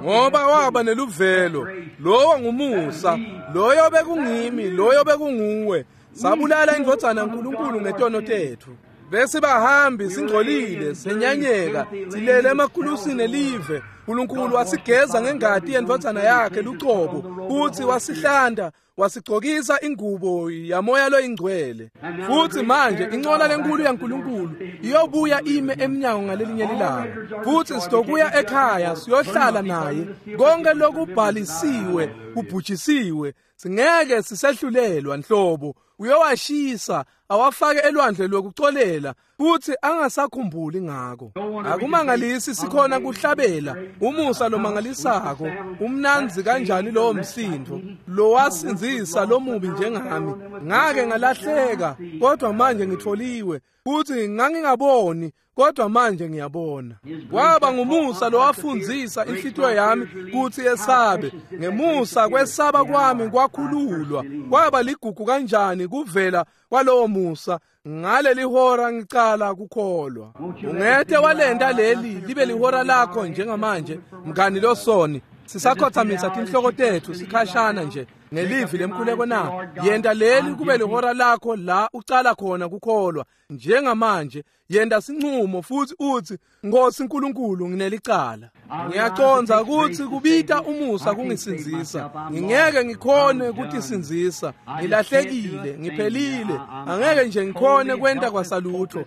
Ngoba waba neluvelo, lowo ngumusa, loyo bekungimi, loyo bekunguwe. Sabulala indvodzana yaNkulunkulu ngetono tethu. Bese bahambi singcolile, senyanyeka, silele emakulusini elive. uNkulunkulu wasigeza ngengati yendvodzana yakhe lucobo, futhi wasihlanda, wasigcokisa ingubo yamoya loyingcwele. Futhi manje incola lenkulu yaNkulunkulu iyobuya ime emnyango ngalelinye ilanga, futhi sitokuya ekhaya siyohlala naye. Konke lokubhalisiwe kubhujisiwe, singeke sisehlulelwa nhlobo. Uyowashisa awafake elwandle lokucolela futhi angasakhumbuli ngako. Akumangalisi sikhona kuhlabela umusa lomangalisako, umnanzi kanjani lowo msindo lowasinzisa lomubi njengami. Ngake ngalahleka kodwa manje ngitholiwe, futhi ngangingaboni kodwa manje ngiyabona. Kwaba ngumusa lowafundzisa inhlitiyo yami kutsi yesabe. Ngemusa kwesaba kwami kwakhululwa. Kwaba ligugu kanjani kuvela kwalowo musa. Ngaleli hora ngicala kukholwa. Ungete walenta leli libe lihora lakho njengamanje, mngani losoni. Sisakhothamisa tinhloko tethu sikhashana nje ngelivi lemkhuleko na. Yenta leli kube lihora lakho la ucala khona kukholwa njengamanje. Yenta sinqumo futhi uthi, Nkosi uNkulunkulu, nginelicala. Ngiyacondza ukuthi kubita umusa kungisindzisa. Ngingeke ngikhone kutisindzisa. Ngilahlekile, ngiphelile. Angeke nje ngikhone kwenta kwasalutho.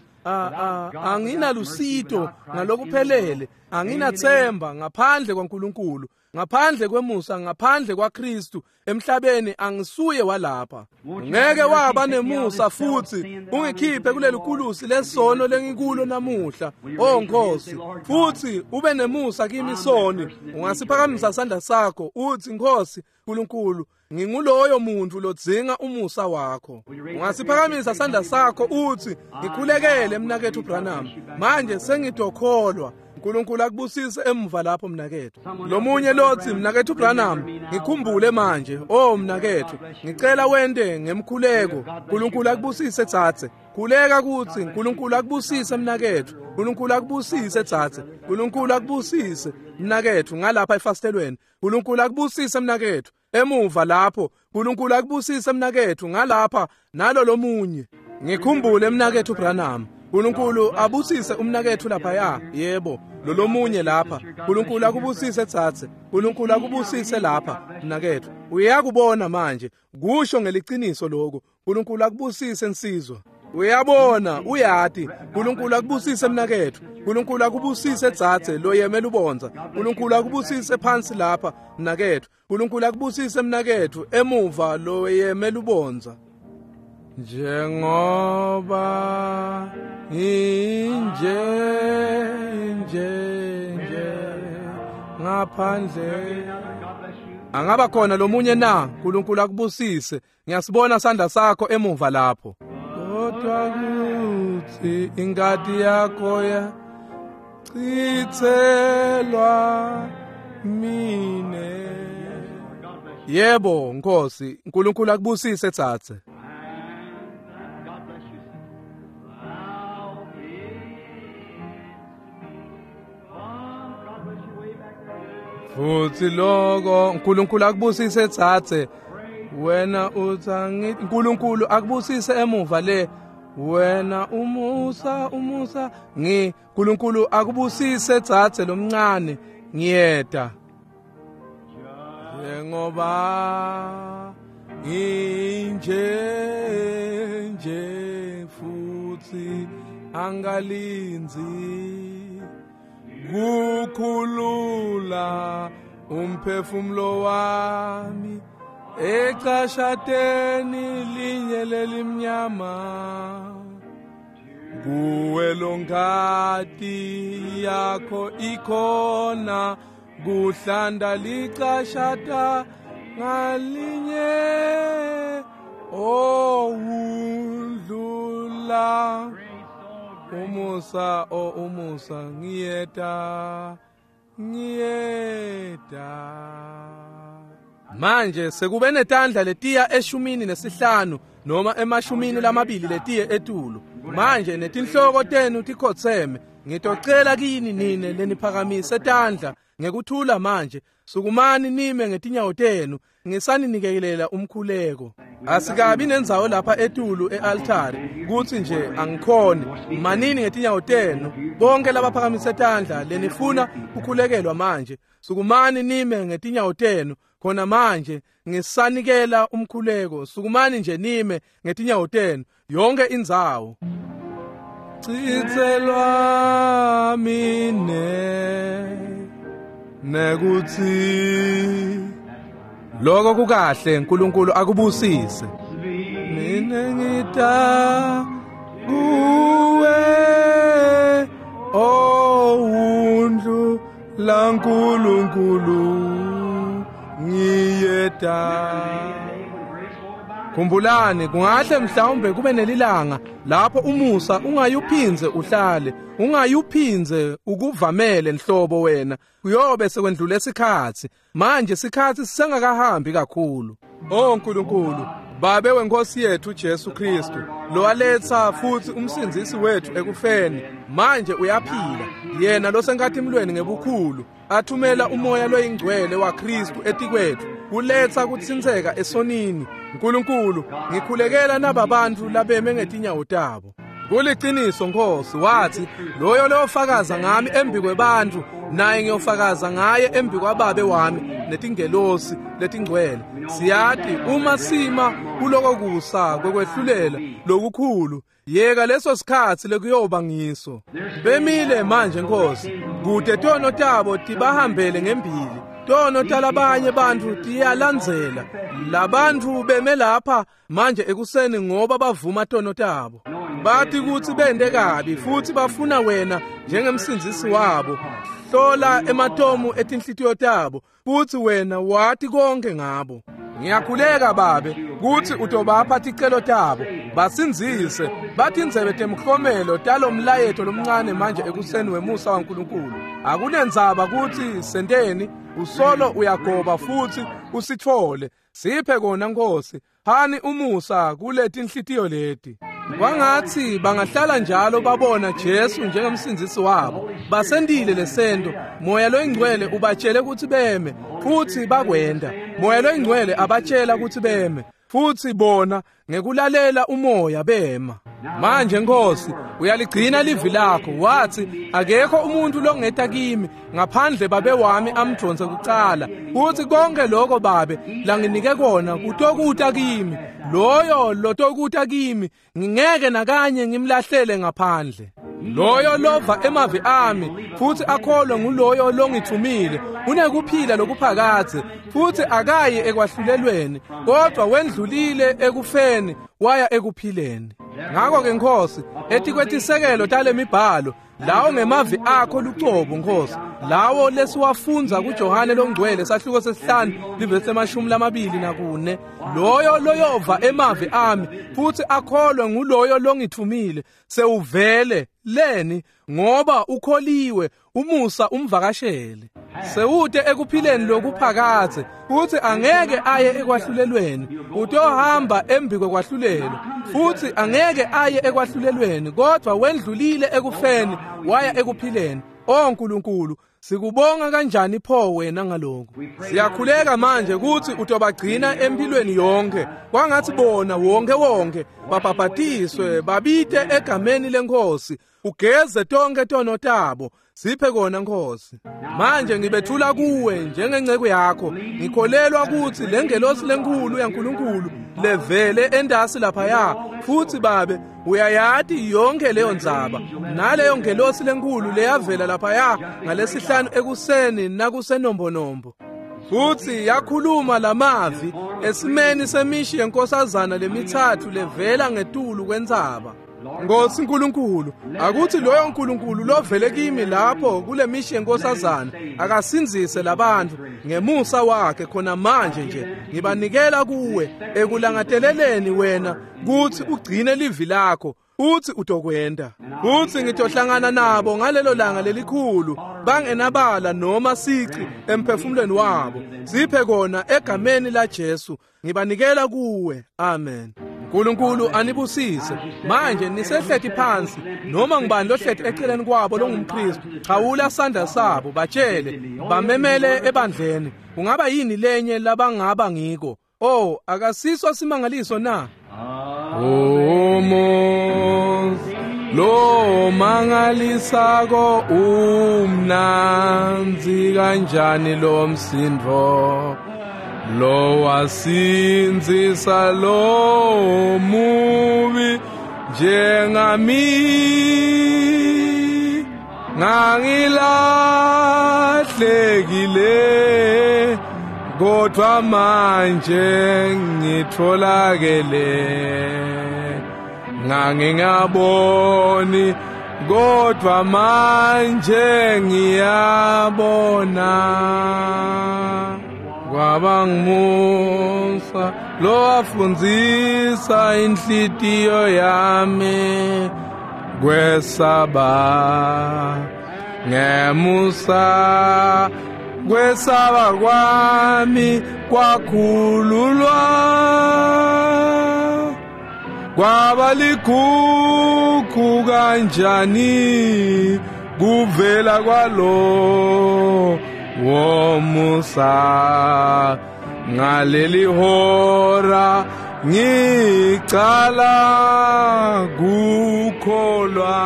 Anginalusito ngalokuphelele, anginathemba ngaphandle kwaNkulunkulu, ngaphandle kwemusa, ngaphandle kwaKristu emhlabeni angisuye walapha. Ngeke waba nemusa futhi ungikhiphe kuleli kulusi lesono lengikulo namuhla, oh Nkosi, futhi ube nemusa kimi soni. Ungasiphakamisa isandla sakho uthi, Nkosi uNkulunkulu, nginguloyo muntu lodzinga umusa wakho. Ungasiphakamisa isandla sakho uthi, ngikhulekele mnakethu Branham, manje sengidokholwa. uNkulunkulu akubusise emuva lapho mnakethu. Lomunye lothi, mnakethu Branham, ngikhumbule manje. Oh mnakethu, ngicela wente ngemkhuleko. uNkulunkulu akubusise tsatse. Khuleka kuthi uNkulunkulu akubusise mnakethu. uNkulunkulu akubusise tsatse. uNkulunkulu akubusise mnakethu ngalapha efastelweni. uNkulunkulu akubusise mnakethu emuva lapho. uNkulunkulu akubusise mnakethu ngalapha nalo lomunye. Ngikhumbule mnakethu Branham. uNkulunkulu abusise umnakethu laphaya, yebo, lolomunye lapha. uNkulunkulu akubusise tsatse. uNkulunkulu akubusise lapha mnakethu. Uyakubona manje, kusho ngeliciniso lokho. uNkulunkulu akubusise nsizwa. Uyabona, uyati. uNkulunkulu akubusise mnakethu. uNkulunkulu akubusise tsatse loyemela ubonza. uNkulunkulu akubusise phansi lapha mnakethu. uNkulunkulu akubusise mnakethu emuva loyemela ubonza. Njengoba inje Ngaphandle angaba khona lomunye na? uNkulunkulu akubusise. Ngiyasibona sandla sakho emuva lapho. Kodwa kuthi ingadi yakho ya chithelwa mine. Yebo Nkosi, uNkulunkulu akubusise tsatse. Futhi lokho uNkulunkulu akubusise tsatse. Wena uthangi uNkulunkulu akubusise emuva le. Wena umusa umusa ngi uNkulunkulu akubusise tsatse lomncane ngiyeda. Njengoba nginje nje futhi angalinzi kukhulula umphefumulo wami ecashateni linye lelimnyama. Kuwe longati yakho ikhona kuhlanda licashata ngalinye owundlula umusa o umusa ngiyeta ngiyeta. Manje sekube netandla letiya eshumini nesihlanu noma emashumini lamabili letiye etulu. Manje netinhloko tenu tikhotseme. Ngitocela kini nine leniphakamise tandla ngekuthula manje. Sukumani nime ngetinyawo tenu ngisaninikelela umkhuleko. Asikabi nendzawo lapha etulu e-altari kutsi nje angikhoni. Manini ngetinyawo tenu bonke labaphakamise tandla lenifuna kukhulekelwa manje. Sukumani nime ngetinyawo tenu khona manje ngisanikela umkhuleko. Sukumani nje nime ngetinyawo tenu yonke indzawo. Chitselwa mine nekuthi lokho kukahle. uNkulunkulu akubusise. Mina ngita kuwe owundlu laNkulunkulu ngiyeda. Khumbulani kungahle mhlawumbe kube nelilanga lapho umusa ungayuphinze uhlale, ungayuphinze ukuvamele nhlobo wena. Kuyobe sekwendlule isikhathi. Manje isikhathi sisengakahambi kakhulu. Oh uNkulunkulu, Babe wenkosi yethu Jesu Kristu, lowaletha futhi umsindzisi wethu ekufeni, manje uyaphila. Yena losenkatimlweni ngebukhulu, athumela umoya loyingcwele waKristu etikwethu, kuletha kutsintseka esonini. uNkulunkulu, ngikhulekela nababantu labeme ngetinyawo tabo. Kuliciniso Nkosi, wathi loyo lofakaza ngami embi kwebantu naye ngiyofakaza ngaye embi kwababe wami netingelosi letingcwele. Siyati uma sima kuloko kusa kwekwehlulela lokukhulu, yeka leso sikhatsi lekuyoba ngiso. Bemile manje Nkosi, kude tono tabo tibahambele ngembili. Tono talabanye bantfu tiyalandzela. Labantfu beme lapha manje ekuseni ngoba bavuma tono tabo. Bathi kutsi bende kabi futhi bafuna wena njengemsindzisi wabo. Hlola ematomu etinhlitiyo tabo futhi wena wati konke ngabo. Ngiyakhuleka Babe kutsi utobapha ticelo tabo, basindzise, batindzebe temhlomelo talomlayeto lomncane manje ekuseni wemusa waNkulunkulu. Akunendzaba kutsi senteni, usolo uyagoba futhi usitfole. Siphe kona Nkosi, hani umusa kuletinhlitiyo leti. Kwangatsi bangahlala njalo babona Jesu njengemsindzisi wabo. Basentile lesento. Moya loyingcwele ubatshele kutsi beme futhi bakwenda. Moya loyingcwele abatshela kutsi beme futhi bona ngekulalela umoya bema. Manje Nkosi, uyaligcina livi lakho. Wathi akekho umuntu longeta kimi ngaphandle babe wami amdvonse kucala. Uthi konke lokho babe langinike kona kutokuta kimi. Loyo lotokuta kimi ngingeke nakanye ngimlahlele ngaphandle. Loyo lova emavi ami futhi akholwe nguloyo longithumile unekuphila lokuphakadze futhi akayi ekwahlulelweni kodwa wendlulile ekufeni waya ekuphileni. Ngakho ke Nkosi, etikwetisekelo talemibhalo lawo ngemavi akho lucobo Nkosi, Lawo lesiwafundza kuJohane longcwele sahluko sesihlanu livesi emashumi lamabili nakune. Loyo loyova emavi ami futhi akholwe nguloyo longithumile sewuvele leni ngoba ukholiwe umusa umvakashele. Sewute ekuphileni lokuphakadze futhi angeke aye ekwahlulelweni, utohamba embi kwekwahlulelwa futhi angeke aye ekwahlulelweni kodwa wendlulile ekufeni waya ekuphileni. O Nkulunkulu, sikubonga kanjani pho wena ngalokho. Siyakhuleka manje ukuthi utobagcina empilweni yonke, kwangathi bona wonke wonke babhabhatiswe babite egameni leNkosi, ugeze tonke tono tabo. Siphe kona Nkosi. Manje ngibethula kuwe njengenceke yakho, ngikholelwa ukuthi lengelosi lenkulu yaNkulunkulu levele endasi laphaya futhi babe uyayati yonke leyo ndzaba, naleyo ngelosi lenkulu leyavela laphaya ngalesihlanu ekuseni nakusenombonombo futhi yakhuluma lamavi esimeni semishi yenkosazana lemithathu levela ngetulu kwentsaba. Nkosi Nkulunkulu, akuthi loyo Nkulunkulu lovele kimi lapho kule mishi yenkosazana akasinzise labantu ngemusa wakhe khona manje nje. Ngibanikela kuwe ekulangateleleni wena kuthi ugcine livi lakho uthi utokwenda. Uthi ngitohlangana nabo ngalelo langa lelikhulu bangenabala noma sici emphefumulweni wabo. Siphe kona egameni la Jesu. Ngibanikela kuwe. Amen. Nkulunkulu anibusise. Manje nisehleti phansi noma ngibani lohleti eceleni kwabo longumKristu, chawula sandla sabo batshele bamemele ebandleni. Kungaba yini lenye labangaba ngiko? Oh, akasiso simangaliso na? Omo lo mangalisako umnanzi kanjani lo msindo lo wasinzisa lo mubi njengami ngangilahlekile kodwa manje ngitholakele, ngangingaboni kodwa manje ngiyabona. Kwaba ngumusa lo wafundzisa inhlitiyo yami kwesaba, ngemusa kwesaba kwami kwakhululwa, kwaba ligugu kanjani kuvela kwalo womusa. Ngaleli hora ngicala kukholwa.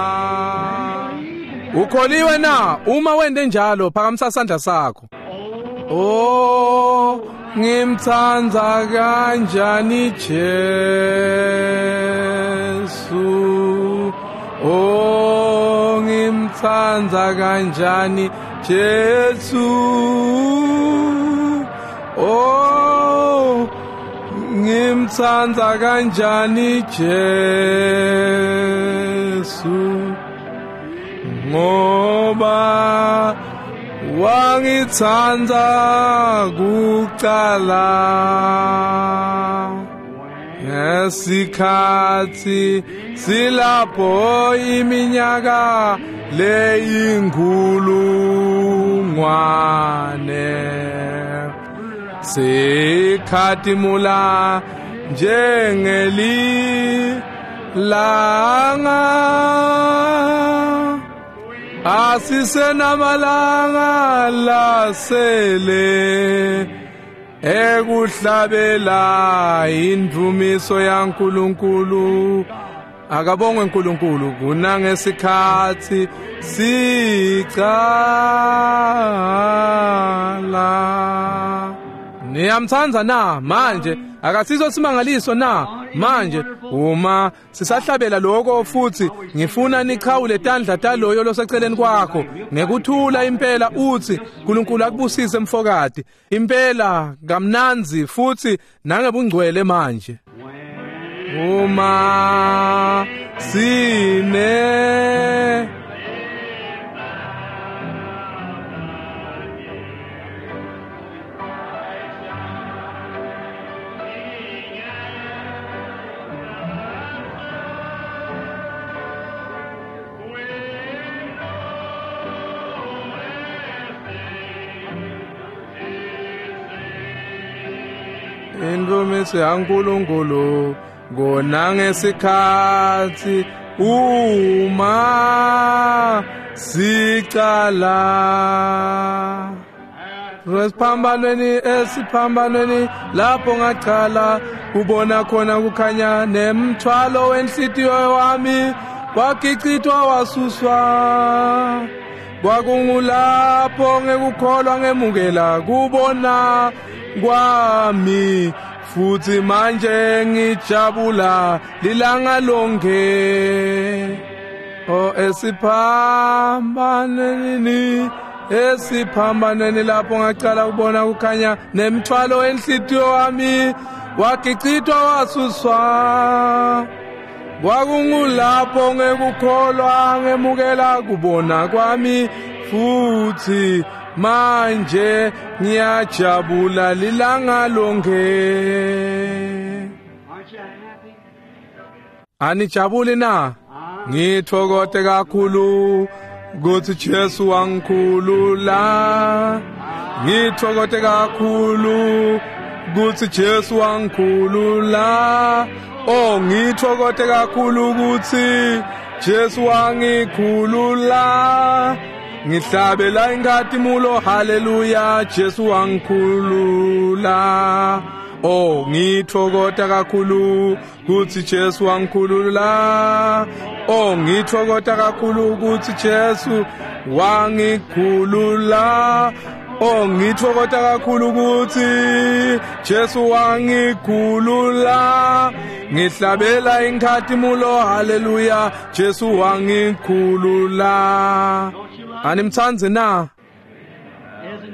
Ukholiwe na? Uma wende njalo phakamisa sandla sakho. Oh, ngimthanda kanjani Jesu, oh ngimthanda kanjani Jesu, oh ngimthanda kanjani Jesu, ngoba wangithanda kuqala. Ngesikhathi silapho iminyaka leyinkulungwane sikhatimula njengelilanga, asisenamalanga lasele ekuhlabela indumiso yaNkulunkulu. Akabongwe uNkulunkulu kunangesikhathi sicala. Niyamthanda na manje? Akasiso simangaliso na manje? Uma sisahlabela lokho futhi ngifuna nichawule tandla taloyo loseceleni kwakho ngekuthula impela, uthi uNkulunkulu akubusise mfokati impela kamnanzi futhi nangebungcwele manje. Uma sine Indumiso yaNkulunkulu kona ngesikhathi uma sicala esiphambanweni esiphambanweni lapho ngacala kubona khona kukhanya nemthwalo wenhlitiyo wami wagicitwa wasuswa. Kwakungulapho ngekukholwa ngemukela kubona kwami futhi manje ngijabula lilanga lonke. O esiphambanweni esiphambanweni lapho ngacala kubona kukhanya nemthwalo wenhlitiyo wami wagicitwa wasuswa. Kwakungulapho ngekukholwa ngemukela kubona kwami futhi manje ngiyajabula lilanga lonke. Anijabuli na? Ngithokote kakhulu kuthi Jesu wangikhulula. Ngithokote kakhulu kuthi Jesu wangikhulula. Oh ngithokote kakhulu ukuthi Jesu wangikhulula. Ngihlabela inkhatimulo haleluya Jesu wangikhulula. Oh ngithokota kakhulu kuthi Jesu wangikhulula. Oh ngithokota kakhulu kuthi Jesu wangikhulula. Oh ngithokota kakhulu ukuthi Jesu wangikhulula. Ngihlabela inkhatimulo haleluya Jesu wangikhulula. Animthanzi na?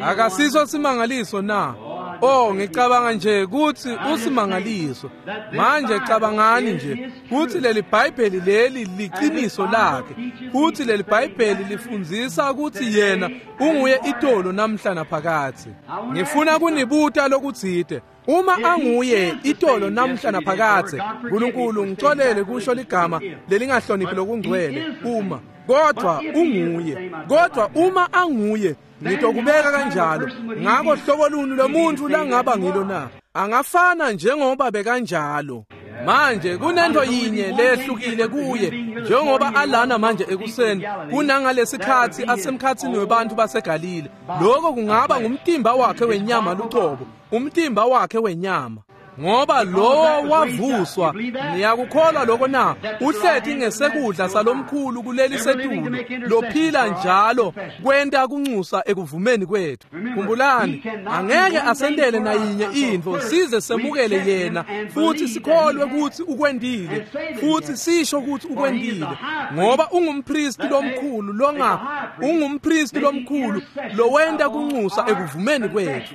Akasiso simangaliso na? Oh ngicabanga nje kuthi usimangaliso. Manje cabangani nje kuthi leli Bhayibheli leli liqiniso lakhe. Kuthi leli Bhayibheli lifundzisa ukuthi yena unguye itolo namhla naphakathi. Ngifuna kunibuta lokutsite. Uma anguye itolo namhla naphakathe, uNkulunkulu ngixolele kusho ligama lelingahloniphi lokungcwele uma kodwa unguye. Kodwa uma anguye ngitokubeka kanjalo. Ngako hlobo luni lomuntu langaba ngilo na? Angafana njengoba bekanjalo. Manje kunento yinye lehlukile kuye njengoba alana manje ekuseni kunangalesikhathi asemkhathini webantu baseGalile. Lokho kungaba ngumtimba wakhe wenyama luqobo, umtimba wakhe wenyama. Ngoba lowo wavuswa, niyakukholwa lokho na? Uhleti ngesekudla salomkhulu kuleli setulu lophila njalo kwenta kunxusa ekuvumeni kwethu. Khumbulani, angeke asendele nayinye intfo size semukele yena futhi sikholwe ukuthi ukwendile futhi sisho ukuthi ukwendile, ngoba ungumpristi lomkhulu longa ungumpristi lomkhulu lowenta kunxusa ekuvumeni kwethu.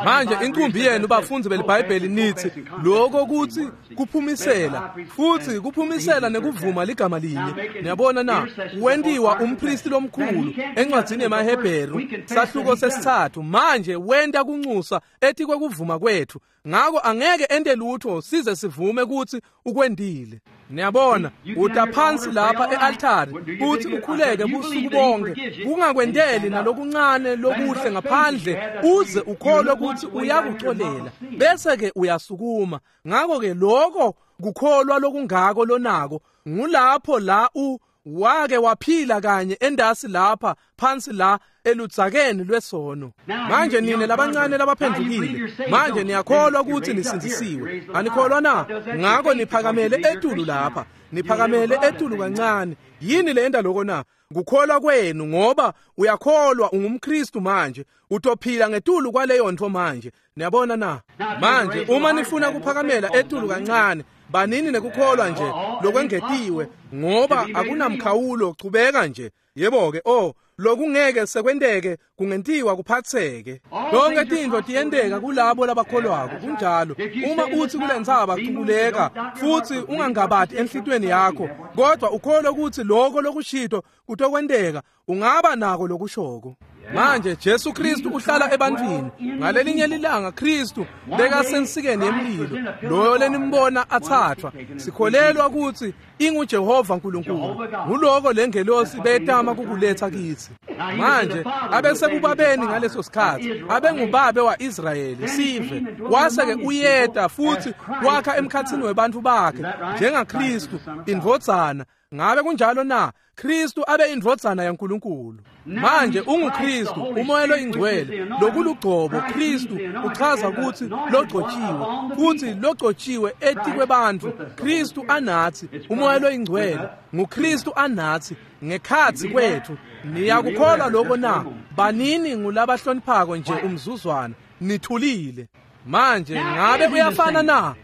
Manje inqumbi yenu bafundi beliBhayibheli nithi lokho kuthi kuphumisela futhi kuphumisela nekuvuma ligama linye. Niyabona na? Wentiwa umpristi lomkhulu encwadzini yemaHebheru sahluko sesithathu. Manje wenta kunxusa ethi kwekuvuma kwethu. Ngako angeke ente lutho size sivume ukuthi ukwendile. Niyabona, utaphansi lapha e-altari kuthi ukhuleke busuku bonke kungakwendeli nalokuncane lokuhle ngaphandle uze ukholwe ukuthi uyakuxolela bese ke uyasukuma. Ngako ke lokho kukholwa lokungako lonako ngulapho la u wake waphila kanye endasi lapha phansi la eludzakeni lwesono. Manje nine labancane labaphendukile, manje niyakholwa ukuthi nisindzisiwe, anikholwa na? Ngako niphakamele etulu lapha, niphakamele etulu kancane. Yini le enda lokho na? Kukholwa kwenu, ngoba uyakholwa ungumKristu manje, utophila ngetulu kwaleyo nto manje. Niyabona na? Manje uma nifuna kuphakamela etulu kancane, banini nekukholwa nje lokwengetiwe, ngoba akunamkhawulo, chubeka nje. Yebo ke, oh lokungeke sekwenteke kungentiwa kuphatheke. Lonke tintfo tiyenteka kulabo labakholwako. Kunjalo. Uma uthi kulentsaba cukuleka futhi ungangabati enhlitweni yakho, kodwa ukholwe ukuthi lokho lokushito kutokwenteka, ungaba nako lokushoko. Manje Jesu Kristu uhlala ebantwini. Ngalelinye lilanga Kristu bekasensikeni yemlilo, loyo lenimbona athathwa. Sikholelwa ukuthi inguJehova uNkulunkulu. Nguloko lengelosi betama kukuletha kithi. Manje abesebubabeni ngaleso sikhathi, abengubabe wa-Israyeli sive. Wase-ke uyeta futhi wakha emkhathini webantu bakhe njengaKristu indvodzana. Ngabe kunjalo na? Kristu abe indvodzana yaNkulunkulu. Manje unguKristu, umoya loyingcwele, lokulugcobo. Kristu uchaza ukuthi logcotshiwe, futhi logcotshiwe etikwebantfu. Kristu anathi, umoya loyingcwele nguKristu anathi ngekhatsi kwethu. Niyakukholwa lokho na? Banini ngulabahloniphako nje umzuzwana, nithulile. Manje ngabe kuyafana na?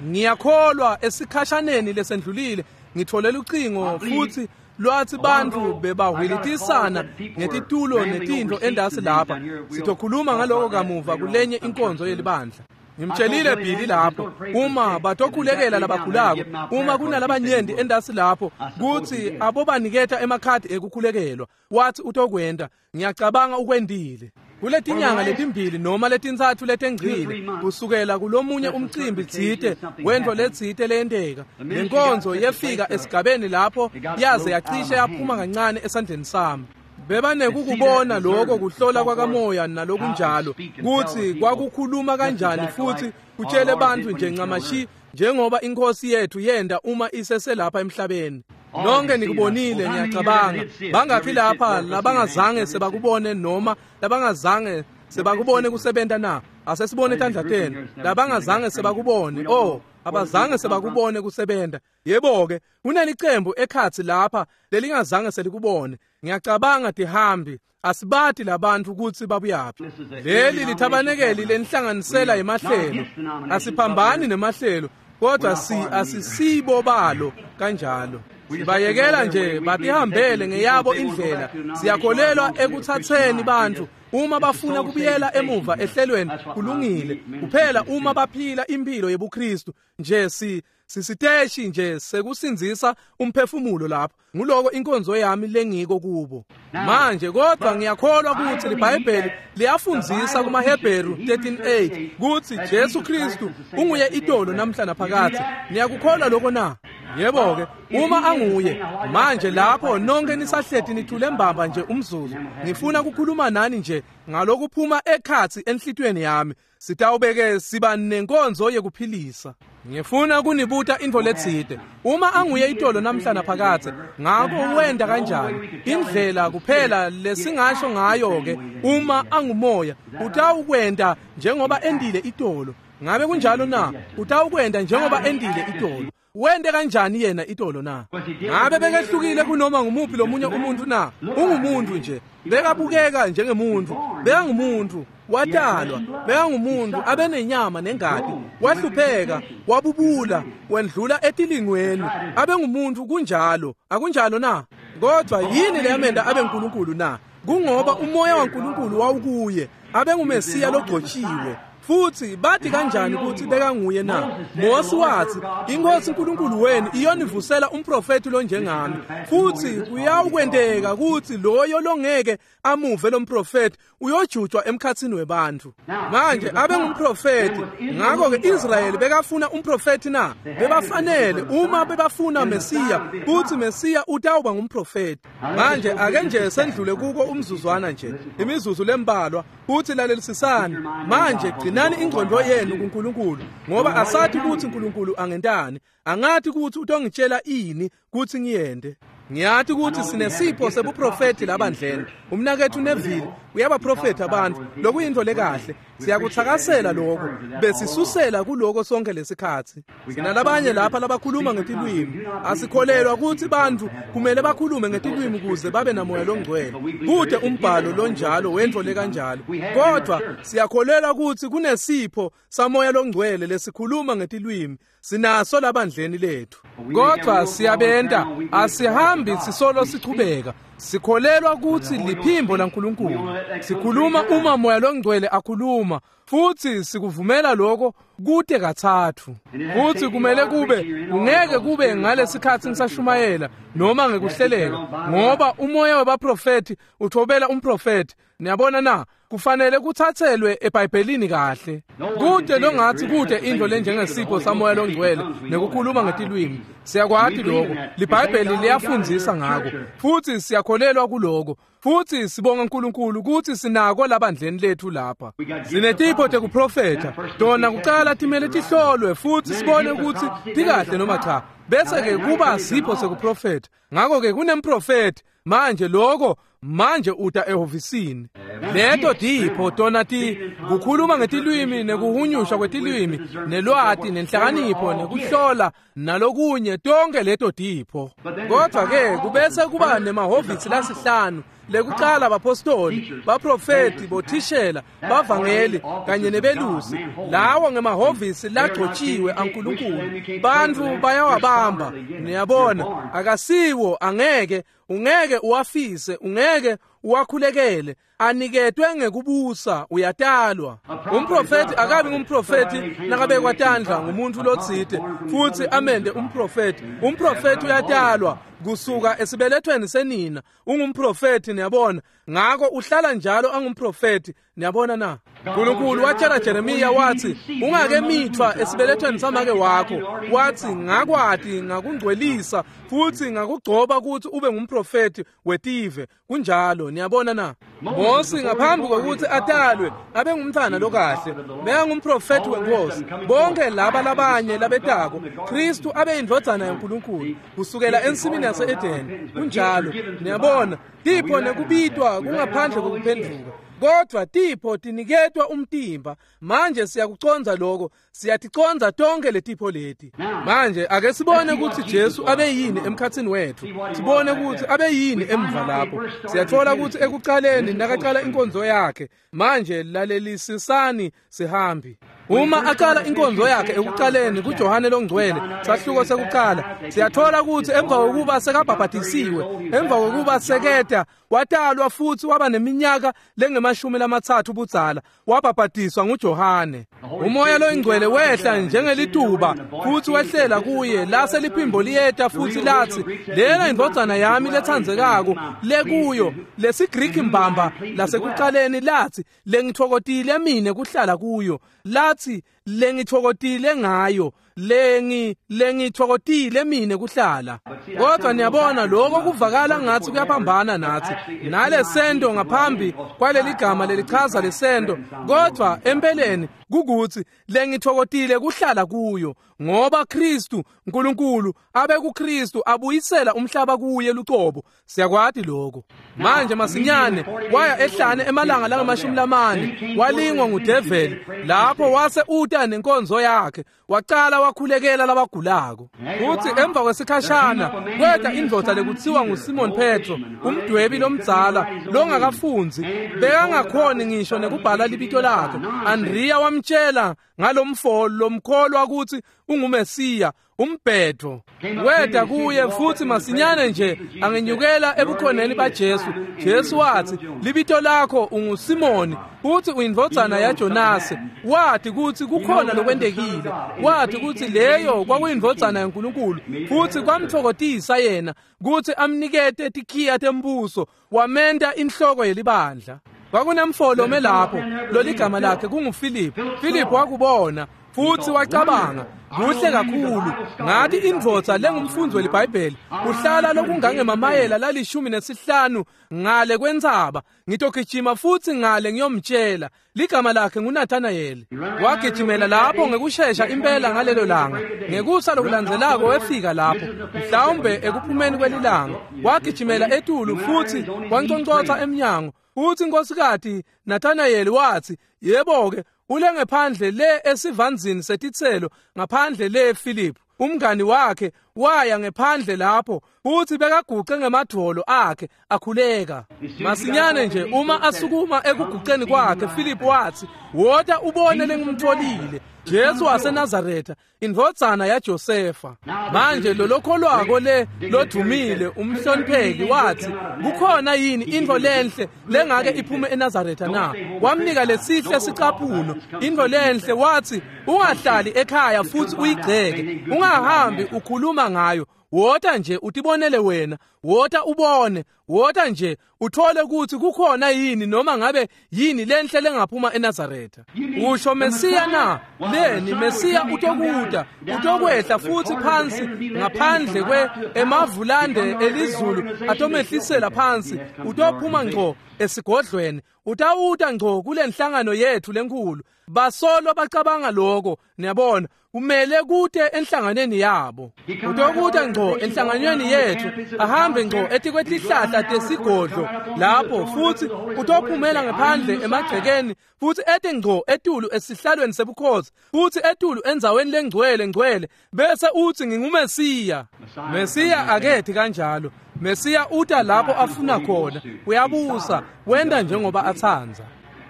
Ngiyakholwa esikhashaneni lesendlulile ngitholela ucingo futhi lwathi bantu bebahwilitisana ngetitulo netintfo endasi lapha. Sitokhuluma ngaloko kamuva kulenye inkonzo yelibandla. Ngimtshelile Billy lapho uma batokhulekela labagulako, uma kunalabanyenti endasi lapho kuthi abobaniketa emakhadi ekukhulekelwa, wathi utokwenda. Ngiyacabanga ukwendile. Kuletinyanga letimbili noma letintsatfu letengcile kusukela kulomunye umcimbi tsite wentfo letsite leyenteka, lenkonzo yefika esigabeni lapho yaze yacishe yaphuma kancane esandleni sami. Bebanekukubona lokho kuhlola kwakamoya nalokunjalo, kuthi kwakukhuluma kanjani futhi kutshele bantfu nje ncamashi njengoba inkosi yethu yenda uma iseselapha emhlabeni. Nonke nikubonile ngiyacabanga. Bangaphi lapha labangazange sebakubone noma labangazange sebakubone kusebenta na? Asesibone tandla tenu. Labangazange sebakubone. Oh, abazange sebakubone kusebenta. Yebo-ke, kunelicembu ekhatsi lapha lelingazange selikubone. Ngiyacabanga tihambi, asibati labantu kutsi babuyaphi. Leli lithabanekeli lenhlanganisela yemahlelo. Asiphambani nemahlelo, kodwa si asisibo balo kanjalo. Sibayekela nje batihambele ngeyabo indlela. Siyakholelwa ekuthatheni bantfu uma bafuna kubuyela emuva ehlelweni, kulungile. Kuphela uma baphila impilo yebuKristu nje, si sisiteshi nje sekusindzisa umphefumulo lapho. Nguloko inkonzo yami lengiko kubo. Manje kodwa ngiyakholwa ukuthi liBhayibheli liyafundzisa kumaHebheru thirteen eight kutsi Jesu Kristu unguye itolo namhla naphakadze. Niyakukholwa lokho na? Yebo-ke, uma anguye manje lapho nonke nisahleti nithule mbamba nje umzuzu, ngifuna ukukhuluma nani nje ngalokuphuma ekhatsi enhlitiyweni yami. Sitawubeke siba nenkonzo yekuphilisa. Ngifuna kunibuta intfo letsite. Uma anguye itolo namhla naphakadze, ngako wenda kanjani? Indlela kuphela lesingasho ngayo ke, uma angumoya utawukwenda njengoba endile itolo. Ngabe kunjalo na? Utawukwenda njengoba endile itolo. Wende kanjani yena itolo na? Ngabe bekehlukile kunoma ngumuphi lomunye umuntu na? Ungumuntu nje, bekabukeka njengemuntu, bekangumuntu, watalwa, bekangumuntu abenenyama nengati, wahlupheka, wabubula, wendlula etilingweni, abengumuntu kunjalo, akunjalo na? Kodwa yini leyamenda abenkulunkulu na? Kungoba umoya waNkulunkulu wawukuye, abenguMesiya logcotshiwe. Futhi bathi kanjani ukuthi bekanguye na? Mose wathi, inkosi uNkulunkulu wenu iyonivusela umprofeti lonjengami. Futhi kuyawukwenteka ukuthi loyo longeke amuve lo mprofeti uyojutshwa emkhathini webantu. Manje abengumprofeti, ngakho-ke Israyeli bekafuna umprofeti na? Bebafanele uma bebafuna Mesiya, kuthi Mesiya utawuba ngumprofeti. Manje ake nje sendlule kuko umzuzwana nje, imizuzu lembalwa, kuthi lalelisisani. Manje gcinani ingqondo yenu kuNkulunkulu, ngoba asathi ukuthi uNkulunkulu angentani, angathi ukuthi utongitshela ini kuthi ngiyende. Ngiyathi ukuthi sinesipho sebuprofeti labandleni. Umnakethu Neville uyabaprofetha abantu, lokuyinto lekahle. Siyakuthakasela lokho, besisusela kuloko sonke lesikhathi. Sinalabanye lapha labakhuluma ngetilwimi. Asikholelwa ukuthi bantu kumele bakhulume ngetilwimi ukuze babe namoya longcwele. Kude umbhalo lonjalo wentfo lekanjalo. Kodwa siyakholelwa ukuthi kunesipho samoya longcwele lesikhuluma ngetilwimi. Sinaso labandleni lethu. Kodwa siyabenta, asihambi sisolo sichubeka. Sikholelwa kutsi liphimbo laNkulunkulu. Sikhuluma uma Moya loNgcwele akhuluma, futhi sikuvumela lokho kute katsatfu. Futhi kumele kube, kungeke kube ngalesikhatsi ngisashumayela noma ngekuhleleka, ngoba umoya wabaprofethi uthobela umprofethi. Niyabona na? Kufanele kutsatselwe eBhayibhelini kahle. Kude longathi kude into lenjengesipho saMoya loNgcwele nekukhuluma ngetilwimi. Siyakwati lokho. LiBhayibheli liyafundzisa ngako. Futhi siyakholelwa kuloko. Futhi sibonga uNkulunkulu ukuthi sinako labandleni lethu lapha. Sinetipho tekuprofetha. Tona kucala timele tihlolwe futhi sibone ukuthi tikahle noma cha. Bese ke kuba sipho sekuprofetha. Ngakho ke kunemprofethi. Manje lokho manje uta ehhovisini. Leto tipho tona ti kukhuluma ngetilwimi nekuhunyushwa kwetilwimi nelwati nenhlakanipho nekuhlola nalokunye, tonke leto tipho. Kodwa ke kubese kuba nemahhovisi lasihlanu. Lekucala bapostoli, baprofeti, bothishela, bavangeli kanye nebelusi. Lawo ngemahhovisi lagcotshiwe aNkulunkulu. Bantfu bayawabamba. Niyabona, akasiwo, angeke ungeke uwafise, ungeke uwakhulekele, aniketwe ngekubusa, uyatalwa. Umprofeti akabi ngumprofeti nakabekwa tandla ngumuntu lotsite futhi amende umprofeti. Umprofeti uyatalwa kusuka esibelethweni senina, ungumprofeti, niyabona. Ngako uhlala njalo angumprofeti, niyabona na? uNkulunkulu watshela Jeremiya wathi, ungakemithwa esibelethweni samake wakho, wathi ngakwati ngakungcwelisa futhi ngakugcoba ukuthi ube ngumprofeti wetive. Kunjalo, niyabona na? Mose ngaphambi kokuthi atalwe abe ngumntwana lokahle, bekangumprofeti wenkosi. Bonke laba labanye labetako, Kristu abe indvodzana yaNkulunkulu kusukela ensimini yase-Edeni. Kunjalo, niyabona, tipho nekubitwa kungaphandle kokuphendvuka. Kodwa tipho tiniketwa umtimba. Manje siyakucondza lokho, siyaticondza tonke letipho leti. Manje ake sibone ukuthi Jesu abe yini emkhatsini wethu, sibone ukuthi abe yini emva lapho. Siyathola ukuthi ekucaleni nakaqala inkonzo yakhe. Manje lalelisisani sihambi. Uma aqala inkonzo yakhe ekucaleni kuJohane loNgcwele, sahluko sekuqala, siyathola ukuthi emva kokuba sekabhabhatisiwe, emva kokuba seketa, watalwa futhi waba neminyaka lengemashumi lamatsatfu budzala, wabhabhatiswa nguJohane. Umoya loNgcwele wehla njengelituba futhi wehlela kuye, lase liphimbo liyeta futhi lathi, lena indvodzana yami letsandzekako lekuyo. LesiGriki mbamba lasekucaleni lathi, lengitfokotile mine kuhlala kuyo, lathi lengitfokotile ngayo, lengi lengitfokotile mine kuhlala. Kodwa niyabona lokho kuvakala ngathi kuyaphambana nathi nalesento ngaphambi kwaleligama lelichaza lesento, kodwa empeleni kukuthi lengitfokotile kuhlala kuyo, ngoba Kristu uNkulunkulu abe kuKristu abuyisela umhlaba kuye lucobo. Siyakwati lokho. Manje masinyane waya ehlane emalanga langamashumi lamane, walingwa ngudeveli. Lapho wase uta nenkonzo yakhe, waqala wakhulekela labagulako. Futhi emva kwesikhashana kweta indvodza lekuthiwa nguSimon Petro, umdwebi lomdzala longakafunzi, bekangakhoni ngisho nekubhala libito lakhe. Andrea wamtshela ngalomfo lomkholwa ukuthi unguMesiya, umbhedvo. Weda kuye futhi masinyane nje angenyukela ebukhoneni baJesu. Jesu wathi, libito lakho unguSimoni futhi uyindvodzana yaJonase. Wathi kuthi kukhona lokwentekile, wathi kuthi leyo kwakuyindvodzana yaNkulunkulu, futhi kwamtfokotisa yena kuthi amnikete tikhiya tembuso, wamenta inhloko yelibandla. Kwakunemfolo melapho loligama lakhe kunguFiliphu. Filiphu wakubona futhi wacabanga, kuhle kakhulu, ngathi indvodza lengumfundzi weliBhayibheli uhlala lokungangemamayela lalishumi nesihlanu ngale kwentsaba, ngitogijima futhi ngale ngiyomtshela. Ligama lakhe nguNathanayeli. Wagijimela lapho ngekushesha impela ngalelo langa. Ngekusa lokulandzelako wefika lapho, mhlawumbe ekuphumeni kwelilanga. Wagijimela etulu futhi wanconcotsa emnyango. Uthi inkosikati Nathanayeli wathi, yebo-ke, ule ngephandle le esivanzini setitselo ngaphandle le Philip, umngani wakhe Waya ngephandle lapho futhi bekaguqe ngemadvolo akhe akhuleka. Masinyane nje uma asukuma ekuguqeni kwakhe, Philip wathi, "Wota ubone lengimtholile, Jesu waseNazaretha, indvodzana yaJosefa." Manje lolokholwako le lodumile umhlonipheki wathi, "Kukhona yini intfo lenhle lengake iphume eNazaretha na?" Wamnika lesihle sicaphuno, intfo lenhle, wathi, "Ungahlali ekhaya futhi uyigceke, ungahambi ukhuluma ngayo. Wota nje utibonele wena, wota ubone, wota nje uthole ukuthi kukhona yini noma ngabe yini lenhle lengaphuma eNazaretha." Usho Mesiya na? Leni Mesiya utokuta, utokwehla futhi phansi ngaphandle kwe emavulande elizulu atomehlisela phansi, utophuma ngco esigodlweni, utawuta ngco kule nhlangano yethu lenkulu. Basolo bacabanga lokho, niyabona, kumele kute enhlanganweni yabo. Utokuta ngco enhlanganweni yethu, ahambe ngco etikwetihlahla tesigodlo lapho, futhi utophumela ngaphandle emagcekeni, futhi ete ngco etulu esihlalweni sebukhosi, futhi etulu endzaweni lengcwele ngcwele, bese uthi nginguMesiya. Mesiya akethi kanjalo. Mesiya uta lapho afuna khona, uyabusa, wenda njengoba atsandza.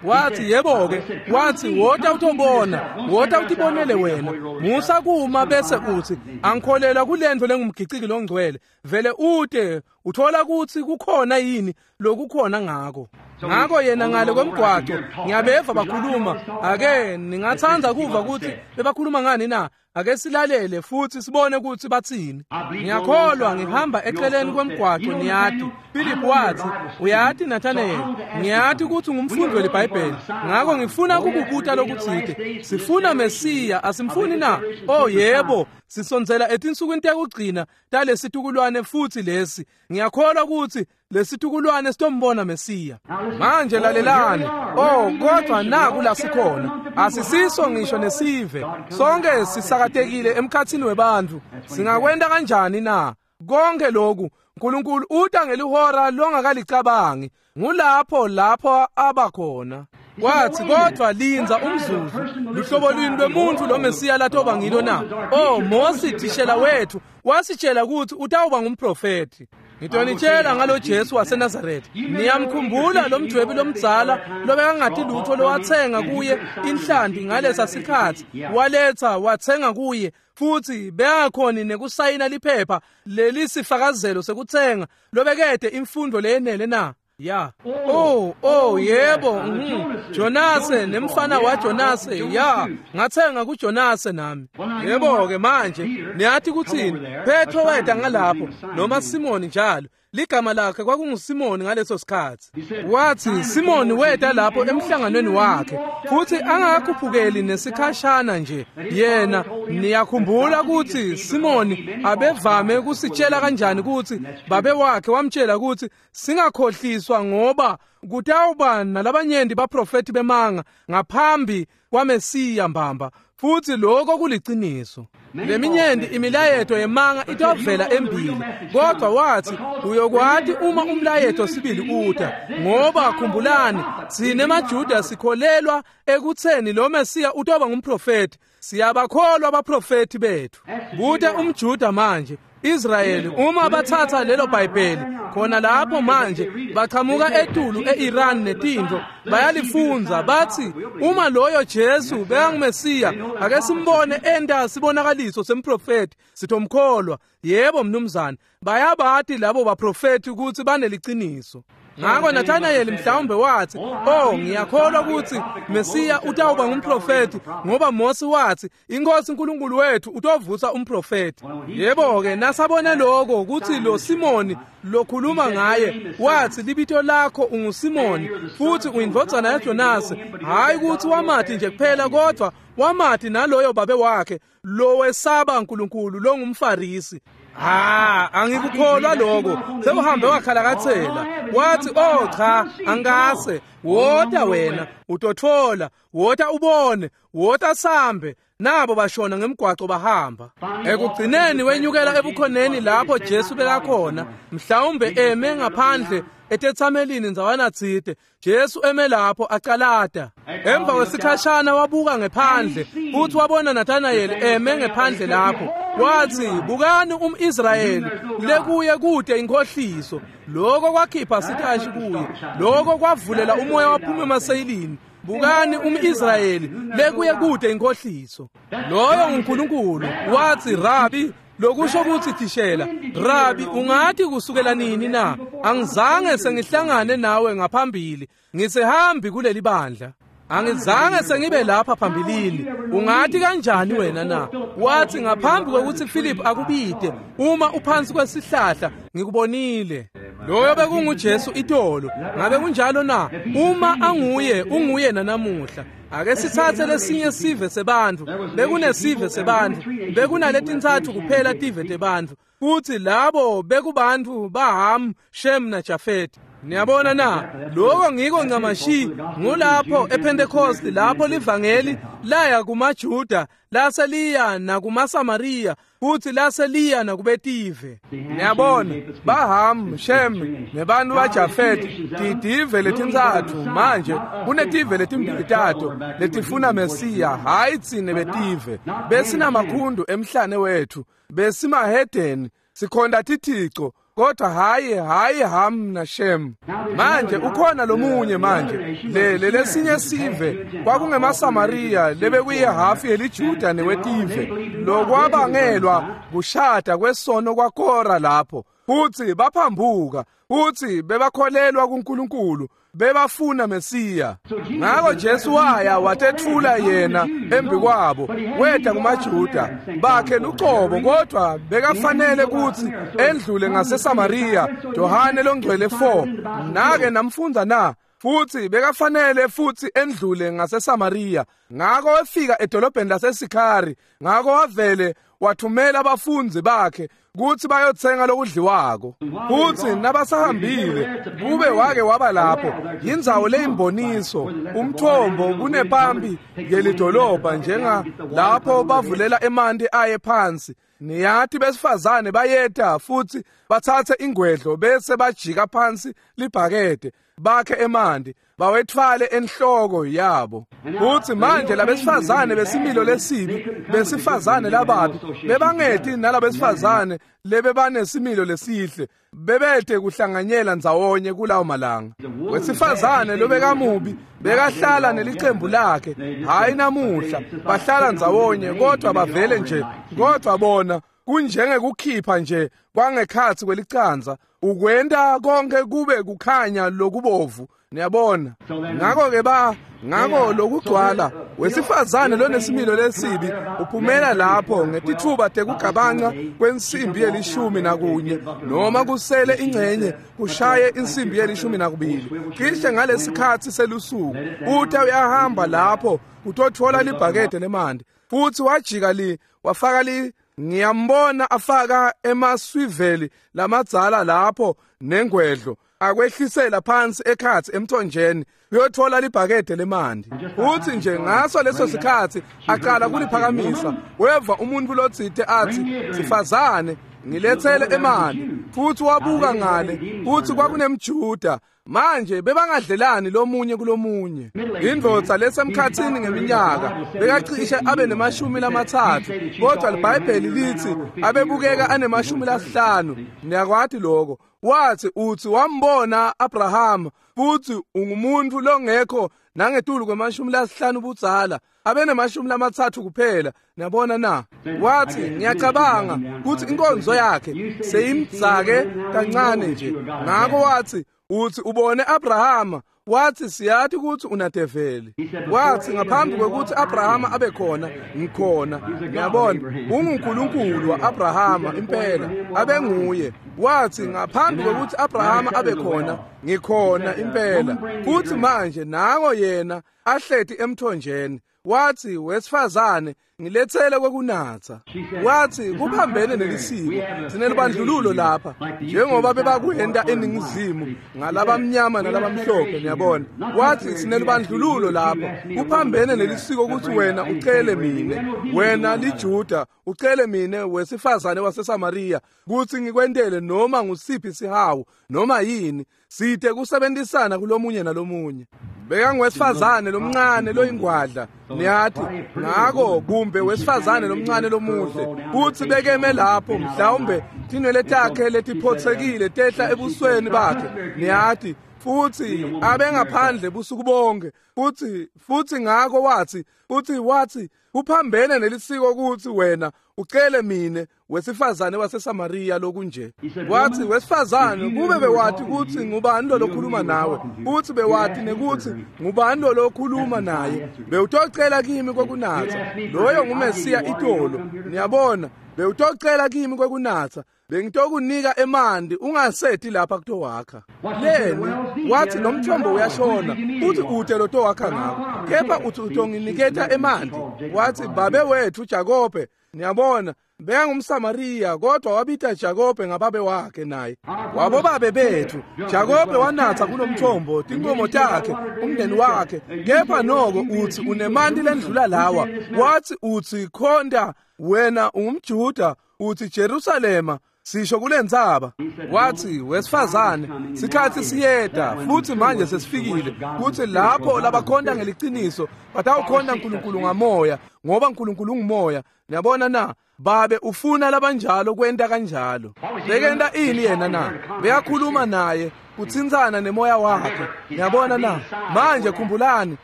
Wathi yebo-ke, wathi wota utobona, wota utibonele wena. Musa kuma bese uthi angikholelwa kulento lengumgiciki longcwele. Vele ute uthola ukuthi kukhona yini lokukhona ngako. Ngako yena ngale kwemgwaco ngiyabeva bakhuluma. Ake ningatsandza kuva ukuthi bebakhuluma ngani na? Ake silalele futhi sibone ukuthi bathini. Ngiyakholwa ngihamba eceleni kwemgwaco niyati. Philip wathi, "Uyati Nathanael, ngiyati ukuthi ungumfundi weliBhayibheli. Ngakho ngifuna kukubuta lokutsite. Sifuna Mesiya, asimfuni na?" Oh yebo, sisondzela etinsukwini tekugcina talesitukulwane futhi lesi. Ngiyakholwa ukuthi lesitukulwane sitombona Mesiya. Manje lalelani. Oh, kodwa naku la sikhona. Asisiso ngisho nesive. Sonke sisakatekile emkhathini webantfu. Singakwenta kanjani na? Konke lokhu uNkulunkulu uta ngelihora longakalicabangi. Ngulapho lapho abakhona. Wathi kodwa linza umzuzu, luhlobo lwini lwemuntu lo Mesiya latoba ngilo na? Oh, Mose thishela wethu wasitshela ukuthi utawuba ngumprofeti. Ngitonitshela ngalo Jesu waseNazaretha. Niyamkhumbula lo mdwebi lomdzala lobekangati lutho lowathenga kuye inhlanti ngalesa sikhatsi, waletha wathenga kuye, futhi bengakhoni nekusayina liphepha lelisifakazelo sekuthenga lobekede imfundo leyenele na? Ya. Oh, oh yebo, mhm. Jonase nemfana waJonase, ya, ngathenga kuJonase nami. Yebo ke manje, niyathi kuthini? Petro weta ngalapho noma Simoni njalo. Ligama lakhe kwakunguSimoni ngaleso sikhatsi. Wathi Simoni weta lapho emhlanganweni wakhe, futhi angakakhuphukeli nesikhashana nje. Yena niyakhumbula ukuthi Simoni abevame kusitshela kanjani ukuthi babe wakhe wamtshela ukuthi singakhohliswa ngoba kutawuba nalabanyenti baprofeti bemanga ngaphambi kwaMesiya mbamba, futhi lokho kuliciniso. Leminyenti imilayeto yemanga itovela embili, kodwa wathi uyokwati uma umlayeto sibili uta, ngoba khumbulani sine maJuda sikholelwa ekutheni lo Mesiya utoba ngumprofeti. Siyabakholwa abaprofeti bethu. Buta umJuda manje Israyeli uma bathatha lelo Bhayibheli khona lapho manje bachamuka etulu eIran netintfo bayalifunza, bathi uma loyo Jesu bekanguMesiya ake simbone enta sibonakaliso semprofeti sitomkholwa. Yebo mnumzane, bayabati labo baprofeti ukuthi baneliciniso. Ngako Nathanael mhlawumbe wathi, "Oh, ngiyakholwa ukuthi Mesiya utawuba ngumprofeti ngoba Mose wathi inkosi uNkulunkulu wethu utovusa umprofeti." Yebo ke nasabona lokho ukuthi lo Simoni lokhuluma ngaye wathi libito lakho unguSimoni futhi uyindvodzana yaJonase, hayi ukuthi wamathi nje kuphela kodwa wamathi naloyo babe wakhe lo wesaba uNkulunkulu longumFarisi. Ah, angikukholwa lokho. Sewuhambe wakhalakathela. Wathi, "Oh cha, angase. Wota wena, utothola, wota ubone, wota sambe." Nabo bashona ngemgwaco bahamba. Ekugcineni wenyukela ebukhoneni lapho Jesu bekakhona, mhlawumbe eme ngaphandle etethamelini ndzawana tsite. Jesu eme lapho acalata. Emva kwesikhashana wabuka ngephandle futhi wabona Nathanael eme ngephandle lapho. Watsi, bukani umIsrayeli lekuye kude inkohliso. Lokho kwakhipha sitashi kuye. Lokho kwavulela umoya waphuma emaseyilini. Bukani umIsrayeli lekuye kude inkohliso. Loyo nguNkulunkulu. Watsi, Rabi, lokusho kutsi thishela, Rabi, ungathi kusukela nini na? Angizange sengihlangane nawe ngaphambili. Ngisihambi kuleli bandla. Angizange sengibe lapha phambilini. Ungathi kanjani wena na? Wathi ngaphambi kwekuthi Philip akubide, uma uphansi kwesihlahla ngikubonile. Loyo bekunguJesu itolo. Ngabe kunjalo na? Uma anguye, unguye nanamuhla. Ake sithathe lesinye sive sebantfu. Bekunesive sebantfu. Bekunaletintsatfu kuphela tive tebantfu. Kuthi labo bekubantfu baHam, Shem naJafeti. Niyabona na? Lokho ngiko ncamashi ngulapho ePentecost lapho livangeli laya kumaJuda laseliya nakumaSamariya futhi laseliya nakubetive. Niyabona baHam, Shem nebantu baJafeti titive letintsatfu. Manje kunetive letimbili tato letifuna Mesiya, hayi tsine betive. Besinamakhundu emhlane wethu, besimahedeni, sikhonda tithico, kodwa hayi hayi Ham na Shem. Manje ukhona lomunye manje le lesinye sive kwakungemaSamariya lebekuyihafu yeliJuda newetive, lokwabangelwa kushada kwesono kwaKora lapho. Futhi baphambuka, futhi bebakholelwa kuNkulunkulu, bebafuna Mesiya. Ngakho Jesu waya watethula yena embi kwabo, weta kumaJuda bakhe lucobo, kodwa bekafanele ukuthi endlule ngaseSamariya. Johane longcwele four nake namfundza na? Futhi bekafanele futhi endlule ngaseSamariya. Ngakho wafika edolobheni laseSikhari, ngakho wavele wathumela abafundi bakhe kuthi bayothenga lokudliwako. Futhi nabasahambile kube wake waba lapho indzawo leyimboniso, umthombo kunepampi yelidolobha, njenga lapho bavulela emanti aye phansi. Niyathi besifazane bayeta futhi bathathe ingwedlo bese bajika phansi libhakede bakhe emanti bawethwale enhloko yabo. Futhi manje labesifazane besimilo lesibi, besifazane lababi bebangeti nalabesifazane lebebanesimilo lesihle, bebete kuhlanganyela ndzawonye kulawo malanga. Wesifazane lobekamubi bekahlala nelicembu lakhe, hayi namuhla bahlala ndzawonye, kodwa bavele nje, kodwa bona kunjengekukhipha nje kwangekhatsi kwelicanza, ukwenta konke kube kukhanya lokubovu. Niyabona? Ngakho ke ba ngakho lokugcwala wesifazane lonesimilo lesibi uphumela lapho ngetithuba tekugabanca kwensimbi yelishumi nakunye, noma kusele ingcenye kushaye insimbi yelishumi nakubili, cishe ngalesikhatsi selusuku. Uta uyahamba lapho utothola libhakede lemanti, futhi wajika li wafaka li ngiyambona afaka emaswiveli lamadzala lapho nengwedlo, akwehlisela phansi ekhatsi emthonjeni uyothola libhakede lemanti. Uthi nje ngaso leso sikhatsi aqala kuliphakamisa, weva umuntu lotsite athi, sifazane ngilethele emanti. Futhi wabuka ngale, futhi kwakunemJuda. Manje bebangadlelani lomunye kulomunye. Indvodza lesemkhatsini ngeminyaka bekacishe abe nemashumi lamatsatfu, kodwa liBhayibheli lithi abebukeka anemashumi lasihlanu. Niyakwati lokho? Wathi uthi wambona Abraham, futhi ungumuntu longekho nangetulu kwemashumi lasihlanu budzala, abenemashumi lamatsatfu kuphela. Niyabona na? Wathi ngiyacabanga ukuthi inkonzo yakhe seyimdzake kancane nje. Ngakho wathi uthi ubone Abraham, wathi siyathi ukuthi unadeveli. Wathi ngaphambi kwekuthi Abraham abe khona, ngikhona. Ngiyabona unguNkulunkulu wa-Abraham impela, abenguye. Wathi ngaphambi kwekuthi Abraham abe khona, ngikhona impela. Futhi manje nango yena ahleti emthonjeni. Wathi wesifazane ngilethele kwekunatha. Wathi kuphambene nelisiko, sinelibandlululo lapha njengoba bebakwenda eningizimu ngalabamnyama nalabamhlophe. Niyabona? Wathi sinelibandlululo lapha, kuphambene nelisiko ukuthi wena ucele mine, wena liJuda ucele mine wesifazane waseSamariya kuthi ngikwentele noma ngusiphi sihawu noma yini, side kusebenzisana kulomunye nalomunye. Bekangwesifazane lomncane loyingwadla, niyathi, ngako kumbe wesifazane lomncane lomuhle, futsi bekeme lapho mhlawumbe tinwele takhe letiphotsekile tehla ebusweni bakhe, niyathi, futsi abengaphandle busuku bonke, futsi futsi ngako wathi, futsi wathi kuphambene nelisiko kutsi wena ucele mine wesifazane waseSamariya lokunje. Wathi, wesifazane, kube bewathi kutsi ngubani lo lokhuluma nawe, futhi bewathi nekutsi ngubani lo lokhuluma naye, bewutocela kimi kwekunatsa. Loyo nguMesiya itolo, niyabona, bewutocela kimi kwekunatsa, bengitokunika emanti ungaseti lapha kutowakha. Leni wathi lomthombo uyashona, uthi ute lotowakha ngako, kepha uthi utonginiketa emanti. Wathi babe wethu Jakobe, niyabona, bekangumSamariya kodwa wabita Jakobe ngababe wakhe naye. Wabobabe bethu Jakobe wanatsa kulomthombo, tinkomo takhe, umndeni wakhe, kepha noko uthi unemanti lendlula lawa. Wathi uthi khonda wena ungumJuda, uthi Jerusalema sisho kulendzaba. Wathi wesifazane, sikhathi siyeta futhi manje sesifikile kuthi lapho labakhonta ngeliciniso batawukhonta uNkulunkulu ngamoya, ngoba uNkulunkulu ungumoya. Niyabona na? Babe ufuna labanjalo kwenta kanjalo. Bekenta ini yena na? Beyakhuluma naye, kutsintsana nemoya wakhe. Niyabona na? Manje khumbulani,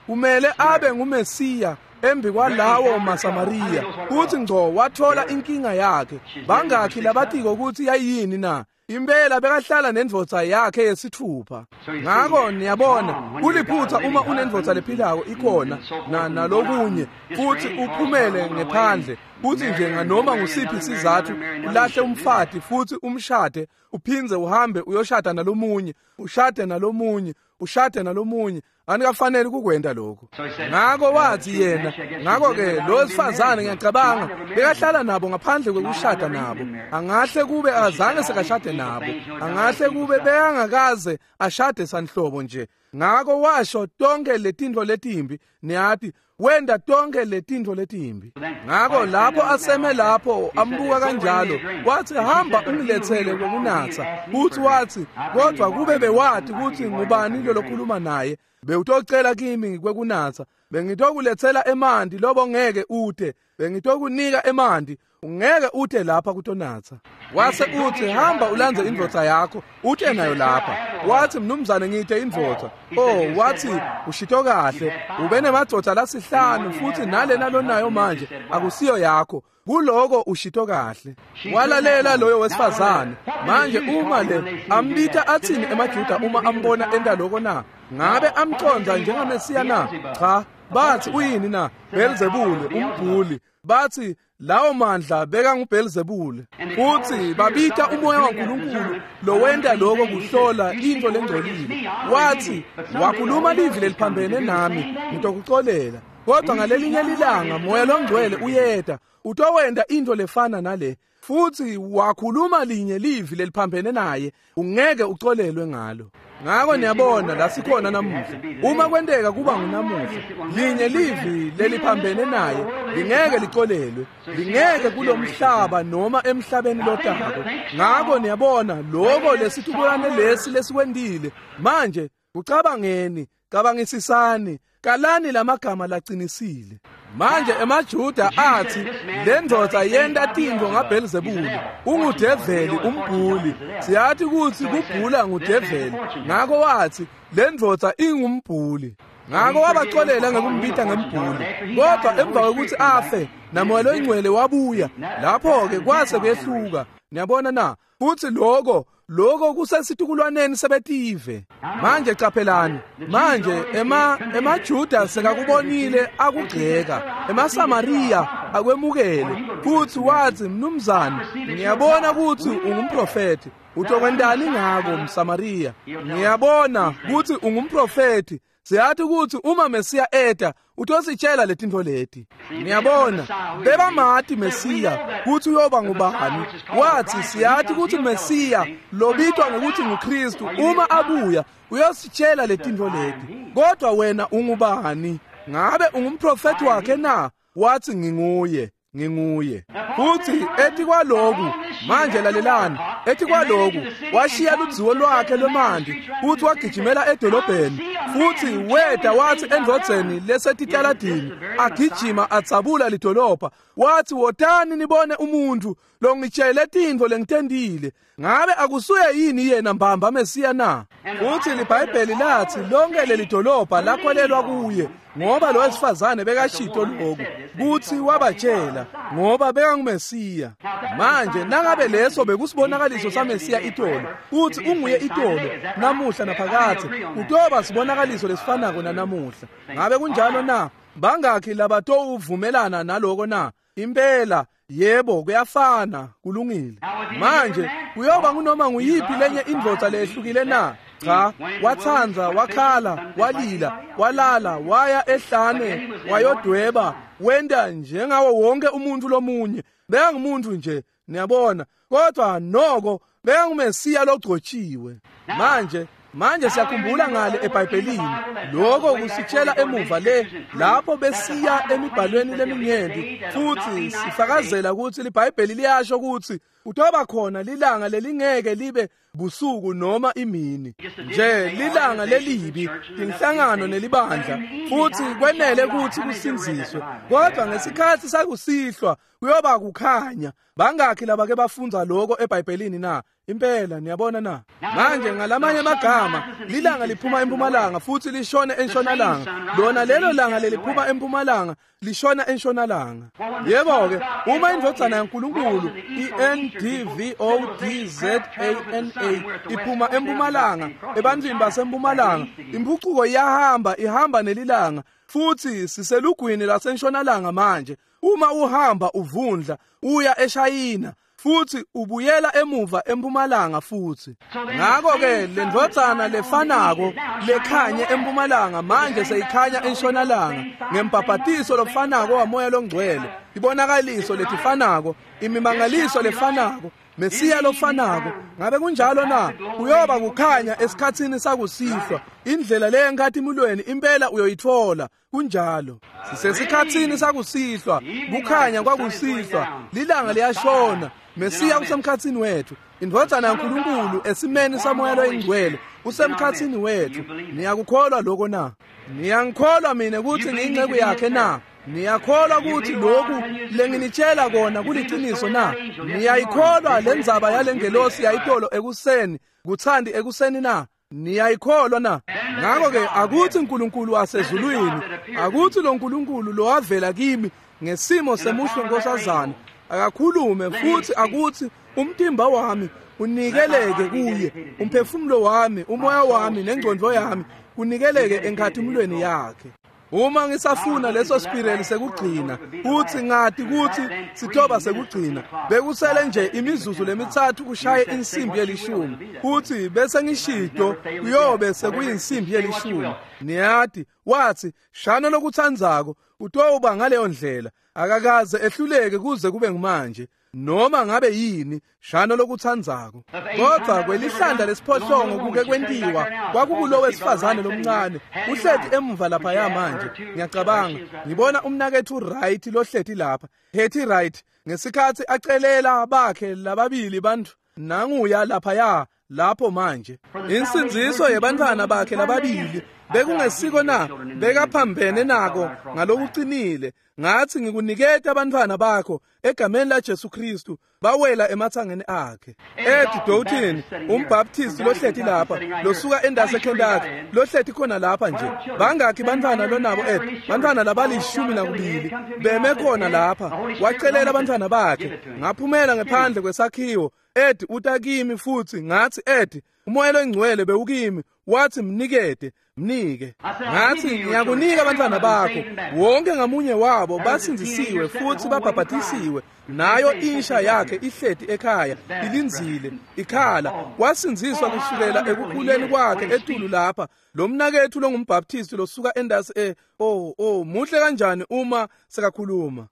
kumele abe nguMesiya embi kwalawo maSamariya. Kuthi ngco wathola inkinga yakhe. Bangakhi labatiko ukuthi yayini na? Impela bekahlala nendvodza yakhe yesithupha. Ngako niyabona, kuliphutha uma unendvodza lephilako ikhona na nalokunye, futhi uphumele ngephandle, futhi nje nganoma ngusiphi isizathu ulahle umfati futhi umshade, uphindze uhambe uyoshada nalomunye, ushade nalomunye, ushade nalomunye. Anikafanele kukwenta lokho. Ngako wathi yena, ngako ke lo wesifazane ngiyacabanga bekahlala nabo ngaphandle kwekushada nabo. Angahle kube azange sekashade nabo, angahle kube bekangakaze ashade sanhlobo nje. Ngako washo tonke letintfo letimbi, niyathi, wenda tonke letintfo letimbi. Ngako lapho aseme lapho ambuka kanjalo, wathi hamba ungilethele kokunatsa. Futhi wathi kodwa kube bewathi ukuthi ngubani lo lokhuluma naye, bewutocela kimi kwekunatsa, bengitokulethela emanti lobo ngeke ute, bengitokunika emanti ungeke ute lapha kutonatsa. Wase uthi hamba ulandze indvodza yakho ute nayo lapha. Wathi mnumzane ngite indvodza. Oh, wathi ushito kahle, ube nemadvodza lasihlanu futhi nalena lonayo manje akusiyo yakho. Kuloko ushito kahle. Walalela loyo wesifazane. Manje uma le ambita athini emaJuda uma ambona enta lokho na? Ngabe amconza njengaMesiya na? Cha, bathi uyini na? Belzebule umbhuli. Bathi lawo mandla beka nguBelzebule. Futhi babita umoya waNkulunkulu lowenta lokho kuhlola into lengcolile. Wathi wakhuluma livi leliphambene nami, ngitokucolela. Kodwa ngalelinye lilanga moya longcwele uyeta, utowenta into lefana nale. Futhi wakhuluma linye livi leliphambene naye, ungeke ucolelwe ngalo. Ngako niyabona la sikhona namuhla. Uma kwenteka kuba ngunamuhla, linye livi leliphambene naye lingeke licolelwe, lingeke kulomhlaba noma emhlabeni lotako. Ngako niyabona lokho lesitukulwane lesi lesikwendile. Manje kucabangeni, cabangisisani, kalani lamagama lacinisile. Manje emaJuda athi le ndvodza yenta tintfo ngaBelzebule, ungudeveli umbhuli. Siyathi kutsi kubhula ngudeveli. Ngako wathi le ndvodza ingumbhuli. Ngako wabacolela ngekumbita ngembhuli. Kodwa emva kwekutsi afe namoya loyingcwele wabuya, lapho ke kwase kuyehluka. Niyabona na? Futhi lokho lokho kusesitukulwaneni sebetive. Manje caphelani, manje ema emaJuda sekakubonile akugxeka, emaSamariya akwemukele. Futhi wathi mnumzane, ngiyabona ukuthi ungumprofeti. Utokwentani ngako mSamariya? Ngiyabona ukuthi ungumprofeti. Siyathi ukuthi uma Mesiya eta utositshela letintfo leti. Niyabona, bebamati Mesiya kuthi uyoba ngubani. Wathi siyathi ukuthi Mesiya lobitwa ngokuthi nguKristu uma abuya uyositshela letintfo leti. Kodwa wena ungubani? Ngabe ungumprofeti wakhe na? Wathi nginguye, nginguye. Futhi ethi kwaloku, manje lalelani, ethi kwaloku washiya ludziwo lwakhe lwemanti futhi wagijimela edolobheni. Futhi weda wathi endvodzeni lesetitaladini agijima adzabula lidolobha, wathi wotani nibone umuntu longitshele tintfo lengitendile. Ngabe akusuye yini yena mbamba Mesiya na? Futhi liBhayibheli lathi lonke leli dolobha lakholelwa kuye, ngoba lo wesifazane bekashito lokhu kuthi wabatshela ngoba bekanguMesiya. Manje nangabe leso bekusibonakaliso saMesiya itolo, uthi unguye itolo namuhla naphakathe, utoba sibonakaliso lesifanako nanamuhla. Ngabe kunjalo na? Bangakhi labatowuvumelana naloko na? Impela yebo, kuyafana, kulungile. Manje kuyoba kunoma nguyiphi lenye indvodza lehlukile na? Cha, wathandza, wakhala, walila, walala, waya ehlane, wayodweba, wenda njengawo wonke umuntu lomunye. Bekangumuntu nje, niyabona, kodwa noko bekanguMesiya logcotshiwe. Manje Manje siyakhumbula ngale eBhayibhelini, lokho kusitshela emuva le lapho besiya emibhalweni leminyenti, futhi sifakazela ukuthi liBhayibheli liyasho ukuthi utoba khona lilanga lelingeke libe busuku noma imini nje, lilanga lelibi, inhlangano nelibandla, futhi kwenele ukuthi kusinziswe. Kodwa ngesikhathi sakusihlwa kuyoba kukhanya. Bangakhi labake bafunza lokho eBhayibhelini na? Impela, niyabona na? Manje ngalamanye amagama, lilanga liphuma empumalanga futhi lishone entshonalanga. Lona lelo langa leliphuma empumalanga lishona entshonalanga. Yebo ke, uma indvodzana yaNkulunkulu I N D V O D Z A N A iphuma empumalanga, ebantwini basempumalanga, impucuko iyahamba, ihamba nelilanga, futhi siselugwini lasentshonalanga manje. Uma uhamba uvundla uya eShayina, futhi ubuyela emuva empumalanga futhi. Ngakho ke lendvodzana lefanako lekhanye empumalanga manje seyikhanya entshonalanga ngembhabhatiso lofanako waMoya loNgcwele, ibonakaliso letifanako, imimangaliso lefanako, Mesiya lofanako. Ngabe kunjalo na? Kuyoba kukhanya esikhatsini sakusihlwa. Indlela le enkatimulweni impela uyoyithola. Kunjalo. Sisesikhatsini sakusihlwa, kukhanya kwakusihlwa, lilanga liyashona. Mesiya usemkhatsini wethu. Indvodzana yaNkulunkulu esimeni saMoya loyiNgcwele usemkhatsini wethu. Niyakukholwa lokho na? Niyangikholwa mina ukuthi ngiyinceku yakhe na? Niyakholwa ukuthi lokhu lenginitshela kona kuliciniso na? Niyayikholwa lendzaba yalengelosi yayitolo ekuseni, kuthandi ekuseni na? Niyayikholwa na? Ngakho ke akuthi uNkulunkulu wasezulwini, akuthi lo Nkulunkulu lo wavela kimi ngesimo semuhlo nkosazana akakhulume, futhi akuthi umtimba wami unikeleke kuye, umphefumulo wami, umoya wami nengcondvo yami kunikeleke enkhathimulweni yakhe. Uma ngisafuna leso spireli sekugcina, uthi ngathi kuthi sithoba sekugcina, bekusele nje imizuzu lemithathu kushaye insimbi yelishumi, uthi bese ngishido kuyobe sekuyinsimbi yelishumi. Niyati, wathi shano lokuthandzako utoba ngaleyo ndlela, akakaze ehluleke kuze kube ngumanje. Noma ngabe yini, shano lokuthandzako. Kodwa kwelihlanda lesiphohlongo kuke kwentiwa kwakukulo wesifazane lomncane uhleti emuva lapha ya manje. Ngiyacabanga ngibona umnakethu Wright lohleti lapha, Hetty Wright, ngesikhathi acelela bakhe lababili bantu nanguya lapha ya lapho manje. Insindziso yebantwana bakhe lababili bekungesiko na? Bekaphambene nako ngalokuqinile. Ngathi ngikuniketa abantwana bakho egameni la Jesu Kristu, bawela emathangeni akhe. Ed Doughton, umbaptist lohleti lapha, losuka endase Kentucky, lohleti khona lapha nje. Bangakhi bantwana lonabo Ed? Bantwana labalishumi nakubili beme khona lapha. Wacelela abantwana bakhe. Ngaphumela ngephandle kwesakhiwo. Ed utakimi futhi ngathi Ed, umoya loNgcwele bewukimi, wathi mnikete, mnike. Ngathi ngiyakunika abantwana bakho, wonke ngamunye wabo basindzisiwe futhi babhabhatisiwe, nayo insha yakhe ihleti ekhaya ilinzile ikhala. Wasindziswa kusukela ekukhuleni kwakhe etulu lapha. Lo mnakethu longumbaptist losuka endasi e oh oh muhle kanjani uma sekakhuluma.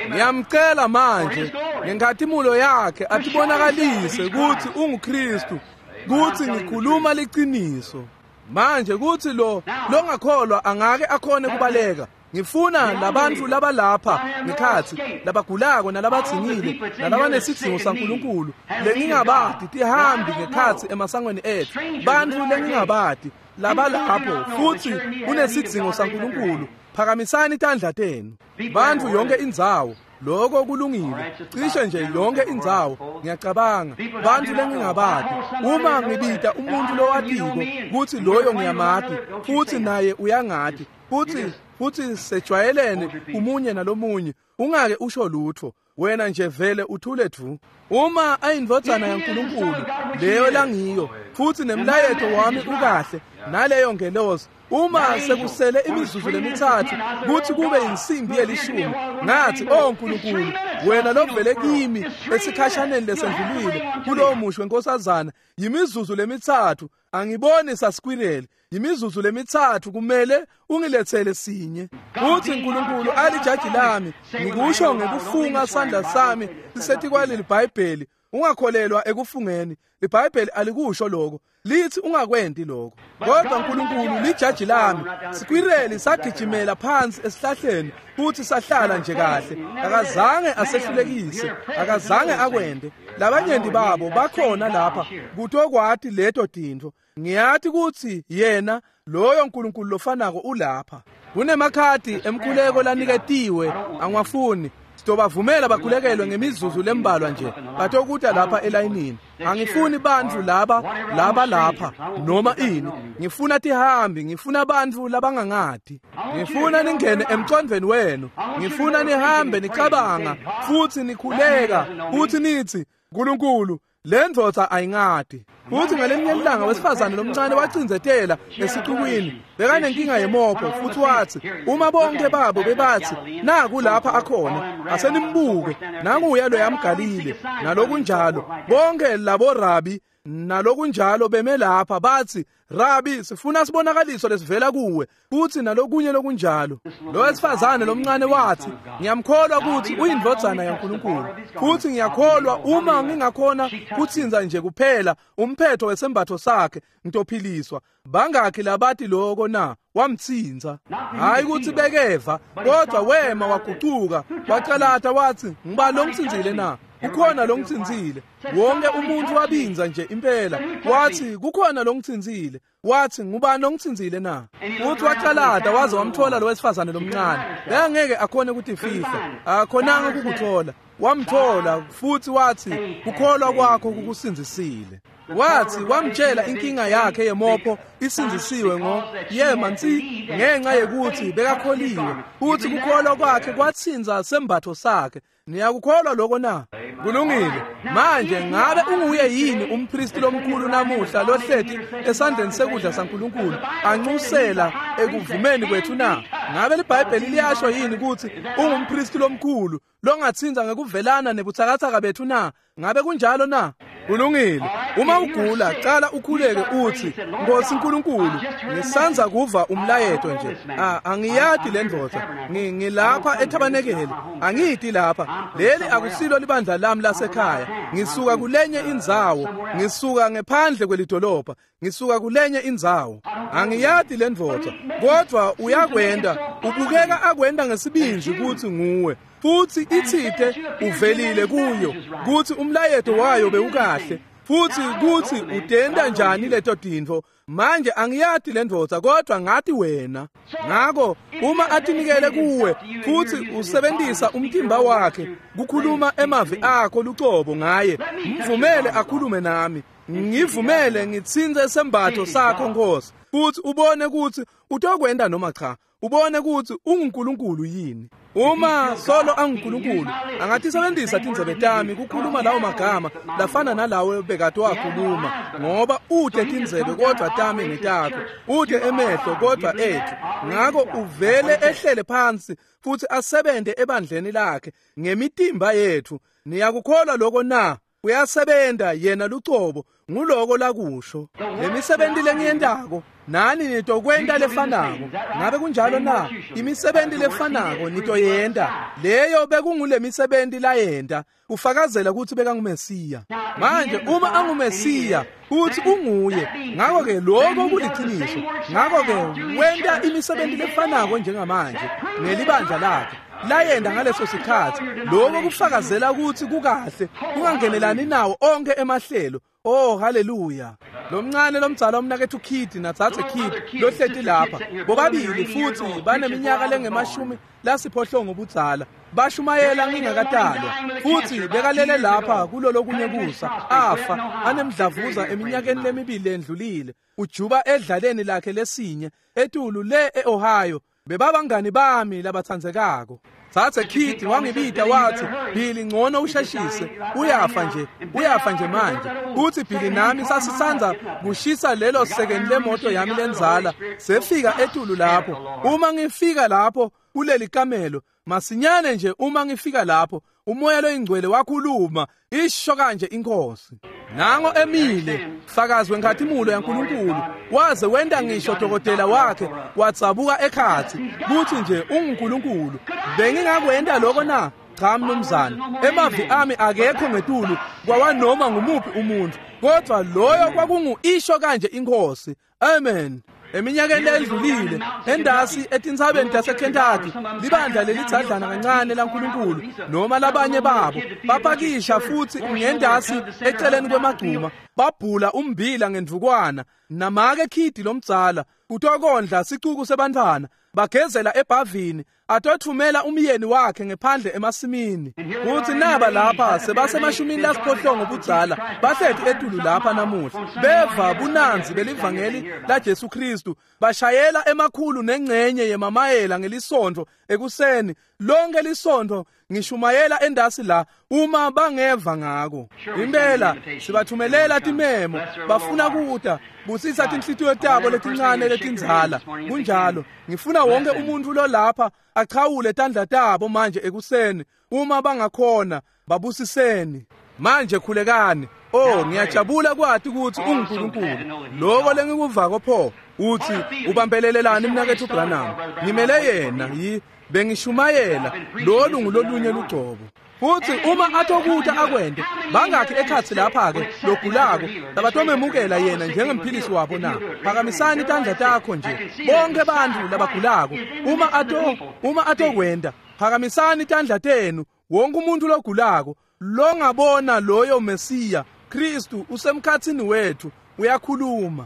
Ngiyamcela manje ngenkhatimulo yakhe atibonakalise ukuthi unguKristu, kuthi ngikhuluma liqiniso. Manje kuthi lo longakholwa angake akhone kubaleka. Ngifuna labantu labalapha ngekhatsi labagulako nalabadzingile nalabanesidzingo saNkulunkulu lengingabati tihambi ngekhatsi emasangweni etfu, bantfu lengingabati labalapho futhi unesidzingo saNkulunkulu, phakamisani tandla tenu. Bantfu yonke indzawo, lokho kulungile, cishe nje yonke indzawo. Ngiyacabanga bantfu lengingabati, uma ngibita umuntu lowatiko kutsi loyo ngiyamati futhi naye uyangati futhi futhi sejwayelene umunye nalomunye, ungake usho lutho, wena nje vele uthule dvu. Uma ayindvodzana yaNkulunkulu leyo langiyo futhi nemlayeto wami ukahle naleyo ngelosi, uma sekusele imizuzu lemitsatfu kutsi kube insimbi yelishumi, ngathi, "Oh Nkulunkulu, wena lovele kimi esikhashaneni lesendlulile kulowo musho wenkosazana, yimizuzu lemitsatfu, angiboni sasquirrel, yimizuzu lemitsatfu kumele ungilethele sinye." Uthi Nkulunkulu alijaji lami, ngikusho ngekufunga sandla sami sisetikwaleli iBhayibheli. Ungakholelwa ekufungeni, iBhayibheli alikusho lokho, lithi ungakwenti lokho. Kodwa Nkulunkulu lijaji lami. Sikwireli sagijimela phansi esihlahleni futhi sahlala nje kahle, akazange asehlulekise, akazange akwente. Labanyenti babo bakhona lapha kutokwati leto tintfo. Ngiyati kutsi yena loyo Nkulunkulu lofanako ulapha. Kunemakhadi emkhuleko laniketiwe, angiwafuni. Sitobavumela bakhulekelwe ngemizuzu lembalwa nje, batokuta lapha elayinini. Angifuni bantfu laba laba lapha noma ini, ngifuna tihambi, ngifuna bantfu labangangati. Ngifuna ningene emcondvweni wenu, ngifuna nihambe nicabanga futhi nikhuleka futhi nithi, "Nkulunkulu, le ndvodza ayingati." Futhi ngalelinye ilanga wesifazane lomncane wacindzetela esixukwini, bekanenkinga yemopho, futhi wathi uma bonke babo bebathi, "Naku lapha akhona, asenimbuke, nanguya lo yamGalile," nalokunjalo, bonke labo rabi nalokunjalo beme lapha bathi, "Rabi, sifuna sibonakaliso lesivela kuwe," futhi nalokunye lokunjalo. Lo wesifazane lomncane wathi, "Ngiyamkholwa ukuthi uyindvodzana yaNkulunkulu, futhi ngiyakholwa uma ngingakhona kutsinza nje kuphela umphetho wesembatho sakhe ngitophiliswa." Bangakhi labati lokho na? Wamtsinza. Hayi ukuthi bekeva, kodwa wema wagucuka wacalata wathi, "Ngibani longitsinzile na? Kukhona longitsinzile." Wonke umuntu wabinza nje impela, wathi, "Kukhona longitsinzile." Wathi, "Ngubani longitsinzile na?" Futhi wacalata waze wamthola lo wesifazane lomncane. Bekangeke akhone ukutifihla, akakhonanga ukukuthola. Wamthola futhi wathi, "Kukholwa kwakho kukusindzisile." Wathi wamtshela inkinga yakhe yemopho isindzisiwe ngo yema nsi ngenxa yekuthi bekakholiwe, futhi kukholwa kwakhe kwatsinza sembatho sakhe. Niyakukholwa lokho na? Kulungile. Manje ngabe unguye yini umpristi lomkhulu namuhla lohleti esandleni sekudla saNkulunkulu anxusela ekuvumeni kwethu na? Ngabe liBhayibheli liyasho yini ukuthi ungumpristi lomkhulu longatsinza ngekuvelana nebutsakatsaka bethu na? Ngabe kunjalo na? Kulungile. Uma ugula, cala ukhuleke uthi, "Nkosi Nkulunkulu, ngisanza kuva umlayeto nje. Angiyati le ndvodza. Ngilapha ethabanekele. Angiyiti lapha. Leli akusilo libandla lami lasekhaya. Ngisuka kulenye indzawo. Ngisuka ngephandle kwelidolobha. Ngisuka kulenye indzawo. Angiyati le ndvodza. Kodwa uyakwenda, ubukeka akwenda ngesibindi ukuthi nguwe. Futhi itsite uvelile kuyo kuthi umlayeto wayo bewukahle, futhi kuthi utenda njani leto tintfo. Manje angiyati le ndvodza, kodwa ngati wena. Ngako uma atinikele kuwe futhi usebenzisa umtimba wakhe kukhuluma emavi akho lucobo ngaye, mvumele akhulume nami. Ngivumele ngitsintse sembatho sakho Nkosi, futhi ubone ukuthi utokwenda noma cha, ubone ukuthi unguNkulunkulu yini. Uma solo anguNkulunkulu, angatisebenzisa tindzebe tami kukhuluma lawo magama lafana nalawo bekade wakhuluma, ngoba ute tindzebe kodwa tami ngetakho, ute emehlo kodwa ethu. Ngako uvele ehlele phansi futhi asebente ebandleni lakhe ngemitimba yethu. Niyakukholwa lokho na? Uyasebenta yena lucobo Nguloko lakusho. Lemisebenti lengiyentako nani nitokwenta lefanako. Ngabe kunjalo na? Imisebenti lefanako nitoyenta. Leyo bekungulemisebenti layenta kufakazela kutsi bekanguMesiya. Manje uma anguMesiya uthi unguye, ngakho ke lokho kuliciniso. Ngakho ke wenta imisebenti lefanako njengamanje ngelibandla lakhe layenda ngaleso sikhathi. Lokho kufakazela ukuthi kukahle kungangenelani nawo onke emahlelo. Oh, haleluya. Lomncane lomdzala umnakethu Kid natsatse Kid lohleti lapha bobabili futhi baneminyaka lengemashumi lasiphohlongo budzala. Bashumayela ngingakatalwa futhi bekalele lapha kulolokunye kusa afa anemdlavuza eminyakeni lemibili endlulile. Ujuba edlaleni lakhe lesinye etulu le eOhio. Bebabangani bami labatsandzekako. Tsatse Kid wangibita wathi, Billy ngcono usheshise, uyafa nje, uyafa nje manje. Uthi Billy nami sasisandza kushisa lelo sekeni lemoto yami lenzala. Sefika etulu lapho. Uma ngifika lapho kuleli kamelo, masinyane nje uma ngifika lapho, umoya loyingcwele wakhuluma, isho kanje inkosi. Nango emile fakazi wenkhatimulo yaNkulunkulu, waze wenda ngisho dokotela wakhe watsabuka ekhathi kuthi nje unguNkulunkulu. Bengingakwenda lokho na? Cha mnumzane, emavi ami akekho ngetulu kwawanoma ngumuphi umuntu, kodwa loyo kwakungu isho kanje inkosi. Amen. Eminyakeni ledlulile endasi etintsabeni taseKentucky, libandla lelidzadlana kancane laNkulunkulu noma labanye babo bapakisha futhi ngendasi eceleni kwemagcuma babhula umbila ngendvukwana namake Khidi lomdzala kutokondla sicuku sebantfwana bagezela ebhavini atothumela umyeni wakhe ngephandle emasimini. Kuthi naba lapha sebasemashumini lasiphohlongo budzala bahleti etulu lapha namuhla beva bunanzi belivangeli la Jesu Kristu, bashayela emakhulu nengcenye yemamayela ngelisonto ekuseni lonke lisonto ngishumayela endasi la uma bangeva ngako. Impela sibathumelela timemo bafuna kuta busisa tinhlitiyo tabo letincane letindzala. Kunjalo, ngifuna wonke umuntu lo lapha achawule tandla tabo manje ekuseni uma bangakhona, babusiseni. Manje khulekani. Oh, ngiyajabula kwati ukuthi unguNkulunkulu. Lokho lengikuvako pho uthi ubambelelelani mnakethu Branham. Ngimele yena yi bengishumayela lolu ngulolunye lugcobo. Futhi uma atokuta akwende bangakhi ekhatsi lapha ke logulako labatomemukela yena njengemphilisi wabo na? Phakamisani tandla takho nje bonke bantfu labagulako. Uma ato uma atokwenda phakamisani tandla tenu wonke umuntu logulako longabona loyo Mesiya Kristu usemkhatsini wethu uyakhuluma.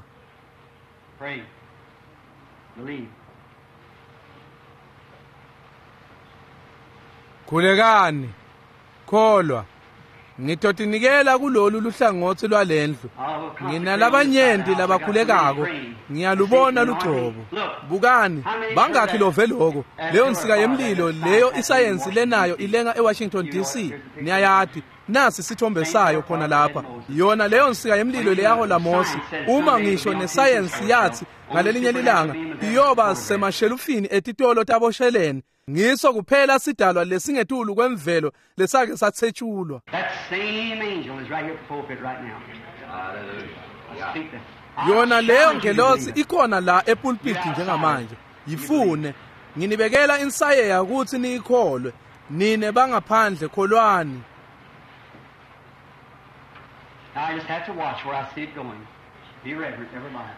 Pray. Believe. Khulekani, kholwa. Ngitotinikela kulolu luhlangotsi lwalendlu. Nginalabanyenti labakhulekako. Ngiyalubona lugcobo. Bukani, bangakhi love lokho. Leyo nsika yemlilo leyo isayensi lenayo ilenga eWashington D C. Niyayati. Nasi sithombe sayo khona lapha. Yona leyo nsika yemlilo leyahola Mose. Uma ngisho nesayensi yathi ngalelinye lilanga iyoba semashelufini etitolo tabosheleni. Ngiso kuphela sidalwa lesingetulu kwemvelo lesake sathetshulwa. That same angel is right here at the pulpit right now. Hallelujah. Yona leyo ngelosi ikhona la epulpit njengamanje. Yifune. Nginibekela insayeya ukuthi niyikholwe. Nine bangaphandle kholwani. Now I just have to watch where I see it going. Be reverent, never mind.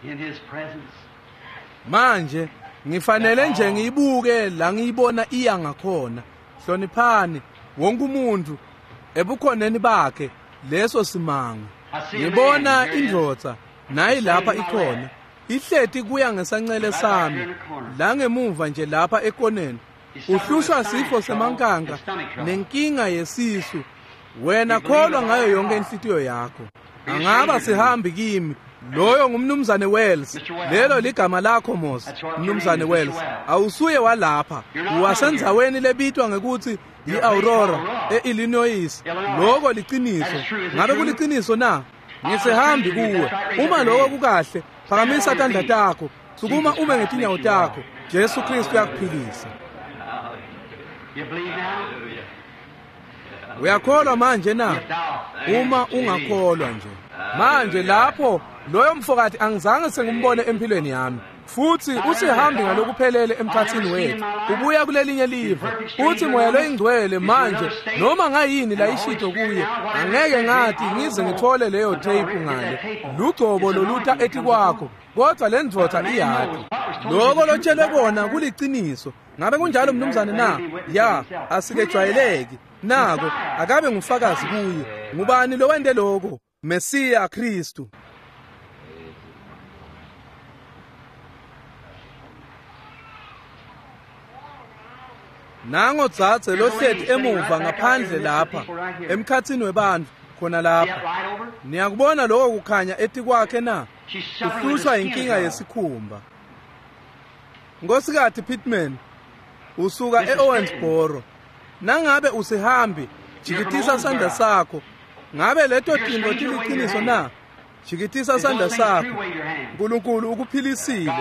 In his presence. Manje ngifanele nje ngiyibuke la ngiyibona iya ngakhona. Hloniphani wonke umuntu ebukhoneni bakhe leso simanga. Ngibona indvodza nayi lapha ikhona. Ihleti kuya ngesancele sami la ngemuva nje lapha ekoneni. Uhlushwa sifo semankanka nenkinga yesisu. Wena kholwa ngayo yonke inhlitiyo yakho. Angaba sihambi kimi. Loyo ngumnumzane Wells. Lelo ligama lakho Mose, mnumzane Wells. Awusuye walapha. Uwasendzaweni lebitwa ngekuthi yiAurora eIllinois. Lokho liciniso. Ngabe kuliciniso na? Ngisihambi kuwe. Uma lokho kukahle, phakamisa tandla takho. Sukuma ume ngetinyawo takho. Jesu Kristu uyakuphilisa. You believe now? Uyakholwa manje na? If thou Uma ungakholwa nje. Manje lapho loyo mfokati angizange sengimbone empilweni yami. Futhi usihambi ngalokuphelele emkhathini wethu. Ubuya kulelinye live. Uthi moya loyingcwele manje noma ngayini la ishito kuye angeke ngathi ngize ngithole leyo tape ngale. Lugcobo loluta etikwakho kodwa le ndvodza iyati. Lokho lotshelwe kona kuliciniso. Ngabe kunjalo mnumzane na? Ya, asikejwayeleki. Nako akabe ngufakazi kuye. Ngubani lowente lokho? Mesiya Kristu. Nango dzadze lohleti emuva ngaphandle lapha emkhatsini webantfu khona See that lapha. light over? Niyakubona lokho kukhanya etikwakhe na? She's suffering with a Uhlushwa skin inkinga trouble. yesikhumba. Nkosikazi Pittman usuka eOwensboro. Nangabe usihambi, jikitisa sandla sakho. Ngabe leto tintfo tiliqiniso na? Jikitisa If sandla those things sakho. true, wave your hand. uNkulunkulu ukuphilisile.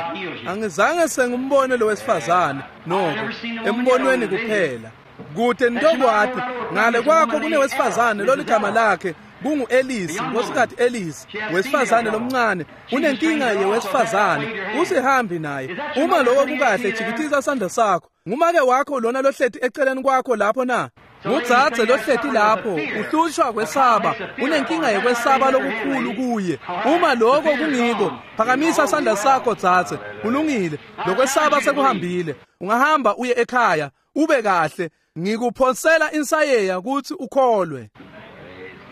Angizange sengimbone lo wesifazane noko embonweni kuphela. Kude ntokwati ngale kwakho kunewesifazane loligama lakhe kungu-Elisi, nkosikazi Elisi, wesifazane lomncane, unenkinga yewesifazane, usihambi naye. Uma lokho kukahle jikitisa sandla sakho. Ngumake wakho lona lohleti eceleni kwakho lapho na? Ngudzadze lohleti lapho uhlushwa kwesaba, unenkinga yekwesaba lokukhulu kuye. Uma lokho kungiko, phakamisa sandla sakho dzadze. Kulungile, lokwesaba sekuhambile. Ungahamba uye ekhaya, ube kahle. Ngikuphonsela insayeya ukuthi ukholwe.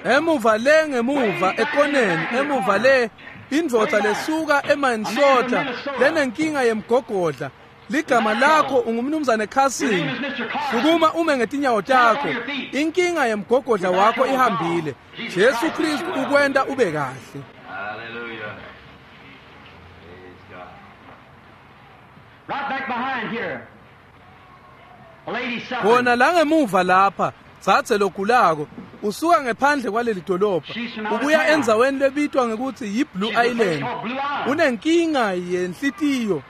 Emuva le ngemuva ekoneni, emuva le indvodza lesuka eMinnesota lenenkinga yemgogodla. Ligama lakho ungumnumzane Carson. Sukuma ume ngetinyawo takho. Inkinga yemgogodla wakho ihambile. Jesu Kristu ukwenta ube kahle. Hallelujah. Praise God. Right back behind here. A lady suffering. Khona la ngemuva lapha, dzadze logulako, usuka ngephandle kwaleli dolobha, ubuya endzaweni lebitwa ngekuthi yi-Blue She's a place Island. called Blue Island. Unenkinga yenhlitiyo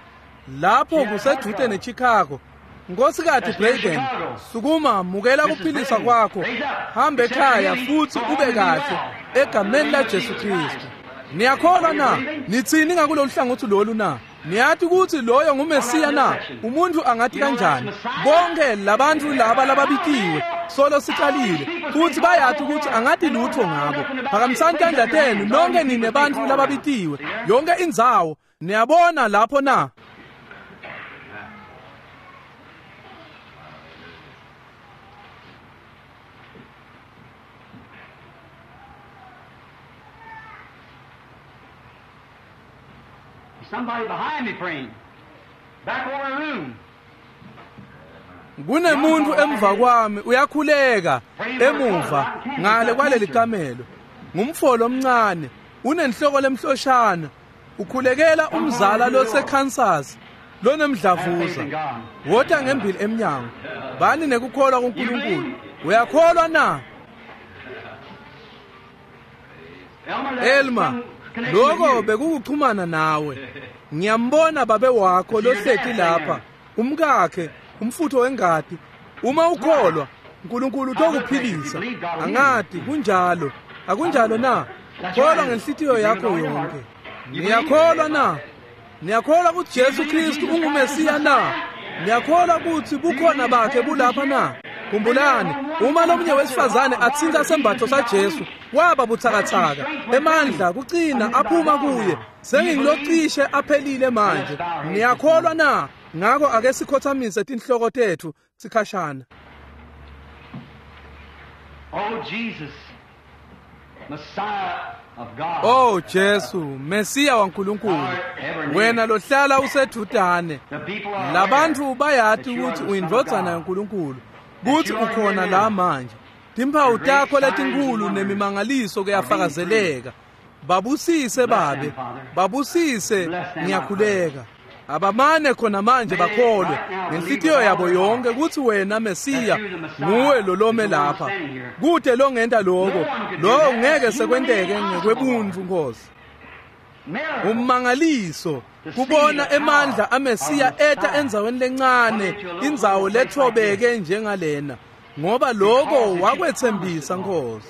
lapho kusedude neChicago. Nkosikazi Braden, sukuma mukela kuphilisa kwakho. Hamba ekhaya futhi ube kahle egameni laJesu Kristu. Niyakholwa na? Nithini ngakulolu hlangothi lolu na? Niyathi ukuthi loyo nguMesiya na? Umuntu angathi kanjani? Bonke labantu laba lababitiwe solo sicalile futhi bayathi ukuthi angathi lutho ngabo. Phakamisani tandla tenu nonke nine bantu lababitiwe. Yonke indzawo niyabona lapho na? Somebody behind me praying. Back over the room. Kunemuntu emva kwami uyakhuleka emuva ngale kwaleli kamelo. Ngumfolo omncane unenhloko lemhloshana ukhulekela umzala loseKansas lonemdlavuza. Wota ngembili emnyango. Bani nekukholwa kuNkulunkulu. Uyakholwa na? Elmer, that Elma, some connection with lokho you. bekukuxhumana nawe. Ngiyambona babe wakho lohleti lapha, umkakhe, umfutho wengadi. Uma ukholwa, uNkulunkulu utokuphilisa. Angadi kunjalo. Akunjalo na? Kholwa ngenhlitiyo yakho yonke. Niyakholwa na? Niyakholwa ukuthi Jesu Kristu unguMesiya na? Niyakholwa ukuthi bukhona bakhe bulapha na? Khumbulani, uma lomunye wesifazane athinta sembatho saJesu, waba buthakathaka, emandla kucina aphuma kuye. Sengingilocishe aphelile manje. Niyakholwa na? Ngakho ake sikhothamise tinhloko tethu sikhashana. Oh, Jesus, Messiah of God. Oh Jesu, Mesiya waNkulunkulu, wena lohlala usedudane. The people are Labantu aware bayati that you are ukuthi the Son of uyindvodzana God. yaNkulunkulu, kuthi ukhona la manje. Timphawu takho letinkulu nemimangaliso kuyafakazeleka. Babusise babe, babusise ngiyakhuleka. Abamane khona manje bakholwe ngenhlitiyo yabo yonke ukuthi wena Mesiya nguwe lolome lapha. Kude longenta lokho, lokho ngeke sekwenteke ngekwebuntfu Nkosi. Ummangaliso kubona emandla aMesiya eta endzaweni lencane, indzawo lethobeke njengalena, ngoba lokho wakwethembisa Nkosi.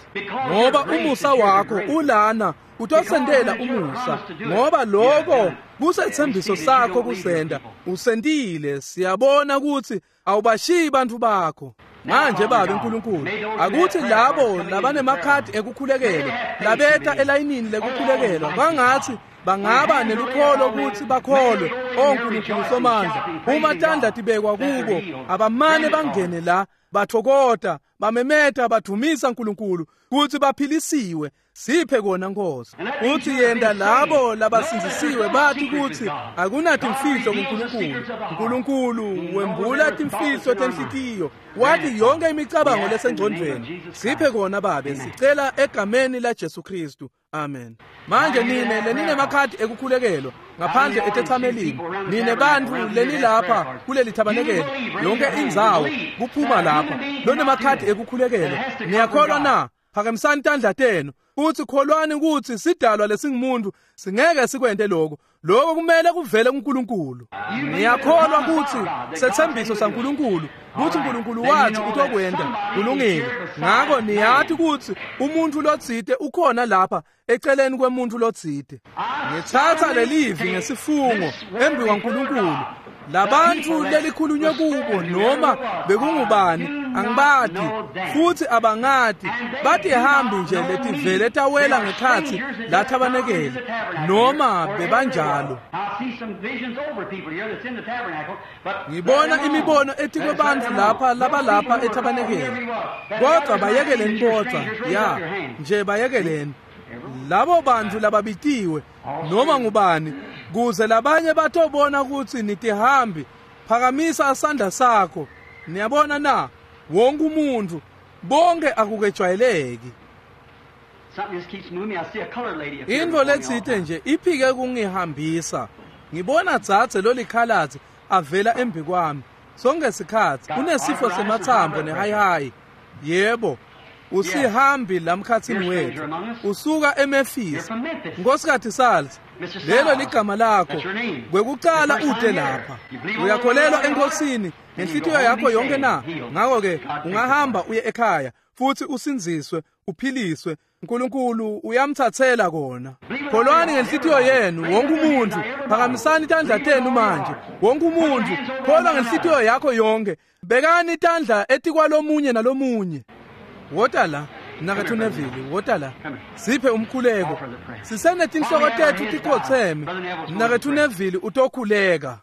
Ngoba umusa wakho ulana utosendela umusa, ngoba lokho kusethembiso sakho kusenda. Usendile, siyabona ukuthi awubashiyi bantu bakho. Manje Babe uNkulunkulu, akuthi labo labanemakhadi ekukhulekelwa labeta elayinini lekukhulekelwa kwangathi bangaba nelukholo ukuthi bakholwe. O Nkulunkulu Somandla, uma tandla tibekwa kubo, abamane bangene la bathokota, bamemeta, badumisa uNkulunkulu kuthi baphilisiwe. Siphe kona Nkosi. Uthi yenda labo labasindzisiwe bathi kuthi akunatimfihlo kuNkulunkulu. uNkulunkulu wembula timfihlo tenhlitiyo, wathi yonke imicabango lesengcondvweni. Siphe kona Babe, sicela egameni la Jesu Kristu. Amen. Manje nine leninemakhadi ekukhulekelwa ngaphandle etethamelini, nine bantfu lenilapha kuleli thabanekele, yonke indzawo kuphuma lapha lonemakhadi ekukhulekelwa, niyakholwa na? Phakamisani tandla tenu uthi kholwani ukuthi sidalwa lesingumuntu singeke sikwente lokho. Lokho kumele kuvele kuNkulunkulu. Niyakholwa ukuthi sethembiso saNkulunkulu ukuthi uNkulunkulu wathi utokwenda kulungile. Ngakho niyathi ukuthi umuntu lotsite ukhona lapha eceleni kwemuntu lotsite. Ngithatha lelivi ngesifungo embi kwaNkulunkulu. Labantu lelikhulunywe kubo noma bekungubani angibati futhi abangati, bathi hambi nje letivele tawela ngekhathi lathabanekele noma bebanjalo. Ngibona imibono etikwe bantfu lapha labalapha ethabanekele, kodwa bayekeleni bodvwa, ya nje bayekeleni labo bantu lababitiwe noma ngubani, kuze labanye batobona ukuthi nitihambi. Phakamisa isandla sakho. Niyabona na? Wonke umuntu, bonke akukejwayeleki. Into letsite nje iphike kungihambisa. Ngibona dzadze lolikhalatsi avela embi kwami sonke sikhatsi unesifo semathambo nehayihayi. Yebo, usihambi lamkhathini wethu, usuka eMemphis. Nkosikazi Salz, lelo ligama lakho. Kwekucala ute lapha. Uyakholelwa eNkosini ngenhlitiyo yakho yonke na? Ngakho-ke ungahamba uye ekhaya futhi usindziswe, uphiliswe. uNkulunkulu uyamthathela kona. Kholwani ngenhlitiyo yenu wonke umuntu. Phakamisani tandla tenu manje. Wonke umuntu kholwa ngenhlitiyo yakho yonke. Bekani itandla etikwalomunye nalomunye. Wota la Mnaketfu Neville, wota la. Siphe umkhuleko. Sisenetinhloko tetfu tikhotseme. Mnaketfu Neville utokhuleka.